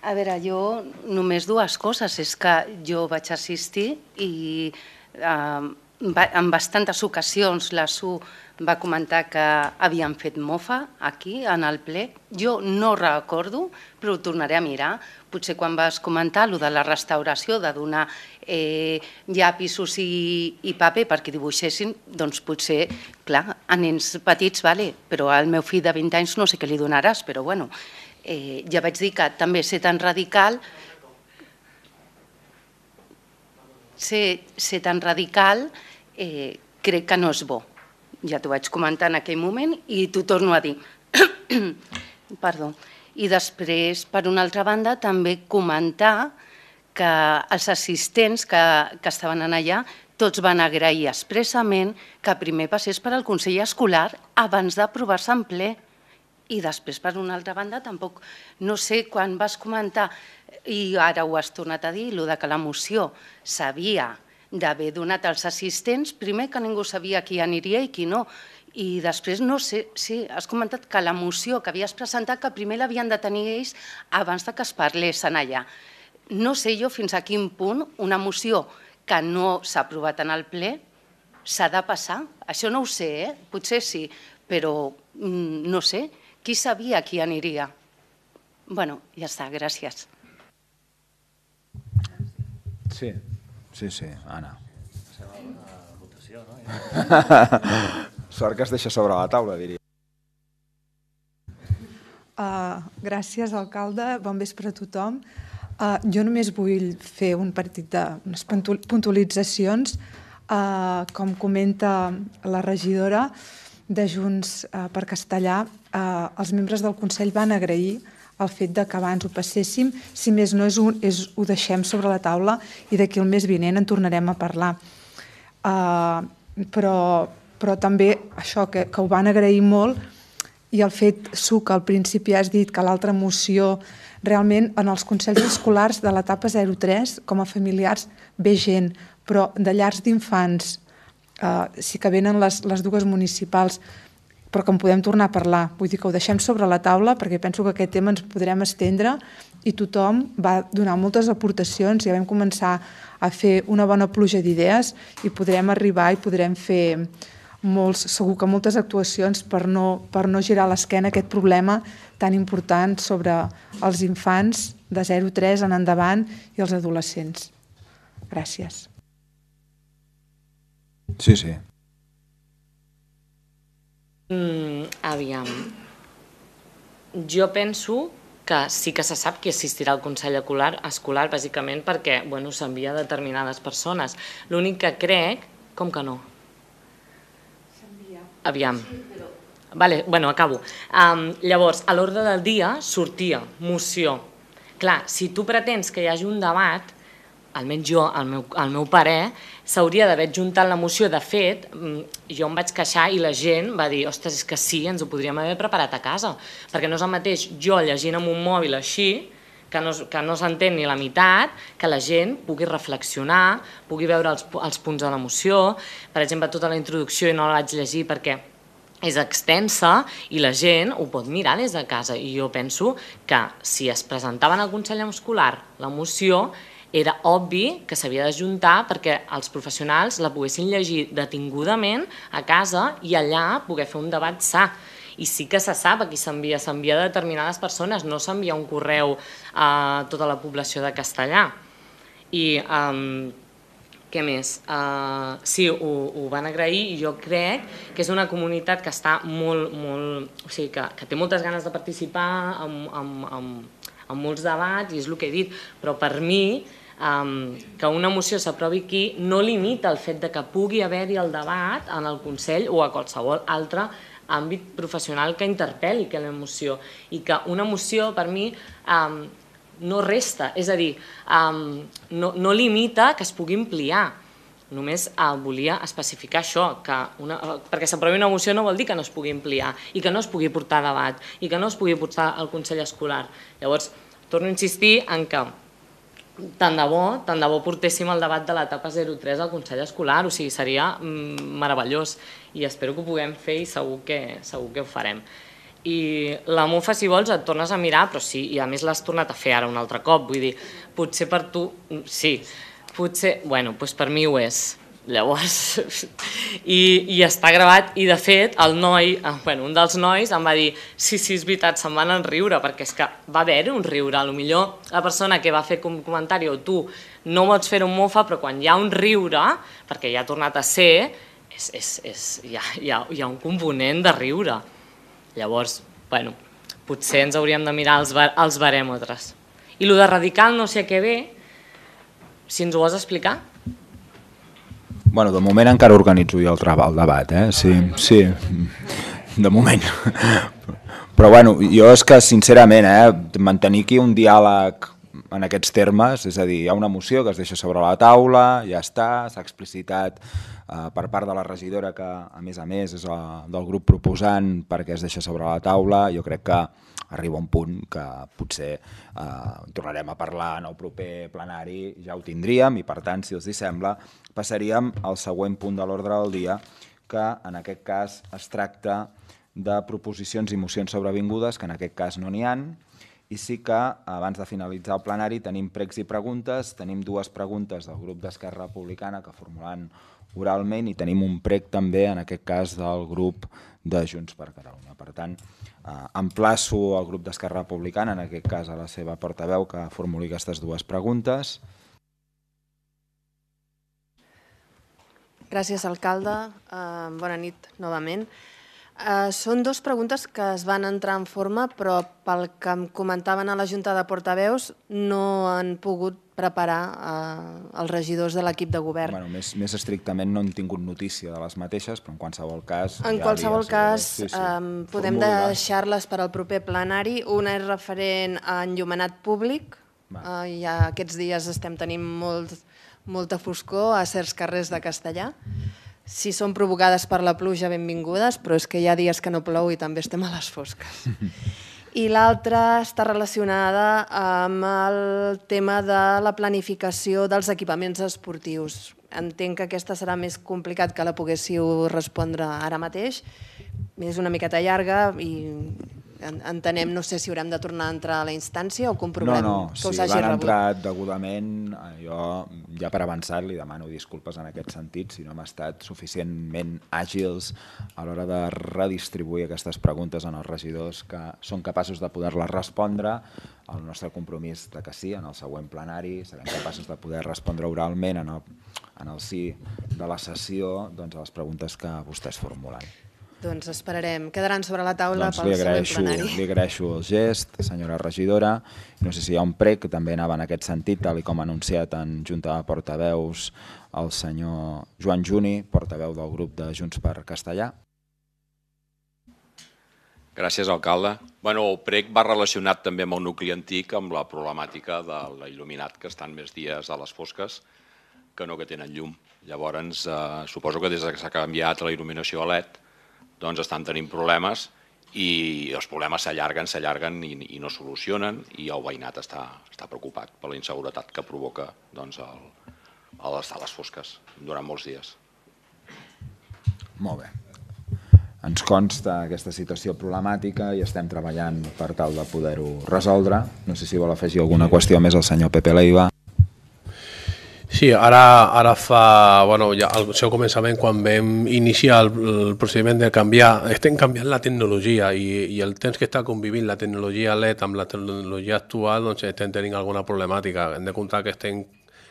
A veure, jo només 2 coses. És que jo vaig assistir i en bastantes ocasions la Su va comentar que havien fet mofa aquí, en el ple. Jo no recordo, però ho tornaré a mirar. Potser quan vas comentar allò de la restauració, de donar llapisos i paper perquè dibuixessin, doncs potser, clar, a nens petits, però al meu fill de 20 anys no sé què li donaràs, però bueno, ja vaig dir que també ser tan radical crec que no és bo. Ja t'ho vaig comentar en aquell moment i t'ho torno a dir. Perdó. I després, per una altra banda, també comentar que els assistents que estaven allà tots van agrair expressament que primer passés per al Consell Escolar abans d'aprovar-se en ple. I després, per una altra banda, tampoc, no sé, quan vas comentar, i ara ho has tornat a dir, el que la moció s'havia d'haver donat als assistents, primer que ningú sabia qui aniria i qui no, i després, no sé, sí, has comentat que la moció que havies presentat, que primer l'havien de tenir ells abans que es parlessin allà. No sé jo fins a quin punt una moció que no s'ha aprovat en el ple s'ha de passar. Això no ho sé, potser sí, però no sé. Qui sabia qui aniria? Bueno, ja està, gràcies. Sí, Anna. Sort que es deixa sobre la taula, diria. Gràcies, alcalde. Bon vespre a tothom. Jo només vull fer un partit d'unes puntualitzacions. Com comenta la regidora de Junts per Castellar, els membres del Consell van agrair el fet que abans ho passéssim. Si més no, ho deixem sobre la taula i d'aquí el mes vinent en tornarem a parlar. Però també això, que ho van agrair molt i el fet, Suc, al principi has dit que l'altra moció, realment en els consells escolars de l'etapa 0-3, com a familiars, ve gent, però de llars d'infants sí que venen les dues municipals, però que en podem tornar a parlar. Vull dir que ho deixem sobre la taula perquè penso que aquest tema ens podrem estendre i tothom va donar moltes aportacions, ja vam començar a fer una bona pluja d'idees i podrem arribar i podrem fer segur que moltes actuacions per no girar l'esquena a aquest problema tan important sobre els infants de 0-3 en endavant i els adolescents. Gràcies. Sí, sí. Aviam. Jo penso que sí que se sap qui assistirà al Consell Escolar, bàsicament perquè s'envia a determinades persones. L'únic que crec... Com que no? S'envia. Aviam. Acabo. Llavors, a l'ordre del dia sortia moció. Clar, si tu pretens que hi hagi un debat, almenys jo, al meu parer, s'hauria d'haver adjuntat la moció. De fet, jo em vaig queixar i la gent va dir, ostres, és que sí, ens ho podríem haver preparat a casa, perquè no és el mateix jo llegint amb un mòbil així, que no s'entén ni la meitat, que la gent pugui reflexionar, pugui veure els punts de la moció. Per exemple, tota la introducció, i no la vaig llegir perquè és extensa i la gent ho pot mirar des de casa. I jo penso que si es presentava en el Consell Escolar la moció, era obvi que s'havia d'ajuntar perquè els professionals la poguessin llegir detingudament a casa i allà poder fer un debat sa. I sí que se sap a qui s'envia a determinades persones, no s'envia un correu a tota la població de Castellar. I què més? Sí, ho van agrair i jo crec que és una comunitat que està molt... O sigui, que té moltes ganes de participar en molts debats, i és el que he dit, però per mi que una moció s'aprovi aquí no limita el fet que pugui haver-hi el debat en el Consell o a qualsevol altre àmbit professional que interpel·li aquella moció, i que una moció per mi no resta, és a dir, no limita que es pugui ampliar. Només volia especificar això, perquè s'aprovi una moció no vol dir que no es pugui ampliar i que no es pugui portar a debat i que no es pugui portar al Consell Escolar. Llavors, torno a insistir en que tant de bo portéssim el debat de l'etapa 0-3 al Consell Escolar, o sigui, seria meravellós i espero que ho puguem fer i segur que ho farem. I la MUFA, si vols, et tornes a mirar, però sí, i a més l'has tornat a fer ara un altre cop, vull dir, potser per tu, sí, potser, doncs per mi ho és. Llavors, i està gravat, i de fet el noi, un dels nois em va dir sí, és veritat, se'n van enriure, perquè és que va haver-hi un riure, potser la persona que va fer un comentari o tu no pots fer un mofa, però quan hi ha un riure, perquè ja ha tornat a ser, hi ha un component de riure. Llavors, potser ens hauríem de mirar els barèmetres. I el de radical no sé què ve, si ens ho vols explicar? Bueno, de moment encara organitzo jo el debat, sí, de moment. Però jo és que sincerament mantenir aquí un diàleg en aquests termes, és a dir, hi ha una moció que es deixa sobre la taula, ja s'ha explicitat per part de la regidora que a més és del grup proposant perquè es deixa sobre la taula. Jo crec que arriba un punt que potser tornarem a parlar en el proper plenari, ja ho tindríem, i per tant, si els sembla, passaríem al següent punt de l'ordre del dia, que en aquest cas es tracta de proposicions i mocions sobrevingudes, que en aquest cas no n'hi ha, i sí que abans de finalitzar el plenari tenim pregs i preguntes, tenim dues preguntes del grup d'Esquerra Republicana que formularan oralment i tenim un prec també, en aquest cas, del grup de Junts per Catalunya. Per tant, emplaço al grup d'Esquerra Republicana, en aquest cas a la seva portaveu, que formuli aquestes dues preguntes. Gràcies, alcalde. Bona nit, novament. Són dues preguntes que es van entrar en forma, però pel que em comentaven a la Junta de Portaveus no han pogut preparar els regidors de l'equip de govern. Més estrictament no hem tingut notícia de les mateixes, però en qualsevol cas... En qualsevol cas, podem deixar-les per al proper plenari. Una és referent a enllumenat públic. Ja aquests dies estem tenint molta foscor a certs carrers de Castellar. Si són provocades per la pluja, benvingudes, però és que hi ha dies que no plou i també estem a les fosques. I l'altra està relacionada amb el tema de la planificació dels equipaments esportius. Entenc que aquesta serà més complicat que la poguéssiu respondre ara mateix. És una miqueta llarga i entenem, no sé si haurem de tornar a entrar a la instància o comprovem que us hagi rebut. No, si l'han entrat degudament, jo ja per avançat li demano disculpes en aquest sentit si no hem estat suficientment àgils a l'hora de redistribuir aquestes preguntes en els regidors que són capaços de poder-les respondre. El nostre compromís de que sí, en el següent plenari serem capaços de poder respondre oralment en el sí de la sessió a les preguntes que vostès formulen. Doncs esperarem. Quedaran sobre la taula pel següent plenari. Li agraeixo el gest, senyora regidora. No sé si hi ha un prec que també anava en aquest sentit, tal com ha anunciat en Junta de Portaveus el senyor Joan Juni, portaveu del grup de Junts per Castellà. Gràcies, alcalde. El prec va relacionat també amb el nucli antic, amb la problemàtica de l'il·luminat, que estan més dies a les fosques que no que tenen llum. Llavors, suposo que des que s'ha canviat la il·luminació a LED, doncs estan tenint problemes i els problemes s'allarguen i no solucionen i el veïnat està preocupat per la inseguretat que provoca estar a les fosques durant molts dies. Molt bé. Ens consta aquesta situació problemàtica i estem treballant per tal de poder-ho resoldre. No sé si vol afegir alguna qüestió més el senyor Pepe Leiva. Sí, ara fa el seu començament, quan vam iniciar el procediment de canviar, estem canviant la tecnologia i el temps que està convivint la tecnologia LED amb la tecnologia actual, doncs estem tenint alguna problemàtica. Hem de comptar que estem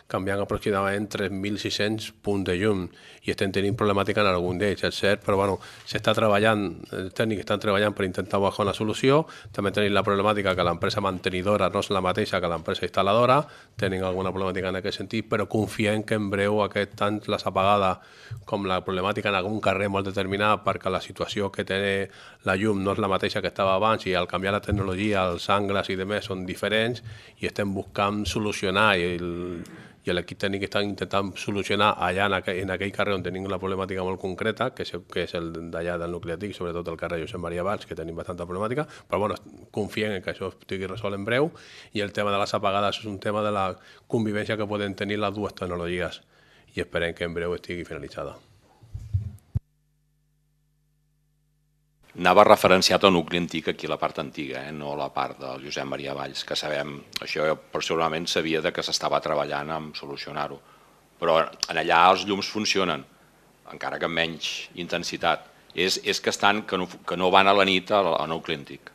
canviant aproximadament 3.600 punts de llum i estem tenint problemàtica en algun d'ells, és cert, però s'està treballant, els tècnics estan treballant per intentar buscar una solució. També tenim la problemàtica que l'empresa mantenidora no és la mateixa que l'empresa instal·ladora, tenim alguna problemàtica en aquest sentit, però confiem que en breu tant les apagades com la problemàtica en algun carrer molt determinat, perquè la situació que té la llum no és la mateixa que estava abans i al canviar la tecnologia els angles i demés són diferents i estem buscant solucionar i l'equip tècnic està intentant solucionar allà en aquell carrer on tenim la problemàtica molt concreta, que és el d'allà del nucli antic, sobretot el carrer Josep Maria Valls, que tenim bastanta problemàtica, però confiem que això estigui resolt en breu i el tema de les apagades és un tema de la convivència que poden tenir les dues tecnologies i esperem que en breu estigui finalitzada. Anava referenciat al nucli antic aquí a la part antiga, no a la part del Josep Maria Valls, que sabem, això personalment sabia que s'estava treballant en solucionar-ho, però allà els llums funcionen, encara que amb menys intensitat. És que no van a la nit al nucli antic.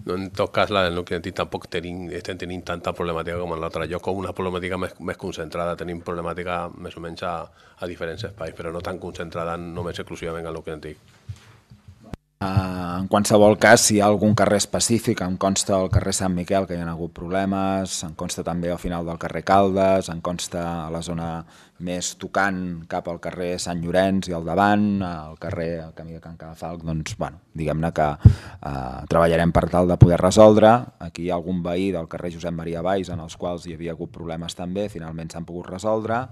En tot cas, la del nucli antic tampoc estem tenint tanta problemàtica com en l'altre lloc, com una problemàtica més concentrada. Tenim problemàtica més o menys a diferents espais, però no tan concentrada només exclusivament al nucli antic. En qualsevol cas, si hi ha algun carrer específic, em consta el carrer Sant Miquel que hi ha hagut problemes, em consta també al final del carrer Caldes, em consta a la zona més tocant cap al carrer Sant Llorenç i al davant, al carrer el camí de Can Cadafalc, doncs, diguem-ne que treballarem per tal de poder resoldre. Aquí hi ha algun veí del carrer Josep Maria Valls en els quals hi havia hagut problemes també, finalment s'han pogut resoldre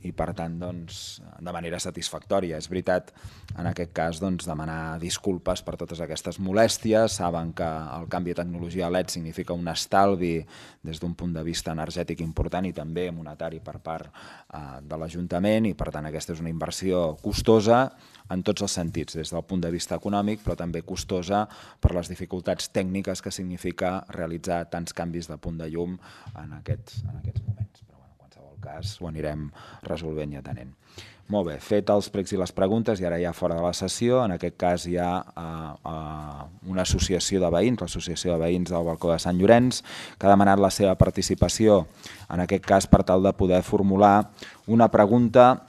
i per tant, doncs, de manera satisfactòria. És veritat, en aquest cas, doncs, demanar disculpes per totes aquestes molèsties. Saben que el canvi de tecnologia LED significa un estalvi des d'un punt de vista energètic important i també monetari per part de l'Ajuntament i per tant aquesta és una inversió costosa en tots els sentits, des del punt de vista econòmic però també costosa per les dificultats tècniques que significa realitzar tants canvis de punt de llum en aquests moments. Però en qualsevol cas ho anirem resolvent i atenent. Molt bé, fet els pregs i les preguntes i ara ja fora de la sessió, en aquest cas hi ha una associació de veïns, l'Associació de Veïns del Balcó de Sant Llorenç, que ha demanat la seva participació, en aquest cas per tal de poder formular una pregunta,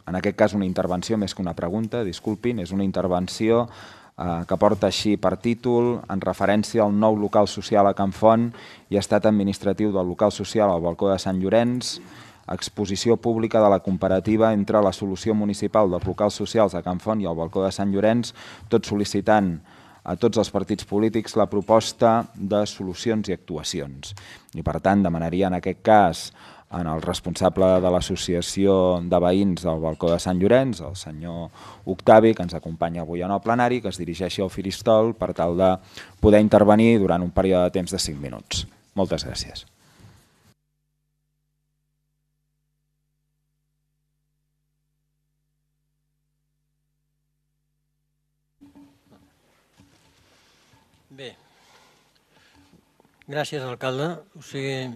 en aquest cas una intervenció més que una pregunta, disculpin, és una intervenció que porta així per títol en referència al nou local social a Can Font i estat administratiu del local social al Balcó de Sant Llorenç, exposició pública de la comparativa entre la solució municipal dels locals socials a Can Font i al Balcó de Sant Llorenç, tot sol·licitant a tots els partits polítics la proposta de solucions i actuacions. I per tant demanaria en aquest cas en el responsable de l'associació de veïns del balcó de Sant Llorenç, el senyor Octavi, que ens acompanya avui en el plenari, que es dirigeixi al faristol per tal de poder intervenir durant un període de temps de 5 minuts. Moltes gràcies. Bé, gràcies, alcalde. O sigui,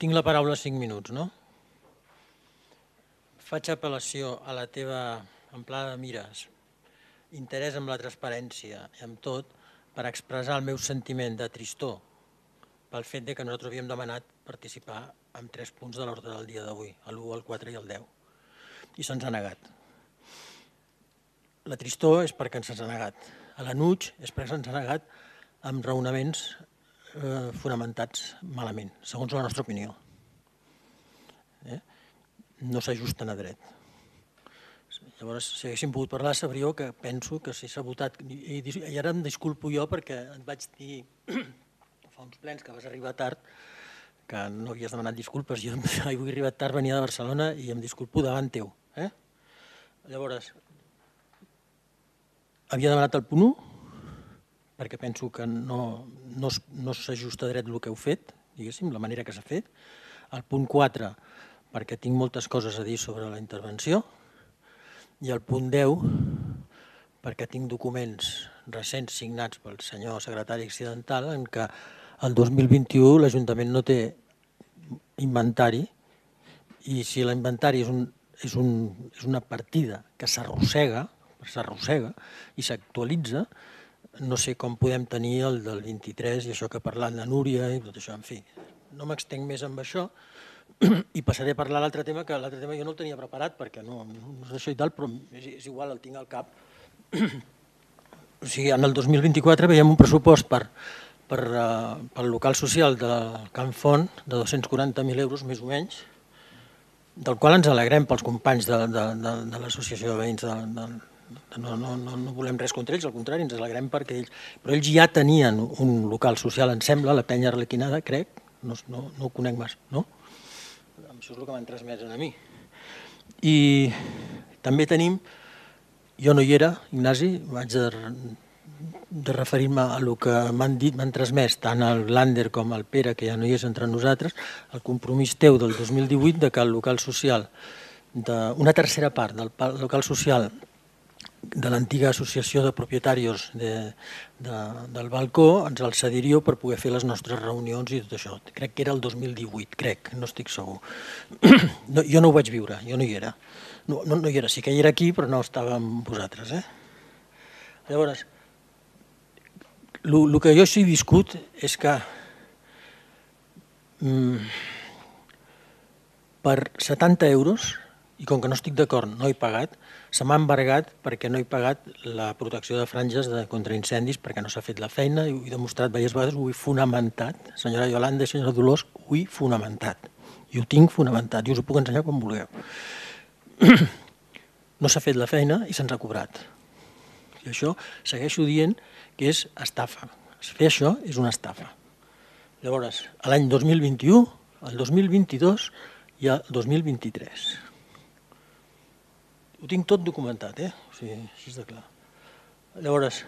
tinc la paraula 5 minuts, no? Faig apel·lació a la teva amplada de mires, interès en la transparència i amb tot, per expressar el meu sentiment de tristor pel fet que nosaltres havíem demanat participar en 3 punts de l'ordre del dia d'avui, l'1, el 4 i el 10, i se'ns ha negat. La tristor és perquè se'ns ha negat. L'enuig és perquè se'ns ha negat amb raonaments fonamentats malament, segons la nostra opinió. No s'ajusten a dret. Llavors, si haguéssim pogut parlar, sabríeu que penso que si s'ha votat... I ara em disculpo jo perquè et vaig dir fa uns plens que vas arribar tard, que no havies demanat disculpes. Jo he arribat tard, venia de Barcelona i em disculpo davant teu. Llavors, havia demanat el punt 1, perquè penso que no s'ajusta a dret el que heu fet, diguéssim, la manera que s'ha fet. El punt 4, perquè tinc moltes coses a dir sobre la intervenció. I el punt 10, perquè tinc documents recents signats pel senyor secretari accidental en què el 2021 l'Ajuntament no té inventari i si l'inventari és una partida que s'arrossega i s'actualitza, no sé com podem tenir el del 23 i això que ha parlat la Núria i tot això, en fi. No m'extenc més amb això i passaré a parlar l'altre tema, que l'altre tema jo no el tenia preparat perquè no és això i tal, però és igual, el tinc al cap. O sigui, en el 2024 veiem un pressupost pel local social del Can Font de 240.000 euros, més o menys, del qual ens alegrem pels companys de l'associació de veïns no volem res contra ells, al contrari, ens alegrem perquè ells... Però ells ja tenien un local social, em sembla, la Penya Arlequinada, crec, no ho conec més, no? Això és el que m'han transmès a mi. I també tenim, jo no hi era, Ignasi, vaig de referir-me a el que m'han dit, m'han transmès tant el Lander com el Pere, que ja no hi és entre nosaltres, el compromís teu del 2018 de que el local social, una tercera part del local social de l'antiga associació de propietaris del balcó ens el cediríeu per poder fer les nostres reunions i tot això. Crec que era el 2018, crec, no estic segur. Jo no ho vaig viure, jo no hi era. No hi era, sí que hi era aquí, però no estava amb vosaltres. Llavors, el que jo sí he viscut és que per 70 euros, i com que no estic d'acord, no he pagat, se m'ha embargat perquè no he pagat la protecció de franges contra incendis perquè no s'ha fet la feina i ho he demostrat diverses vegades, ho he fonamentat. Senyora Iolanda i senyora Dolors, ho he fonamentat. I ho tinc fonamentat i us ho puc ensenyar quan vulgueu. No s'ha fet la feina i se'ns ha cobrat. I això segueixo dient que és estafa. Fer això és una estafa. Llavors, l'any 2021, el 2022 i el 2023. Ho tinc tot documentat, o sigui, així de clar. Llavors,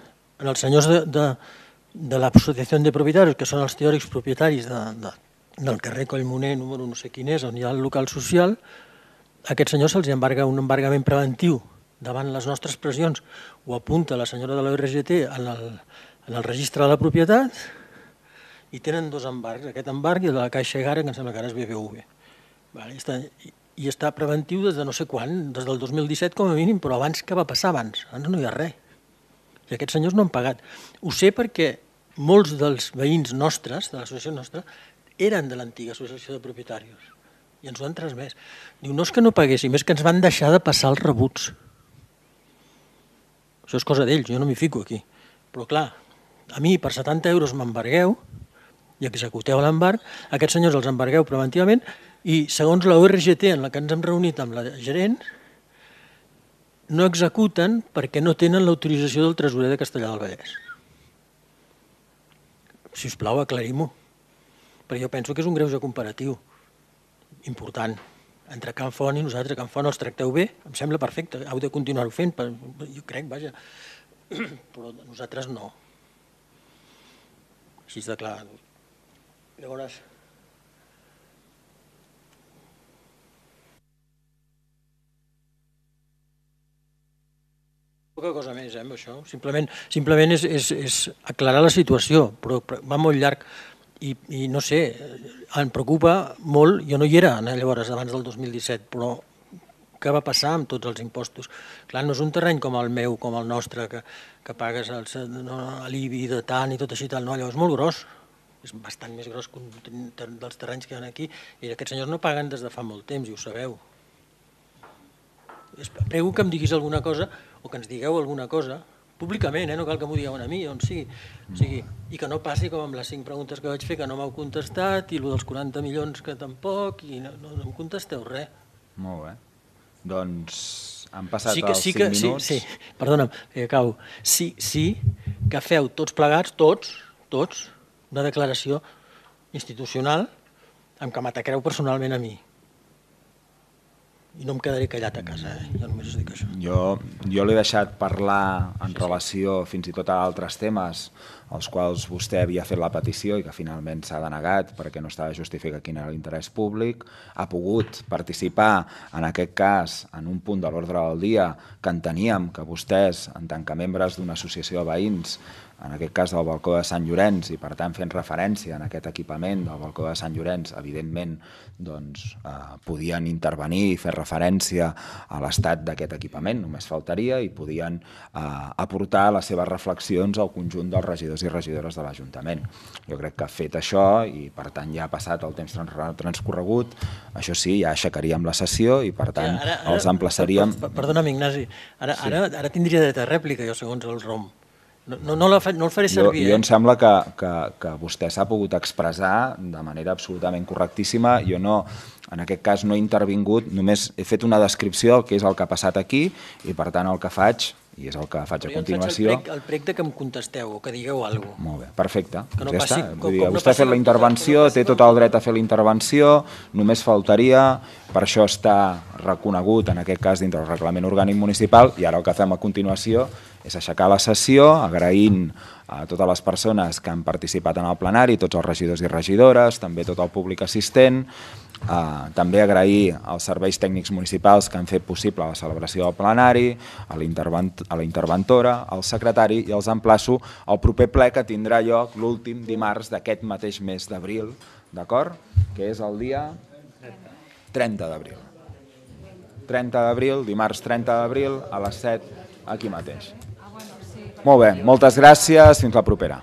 els senyors de l'associació de propietaris, que són els teòrics propietaris del carrer Collmoner, número no sé quin és, on hi ha el local social, a aquests senyors se'ls embarga un embargament preventiu davant les nostres pressions, ho apunta la senyora de l'ORGT en el registre de la propietat, i tenen 2 embargs, aquest embarg i de la Caixa Egara, que em sembla que ara és BBV. I està preventiu des de no sé quan, des del 2017 com a mínim, però abans què va passar abans? Abans no hi ha res. I aquests senyors no han pagat. Ho sé perquè molts dels veïns nostres, de l'associació nostra, eren de l'antiga associació de propietaris i ens ho han transmès. Diu, no és que no paguéssim, és que ens van deixar de passar els rebuts. Això és cosa d'ells, jo no m'hi fico aquí. Però clar, a mi per 70 euros m'embargueu i executeu l'embarg, aquests senyors els embargueu preventivament i segons la ORGT en la que ens hem reunit amb la gerent, no executen perquè no tenen l'autorització del tresorer de Castellar del Vallès. Si us plau, aclarim-ho, perquè jo penso que és un greuge comparatiu. important. Entre Can Font i nosaltres, a Can Font els tracteu bé, em sembla perfecte, heu de continuar-ho fent, jo crec, vaja, però nosaltres no. Així de clar. Llavors... Poca cosa més, amb això. Simplement és aclarar la situació, però va molt llarg i no sé, em preocupa molt, jo no hi era llavors abans del 2017, però què va passar amb tots els impostos? Clar, no és un terreny com el meu, com el nostre, que pagues l'IBI de tant i tot així tal, no, allò és molt gros, és bastant més gros que dels terrenys que hi ha aquí, i aquests senyors no paguen des de fa molt temps, i ho sabeu. Prego que em diguis alguna cosa, o que ens digueu alguna cosa, públicament, no cal que m'ho digueu a mi, on sigui, i que no passi com amb les 5 preguntes que vaig fer, que no m'heu contestat, i el dels 40 milions que tampoc, i no em contesteu res. Molt bé. Doncs han passat els 5 minuts. Sí, perdona'm, acabo. Sí que feu tots plegats, tots, una declaració institucional amb què m'atacreu personalment a mi. I no em quedaré callat a casa, jo només us dic això. Jo l'he deixat parlar en relació fins i tot a altres temes als quals vostè havia fet la petició i que finalment s'ha denegat perquè no estava justificat quin era l'interès públic. Ha pogut participar, en aquest cas, en un punt de l'ordre del dia que enteníem que vostès, en tant que membres d'una associació de veïns, en aquest cas del balcó de Sant Llorenç, i per tant fent referència a aquest equipament del balcó de Sant Llorenç, evidentment podien intervenir i fer referència a l'estat d'aquest equipament, només faltaria, i podien aportar les seves reflexions al conjunt dels regidors i regidores de l'Ajuntament. Jo crec que ha fet això i per tant ja ha passat el temps transcorregut, això sí, ja aixecaríem la sessió i per tant els emplaçaríem... Perdona'm, Ignasi, ara tindria dret a rèplica jo segons el ROM. No el faré servir. Jo em sembla que vostè s'ha pogut expressar de manera absolutament correctíssima. Jo no, en aquest cas no he intervingut, només he fet una descripció del que és el que ha passat aquí i per tant el que faig, i és el que faig a continuació... El prec que em contesteu o que digueu alguna cosa. Molt bé, perfecte. Vostè ha fet la intervenció, té tot el dret a fer la intervenció, només faltaria, per això està reconegut en aquest cas dintre del reglament orgànic municipal i ara el que fem a continuació és aixecar la sessió agraint a totes les persones que han participat en el plenari, tots els regidors i regidores, també tot el públic assistent, també agrair als serveis tècnics municipals que han fet possible la celebració del plenari, a la interventora, al secretari i els emplaço al proper ple que tindrà lloc l'últim dimarts d'aquest mateix mes d'abril, d'acord? Que és el dia 30 d'abril. 30 d'abril, dimarts 30 d'abril, a les 7, aquí mateix. Molt bé, moltes gràcies, fins la propera.